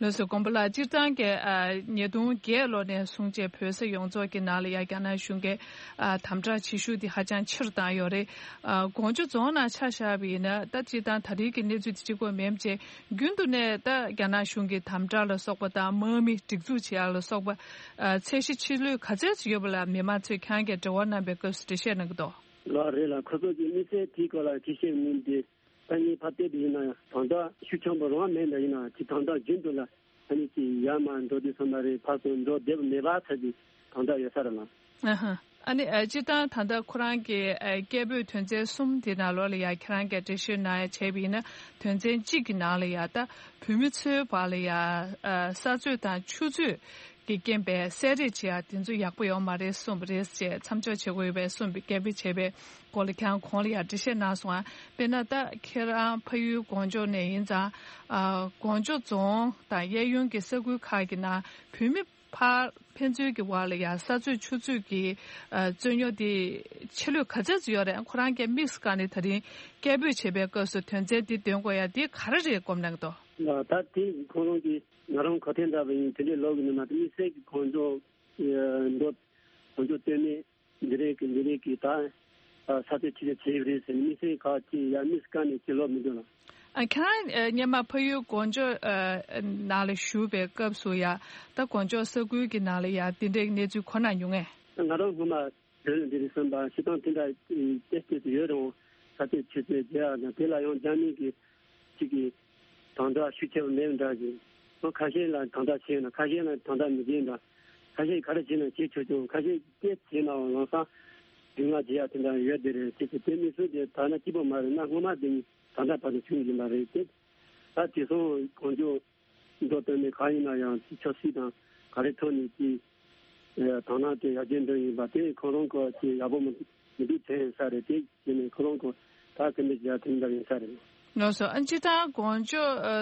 ལགས་སོ། མགོན་པོ་ལགས། སྤྱིར་བཏང་གི་ཨ། ཉིས་སྟོང་བརྒྱད་ལོ་ནས་བཟུང་བྱས་བོད་ས་ཡོངས་རྫོགས་ཀྱི་ནང་ལ་ཡ་རྒྱ་ནག་གཞུང་གིས་ཨ། དམ་དྲག་བྱེད་ཤུགས་དེ་ཧ་ཅང་ཆེ་རུ་བཏང་ཡོད་རེད། ཨ། གངས་ལྗོངས་རྫོང་ནང་ཆ་བཞག་པ་ཡིན་ན་ད་སྤྱིར་བཏང་ད་རེས་ཀྱི་གནས་ཚུལ་དེ་གཅིག་པོ་མིན་པ་བྱས་རྒྱུན་དུ་ནས་ད་རྒྱ་ནག་གཞུང་གི་དམ་དྲག་ལ་སོགས་པ་དང་དམག་མི་སྒྲིག་འཛུགས་བྱེད་ཡ་ལ་སོགས་པ་ཨ། ཚད་གཞི་ཆེ་ལོས་ག་ཚད་ཅིག་ཡོད་པ་ལ་མི་མང་ཚོས་ཁྱེད་རང་གིས་འབྲེལ་བ་གནང་པའི་སྐབས་སུ་འགྲེལ་བཤད་གནང་གི་འདུག་ལགས་རེད་ལགས། ཁོ་ཚོ་གི་དམིགས་བསལ་དེའི་སྐོར་ལ་འགྲེལ་བཤད་མིན་ཏེ། ད་ངས་ཕར་བལྟས་པ་ཡིན་ན་ཡང་དམ་དྲག་ཤུགས་ཆེན་པོ་རང་མེད་འདྲ་ཡིན་ན་ཅིག་དམ་དྲག་རྒྱུན་དུ་ལ་ཨ་ནི་ཅིག་ཡར་མར་འགྲོ་དུས་ཙམ་པ་རེད། ཕར་ཚུར་འགྲོ་བདེ་པོ་མེད་པ་ཚ་ཅིག་དམ་དྲག་ཡོད་ས་རེད་ལ། ཨ་ཧ། ཨ་ནི་ཨ། སྤྱིར་བཏང་ད་ལྟ་ཁོ་རང་གི་ཨ། སྐད་འབོད་དོན་ཚན་གསུམ་དེ་ནང་ལོགས་ལ་ཡ་ཁྱེད་རང་གིས་འགྲེལ་བཤད་གནང་ཡ་བྱས་པ་ཡིན་ན་དོན་ཚན་གཅིག་གི་ནང་ལ་ཡ་ད་བོད་མི་ཚོའི་བར་ལ་ཡ་ཨ། ས་རྩོད་དང་ཆུ་རྩོད་ཀྱི་རྐྱེན་པས་བསད་རེས་བྱེད་ཡ་དེ་ཚོ་ཡག་པོ་ཡོད་མ་རེད་གསུངས་པ་རེད་ཅེས་མཚམས་འཇོག་བྱེད་དགོས་ཡོད་པའི་གསུངས་པའི་སྐད་འབོད་བྱས་པའི་སྐོར་ལ་ཁྱེད་རང་གོང་ལ་ཡང་འགྲེལ་བཤད་གནང་སོང་ཨ། དཔེར་ན་ད་ཁྱེད་རང་ཕ་ཡུལ་གངས་ལྗོངས་ནས་ཡིན་ཙང་ཨ། གངས་ལྗོངས་རྫོང་དང་གཡས་གཡོན་གྱི་ས་ཁུལ་ཁག་གི་ནང་བོད་མི་ ཕར་ཕན་ཚུན་གྱི་བར་ལ་ཡང་ས་རྩོད་ཆུ་རྩོད་ཀྱི་ཨ་རྩོད་རྙོག་དེ་ཆེ་ལོས་ག་ཚོད་ཙམ་ཡོད་རེད། ཁོ་རང་གིས་དམིགས་སུ་བཀར་ནས་ད་རིང་སྐད་འབོད་བྱེད་པའི་སྐབས་སུ་དོན་ཚན་འདི་འདོན་དགོས་ཡ་དེ་ག་རེ་རེད་དགོངས་གནང་གི་འདུག་ད་དེ་ཁོ་རང་གིས་ང་རང་གོ་ཐོས་འདྲ་བ་ཡིན། དེ་འདྲའི་ལོག་གི་མིན་ན་དམིགས་བསལ་གྱི་གོ་འཇོག་འགྲོ་གོ་འཇོག་སྟོན་མེད། འདི་རེད་ཀྱི་འདི་རེད་ཀྱི་ད་ས་ཆ་ཆེ་ཆེ་བྱས་ཡོད་རེད་ཟེར་ནས་དམིགས་བསལ་ག་ཅི་ཡ་དམིགས་བཀར་ནས་ཅི་ལོག་མི་འདུག་ལ། ཨ་ཁྱེད་རང་ཨ་སྔོན་མ་ཕ་ཡུལ་གོ་འཇོག་ཨ་ནང་ལ་བཞུགས་པའི་སྐབས་སུ་ཡ་ད་གོ་འཇོག་ས་ཁུལ་གྱི་ནང་ལ་ཡ་དེ་འདྲའི་གནས་ཚུལ་གོ་ན་མྱོང་ངས། ང་རང་སྔོན་མ་བོད་ལ་འདི་རེད་བསམ་པ་སྤྱིར་བཏང་དེ་འདྲ་ཏོག་ཙམ་ཡོད་རུང་ས་ཆ་ཆེ་ཆེ་བྱས་ཡ་ན་དེ་ལ་ཡང་རྒྱ་མི་གི་གཅིག་གིས་དམ་དྲག་ཤུགས་ཆེ་བ་མེད་འདྲ་ཞིག་ཁོ་ཁ་ཤས་ལ་དམ་དྲག་བྱས་ན་ཁ་ཤས་ལ་དམ་དྲག་མི་བྱེད་འདྲ། ཁ་ཤས་ག་རེ་བྱས་ན་བྱེད་ཆོག་ཆོག་ཁ་ཤས་སྐད་བྱས་ནའང་ལམ་སང་སྡུག་བསྔལ་བྱེད་ཡ་དེ་འདྲ་ཡོད་དེ་རེད། ཅེས་པའི་དེ་མི་སུ་དེ་ད་ན་སྐྱིད་པོ་མ་རེད་ན་སྔོན་མ་དེ་ནི་དམ་དྲག་བར་དུ་བྱུང་ཡིན་པ་རེད་དེ། ད་དེ་སོང་གང་ཅོག་མདོ་སྟོད་ནས་གང་ཡིན་ན་ཡང་ཆབ་སྲིད་དང་ག་རེ་ཐོག་ནས་ཀྱི་དོ་སྣང་དེ་ཡར་རྒྱས་འགྲོ་ཡིན་པ་དེ་ཁོ་རང་གི་ཅི་ཡག་པོ་མི་མི་འདུག་དྲན་ས་རེད། དེ་བྱས་ནས་ཁོ་རང་གི་ད་དེ་འདྲ་བྱས་དེ་འདྲ་ཡིན་ས་རེད། ལགས་སོ། ཨ་སྤྱིར་བཏང་གོ་འཇོ་ཨ་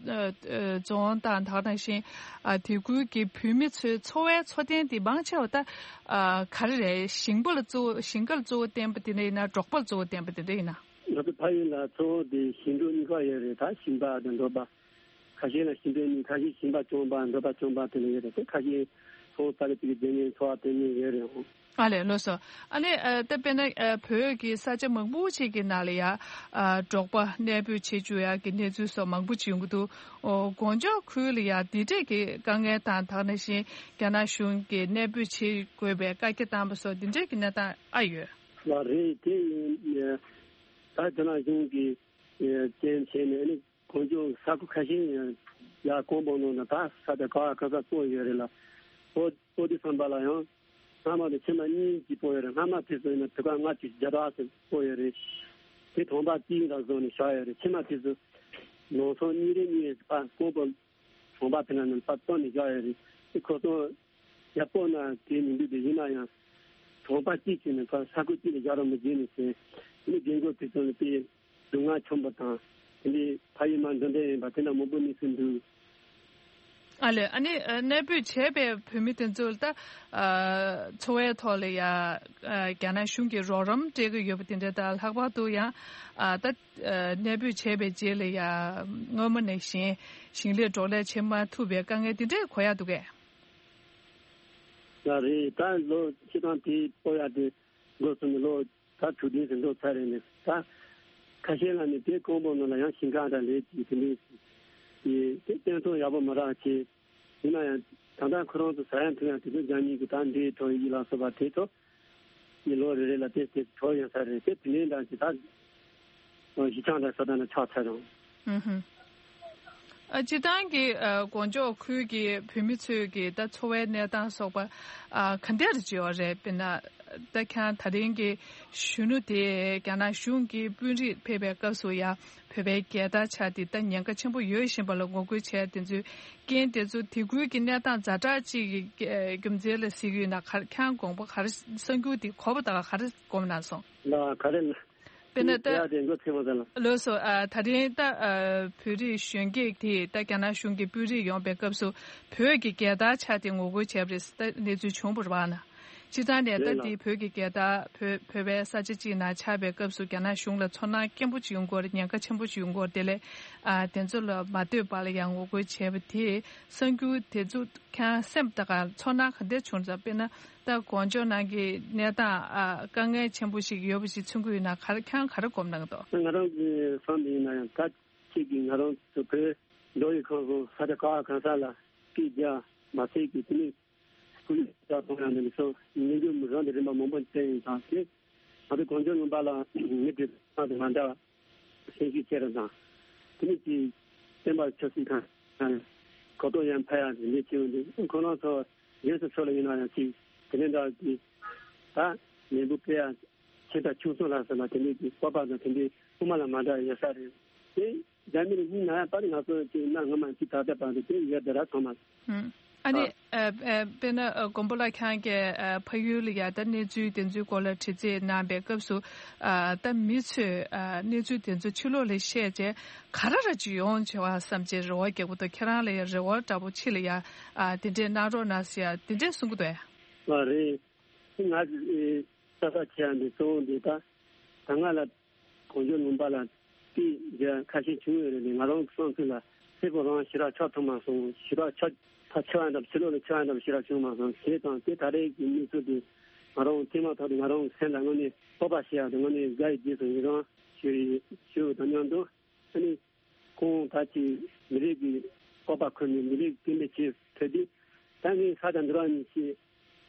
ཨ་ཨ་རྫོང་དང་ད་ག་ནང་བཞིན་ཨ་དེ་ཁུལ་གྱི་བོད་མི་ཚོའི་འཚོ་བའི་འཚོ་རྟེན་དེ་མང་ཆེ་བ་ད་ཨ་ག་རེ་རེད། ཞིང་པ་ལ་གཙོ་བོ་ཞིང་ཁ་ལ་གཙོ་བོ་བསྟན་པ་དེ་འདྲ་ཡིན་ན་འབྲོག་པ་ལ་གཙོ་བོ་བསྟན་པ་དེ་འདྲ་ཡིན་ན། ང་ཚོ་ཕ་ཡུལ་ལ་གཙོ་བོ་དེ་ཞིང་འབྲོག་གཉིས་ཀ་ཡོད་རེད། ད་ཞིང་པ་དང་འབྲོག་པ། ཁ་ཤས་ལ་ཞིང་འབྲོག་གཉིས། ཁ་ཤས་ཞིང་པ་རྐྱང་པ་འབྲོག་པ་རྐྱང་པ་དེ་འདྲ་ཡོད་རེད་དེ། ཁ་ཤས་ཁོང་ས་ཆ་དེ་གའི་བསྡད་མཁན་འཚོ་བ་སྟོན་མཁན་ཡོད་རེད་འོང་། ཨ་ལས་ལགས་སོ། ཨ་ནི་ཨ་ད་དཔེར་ན་ཨ་བོད་ཀྱི་ས་ཆ་མང་པོ་ཅིག་གི་ནང་ལ་ཡ་ཨ་འབྲོག་པ་གནས་སྤོས་བྱེད་བཅུག་ཡ་གི་གནས་ཚུལ་སོགས་མང་པོ་ཅིག་ཡོང་གི་འདུག་ཨོ་གོ་འཇོ་ཁུལ་ལ་ཡ་འདི་འདྲས་ཀྱི་དཀའ་ངལ་དང་ད་ག་ནང་བཞིན་རྒྱ་ནག་གཞུང་གིས་གནས་སྤོས་བྱེད་དགོས་པའི་བཀའ་རྒྱ་བཏང་པ་སོགས་འདི་འདྲས་ཀྱི་གནས་སྟངས་ཨ་ཡོད། ལགས་རེད། དེ་ཡིན་ད་རྒྱ་ནག་གཞུང་གིས་རྐྱེན་བྱས་ནས་ཨ་ནི། གོ་འཇོ་ས་ཁུལ་ཁ་ཤས་ཡང་ཡར་ཀོང་པོ་ནང་ན་ད་ས་ཆ་ག་བ་ག་ས་སྤོ་ཡོད་རེད་ལ། སྤོ་སྤོ་དུས་ཙམ་པ་ལ་ཡང་སྔ་མ་དང་ཕྱི་མ་གཉིས་ཀྱིས་སྤོ་ཡོད་རེད། སྔ་མ་དེ་ཚོ་ཡིན་ན་དུས་སྐབས་ལྔ་བཅུ་བརྒྱ་ཕྲག་ཙམ་སྤོ་ཡོད་རེད། དེ་གྲོང་པ་གཅིག་ལ་བཟོས་ནས་བཞག་ཡོད་རེད། ཕྱི་མ་དེ་ཚོ་ནང་ཚང་གཉིས་རེ་གཉིས་རེ་ཕར་ཀོང་པོ་གྲོང་པ་དེ་ན་ནས་ཕར་བཏོན་ནས་བཞག་ཡོད་རེད། དེ་ཁོ་ཚོ་ཡར་སྤོ་ན་དེ་མི་འདུག་དེ་ཡིན་ན་ཡང་གྲོང་པ་གཅིག་བྱས་ནས་ཕར་ས་ཁུལ་གཅིག་ལ་བཞག་རོགས་མི་བྱེད་ནས་ཟེར། དེ་ནས་རྒན་རྒོན་དེ་ཚོ་ལ་དཔེ། སྡུག་བསྔལ་ཆེན་པོ་དང་། དེ་འདྲའི་ཕ་ཡུལ་མ་འགྲོ་འདོད་ཡིན་པ་དེ་འདྲ་མང་པོ་གནས་ཚུལ་འདུག་ཨ་ལས། ཨ་ནི་ཨ་གནས་སྤོས་བྱས་པའི་བོད་མི་དེ་ཚོ་ལ་ད་ཨ་འཚོ་བའི་ཐོག་ལ་ཡ་ཨ་རྒྱ་ནག་གཞུང་གིས་རོགས་རམ་སྤྲད་ཀྱི་ཡོད་པ་དེ་འདྲ་དང་། ལྷག་པར་དུ་ཡང་ཨ་ད་ཨ་གནས་སྤོས་བྱས་པའི་རྗེས་ལ་ཡ་སྔོན་མ་ནང་བཞིན་ཞིང་ལས་འབྲོག་ལས་བྱེད་མ་ཐུབ་པའི་དཀའ་ངལ་དེ་འདྲ་གོ་ཡ་འདུག་གས། ལགས་རེད། ད་ལོ་སྤྱིར་བཏང་དེ་སྤོ་ཡ་དེ་འགོ་བཙུགས་ནས་ལོ་ད་དྲུག་བདུན་ཙམ་འགྲོ་ཚར་རེད། ནས་ད་ཁ་ཤས་ལ་ནི་དེ་ཀོང་པོ་ནང་ལ་ཡང་ཞིང་ཁ་འདྲ་ལས་ཀྱི་དེ་འདྲའི་དེ་དེ་སྟོན་ཐོག་ཡག་པོ་མ་རག་བྱས། ཡིན་ན་ཡང་ད་ལྟ་ཁོ་རང་ཚོ་ཟ་ཡང་འཐུང་ཡང་དེ་ཚོ་རྒྱ་མི་གི་ད་འདྲའི་གྲོགས་ཡིག་ལ་སོགས་པ་དེ་ཚོ་ཡི་ལོ་རེ་རེ་ལ་དེ་དེ་གྲོགས་ཡོང་ས་རེད། དེ་དེ་ནས་འདྲ་ཅི་ད་གཞི་ཆགས་འདྲ་ས་ད་ན་ཆགས་ཚར་རུང་། ཨུ་ཧུ། ཨ་སྤྱིར་བཏང་གི་ཨ་གོ་འཇོ་ཁུལ་གྱི་བོད་མི་ཚོས་ཀྱི་ད་འཚོ་བའི་གནས་སྟངས་སོགས་པ་ཨ་ག་འདྲ་རེ་བྱེད་ཡོད་རེད། དཔེར་ན་ད་ཁྱེད་རང་ད་རིང་གི་གཞོན་ནུ་དེ་རྒྱ་ནག་གཞུང་གི་དཔོན་རིགས་ཕེབས་པའི་སྐབས་སུ་ཡང་བོད་པའི་རྒྱལ་དར་འཕྱར་ཏེ་ད་ཉེན་ཁ་ཆེན་པོ་ཡོད་བཞིན་པ་ལ་ངོ་རྒོལ་བྱས་དེ་ཚོའི་རྐྱེན་དེ་ཚོ་དེ་ཁུལ་གྱི་གནས་སྟངས་ཛ་དྲག་ཅིག་གི་རྒྱུ་མཚན་ལ་གཟིགས་ཡོད་ན་ག་རེ། ཁྱེད་རང་དགོངས་པ་ག་རེ། གསར་འགྱུར་དེ་གོ་བ་ད་ག་རེ་དགོངས་གནང་སོང་། ལ་ག་རེ་ལ། དཔེར་ན་ད་ཡ་དེ་འགོ་ཚུགས་པ་ལ། ལགས་སོ། ཨ་ད་རིང་ད་ཨ་བོད་རིགས་གཞོན་སྐྱེས་དེས་ད་རྒྱ་ནག་གཞུང་གི་དཔོན་རིགས་ཡོང་པའི་སྐབས་སུ་བོད་ཀྱི་རྒྱལ་དར་འཕྱར་ཏེ་ངོ་རྒོལ་བྱས་པ་རེད། ད་གནས་ཚུལ་བྱུང་བ་རེད་པ་ན། སྤྱིར་བཏང་ནས་ད་རེད་ལ། འདི་བོད་ཀྱི་རྒྱལ་དར་བོད་བོད་པའི་ས་ཆ་གཅིག་ན་འཕྱར་བའི་སྐབས་སུ་རྒྱ་ནག་གཞུང་ལ་ཚོར་སྣང་སྐྱེན་པོ་ཅིག་ཡོང་གི་ཡོད་རེད། ཉེན་ཁ་ཆེན་པོ་ཅིག་ཡོང་གི་ཡོད་རེད། དེ་ལས་ཨ་དེ་ཚོ་ལ་མ་ལྟོས་པ་ལ་ཡང་ངོ་རྒོལ་བྱས་པ་དེས་གསར་འགྱུར་དེ་ཚོ་ཁྱེད་རང་སེམས་ད་ག་ཚོར་སྣང་ག་འདྲ་བྱུང་ཙང་། དཔེར་ན་ད་གོ་འཇོ་ནང་གི་གནས་སྟངས་ཨ་དཀའ་ངལ་ཆེན་པོ་ཞིག་ཡོད་པ་ཞིག་མཚོན་གྱི་ཡོད་ན་ག་རེ། ཁྱེད་རང་ག་རེ་དགོངས་གནང་གི་འདུག་ང་རང་གི་བསམ་པ་ཡིན་ན་ཡང་ད་ཁྱེད་ཀྱིས་ང་རང་ཚོ་བོད་མདོ་དབུས་ཁམས་གསུམ་ས་ཆ་ག་བ་གང་ས་ལ་སྐད་རྒྱག་མ་ཚད་ཀྱི་དེ་ནི་སྐུ་ལུས་ལ་ཐོག་ཡང་ནས་སོ་ཉིན་རྒྱུན་རང་གི་རིམ་པ་མང་པོ་བསྟན་ཡིན་ཙང་། དེ་ང་ཚོ་གོ་འཇོ་ལུང་པ་ལ་མི་དེ་ཚང་དུ་མ་འདྲ་བ་སེམས་ཤུགས་ཆེ་རུ་དང་། དེ་ནི་ཅིག་བསྟན་པ་ཆབ་སྲིད་དང་གོ་རྟོགས་ཡང་འཕེལ་ཡག་གི་ལས་བྱེད་འོང་དུས། ཁོ་རང་ཚོ་གཞན་སུ་ཚོ་ལ་ཡིན་ན་ཡང་ཅིག་དེ་ནས་འདྲ་གི་ད་ལས་འགུལ་སྤེལ་ཡག་ཆེ་དང་ཆུང་སོང་ལ་ཟེར་ན་དེ་འདྲའི་གི་སྤོབས་པ་དང་དེ་འདྲའི་དབུ་མ་ལ་མ་འདྲ་ཡོད་ས་རེད། དེ་རྒྱ་མི་ལ་སྙིང་ན་ཡང་པར་ང་ཚོ་ཅིག་གནའ་སྔ་མ་ཅིག་ད་ལྟ་བར་དུ་དེ་ཡོད་དེ་ར་ཚང་མ། ཨུམ། ཨ་ནི། ཨ། ཨ། ཨ། དཔེར་ན། ཨ། མགོན་པོ་ལགས་ཁྱེད་རང་གིས། ཨ། ཕ་ཡུལ་ལ་ཡ་ད་གནས་ཚུལ་དེ་ཚོའི་སྐོར་ལ་དྲི་རྩད་གནང་བའི་སྐབས་སུ། ཨ། ད་མི་ཚོས། ཨ། གནས་ཚུལ་དེ་ཚོ་ཕྱི་ལོགས་ལ་བཤད་བྱས་ག་རེ་ར་ཅིག་ཡོང་བྱས་པ་བསམ་བྱས་རེ་བ་རྒྱག་གི་འདུག་ཁྱེད་རང་ལ་ཡ་རེ་བ་འདྲ་པོ་ཕྱི་ལ་ཡ། ཨ། དེ་འདྲས་གནང་རོགས་གནང་ཟེར་ཡ་དེ་འདྲས་གསུང་གི་འདུག་ཨ། ལགས་རེད། ང་ཚོས་ས་ཐག་ཆད་ཡ་འདི་གཙོ་བོ་འདི་ད་ད་ང་ལ། གོང་ཞུས་ལུང་པ་ལ་དེ་འདྲ་ཁ་ཤས་བྱུང་ཡོད་རེད། ང་རང་གི་བསམ་ཚུལ་ལ་སེར་པོ་རང་ཞེ་དྲག་ཆགས་ཐུབ་མ་སོང་། ཞེ་དྲག་ཆགས་ད་ཆགས་ཡ་འདྲ་ཕྱི་ལོགས་ལ་ཆགས་ཡ་འདྲ་ཞེ་དྲག་བྱུང་མ་སོང་། བྱས་ཙང་དེ་ད་རེས་ཀྱི་གནས་ཚུལ་དེ་ང་རང་ཐེངས་མ་ཐག་ཏུ་ང་རང་གི་སེམས་ལ་དངོས་གནས་སྤོབས་པ་ཞེ་ཡ་དང་དངོས་གནས་དགའ་ཡི་རྗེས་སུ་ཡི་རང་ཞུ་ཡི་ཞུ་ཡོད་དང་མཉམ་དུ། ཨ་ནི་ཁོང་ད་ཅིག་མི་རིགས་ཀྱི་སྤོབས་པ་ཁུར་ནས་མི་རིགས་སྐད་འབོད་བྱེད་ཐུབ་དུས། ད་ངས་ས་དང་འདྲ་བ་ནས་ཤེས།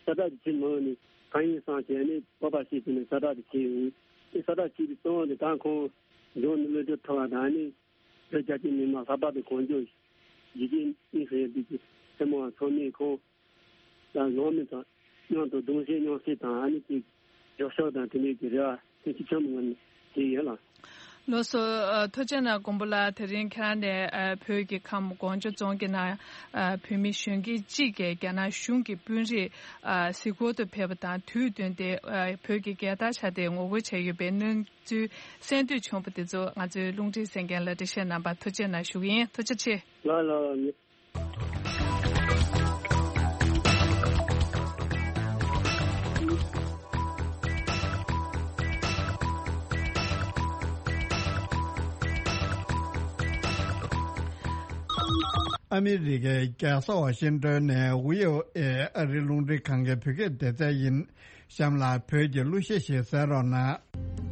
ས་བདག་གི་ཆེད་མ་འོས་ནས་གང་ཡིན་བསམ་བྱས་ནས་སྤོབས་པ་བྱས་བྱས་ནས་ས་བདག་དེ་བྱས་ཡོང་། དེ་ས་བདག་བྱས་པའི་གཙོ་བོ་དེ་ད་ཁོང་འབྱུང་གནས་བློ་གྲོས་ཐོབ་པ་དང་ནི་བོད་རྒྱ་ཆེ་མི་མང་ལྷག་པར་དུ་གངས་ལྗོངས་ཡུལ་གྱི་གཉིས་སུ་ཡོད་པའི་སེར་མོ་བ་ཚང་མས་ཁོང་ལ་ལོང་མི་དང་མཉམ་དུ་གདུང་སེམས་མཉམ་སྐྱེད་དང་ཨ་ནི་དེ་མགྱོགས་ཤོས་དང་དེ་འདྲའི་གི་རེ་བ་ཐུགས་རྗེ་ཆེན་པོ་ངོས་ནས་བྱས་ཡོད་ལགས། ལགས་སོ། ཨ། ཐུགས་རྗེ་གནང་མགོན་པོ་ལགས། དེ་རིང་ཁྱེད་རང་ནས། ཨ། བོད་ཀྱི་ཁམས་གངས་ལྗོངས་རྫོང་གི་ནང་། ཨ། བོད་མི་གཞོན་སྐྱེས་གཅིག་གིས་རྒྱ་ནག་གཞུང་གི་དཔོན་རིགས། ཨ། གཟིགས་སྐོར་དུ་ཕེབས་པ་དང་དུས་བསྟུན་ཏེ། ཨ། བོད་ཀྱི་རྒྱལ་དར་ཕྱར་ཏེ་ངོ་རྒོལ་བྱས་ཡོད་པའི་གནས་ཚུལ་གསན་འདོད་བྱུང་བ་དེ་ཚོ་ང་ཚོའི་རླུང་འཕྲིན་གསན་མཁན་ལ་འགྲེལ་བཤད་གནང་བར་ཐུགས་རྗེ་གནང་ཞུ་གི་ཡིན། ཐུགས་རྗེ་ཆེ། ལགས་ལགས། ཨ་མི་རི་ཀའི་རྒྱལ་ས་ཝ་ཤིང་ཏོན་ནས་བྷི་ཨོ་ཨེ་ཨ་རིའི་རླུང་འཕྲིན་ཁང་གི་བོད་སྐད་སྡེ་ཚན་ཡིན། གཤམ་ལ་བོད་ཀྱི་གླུ་གཞས་ཤིག་གསན་རོགས་གནང་།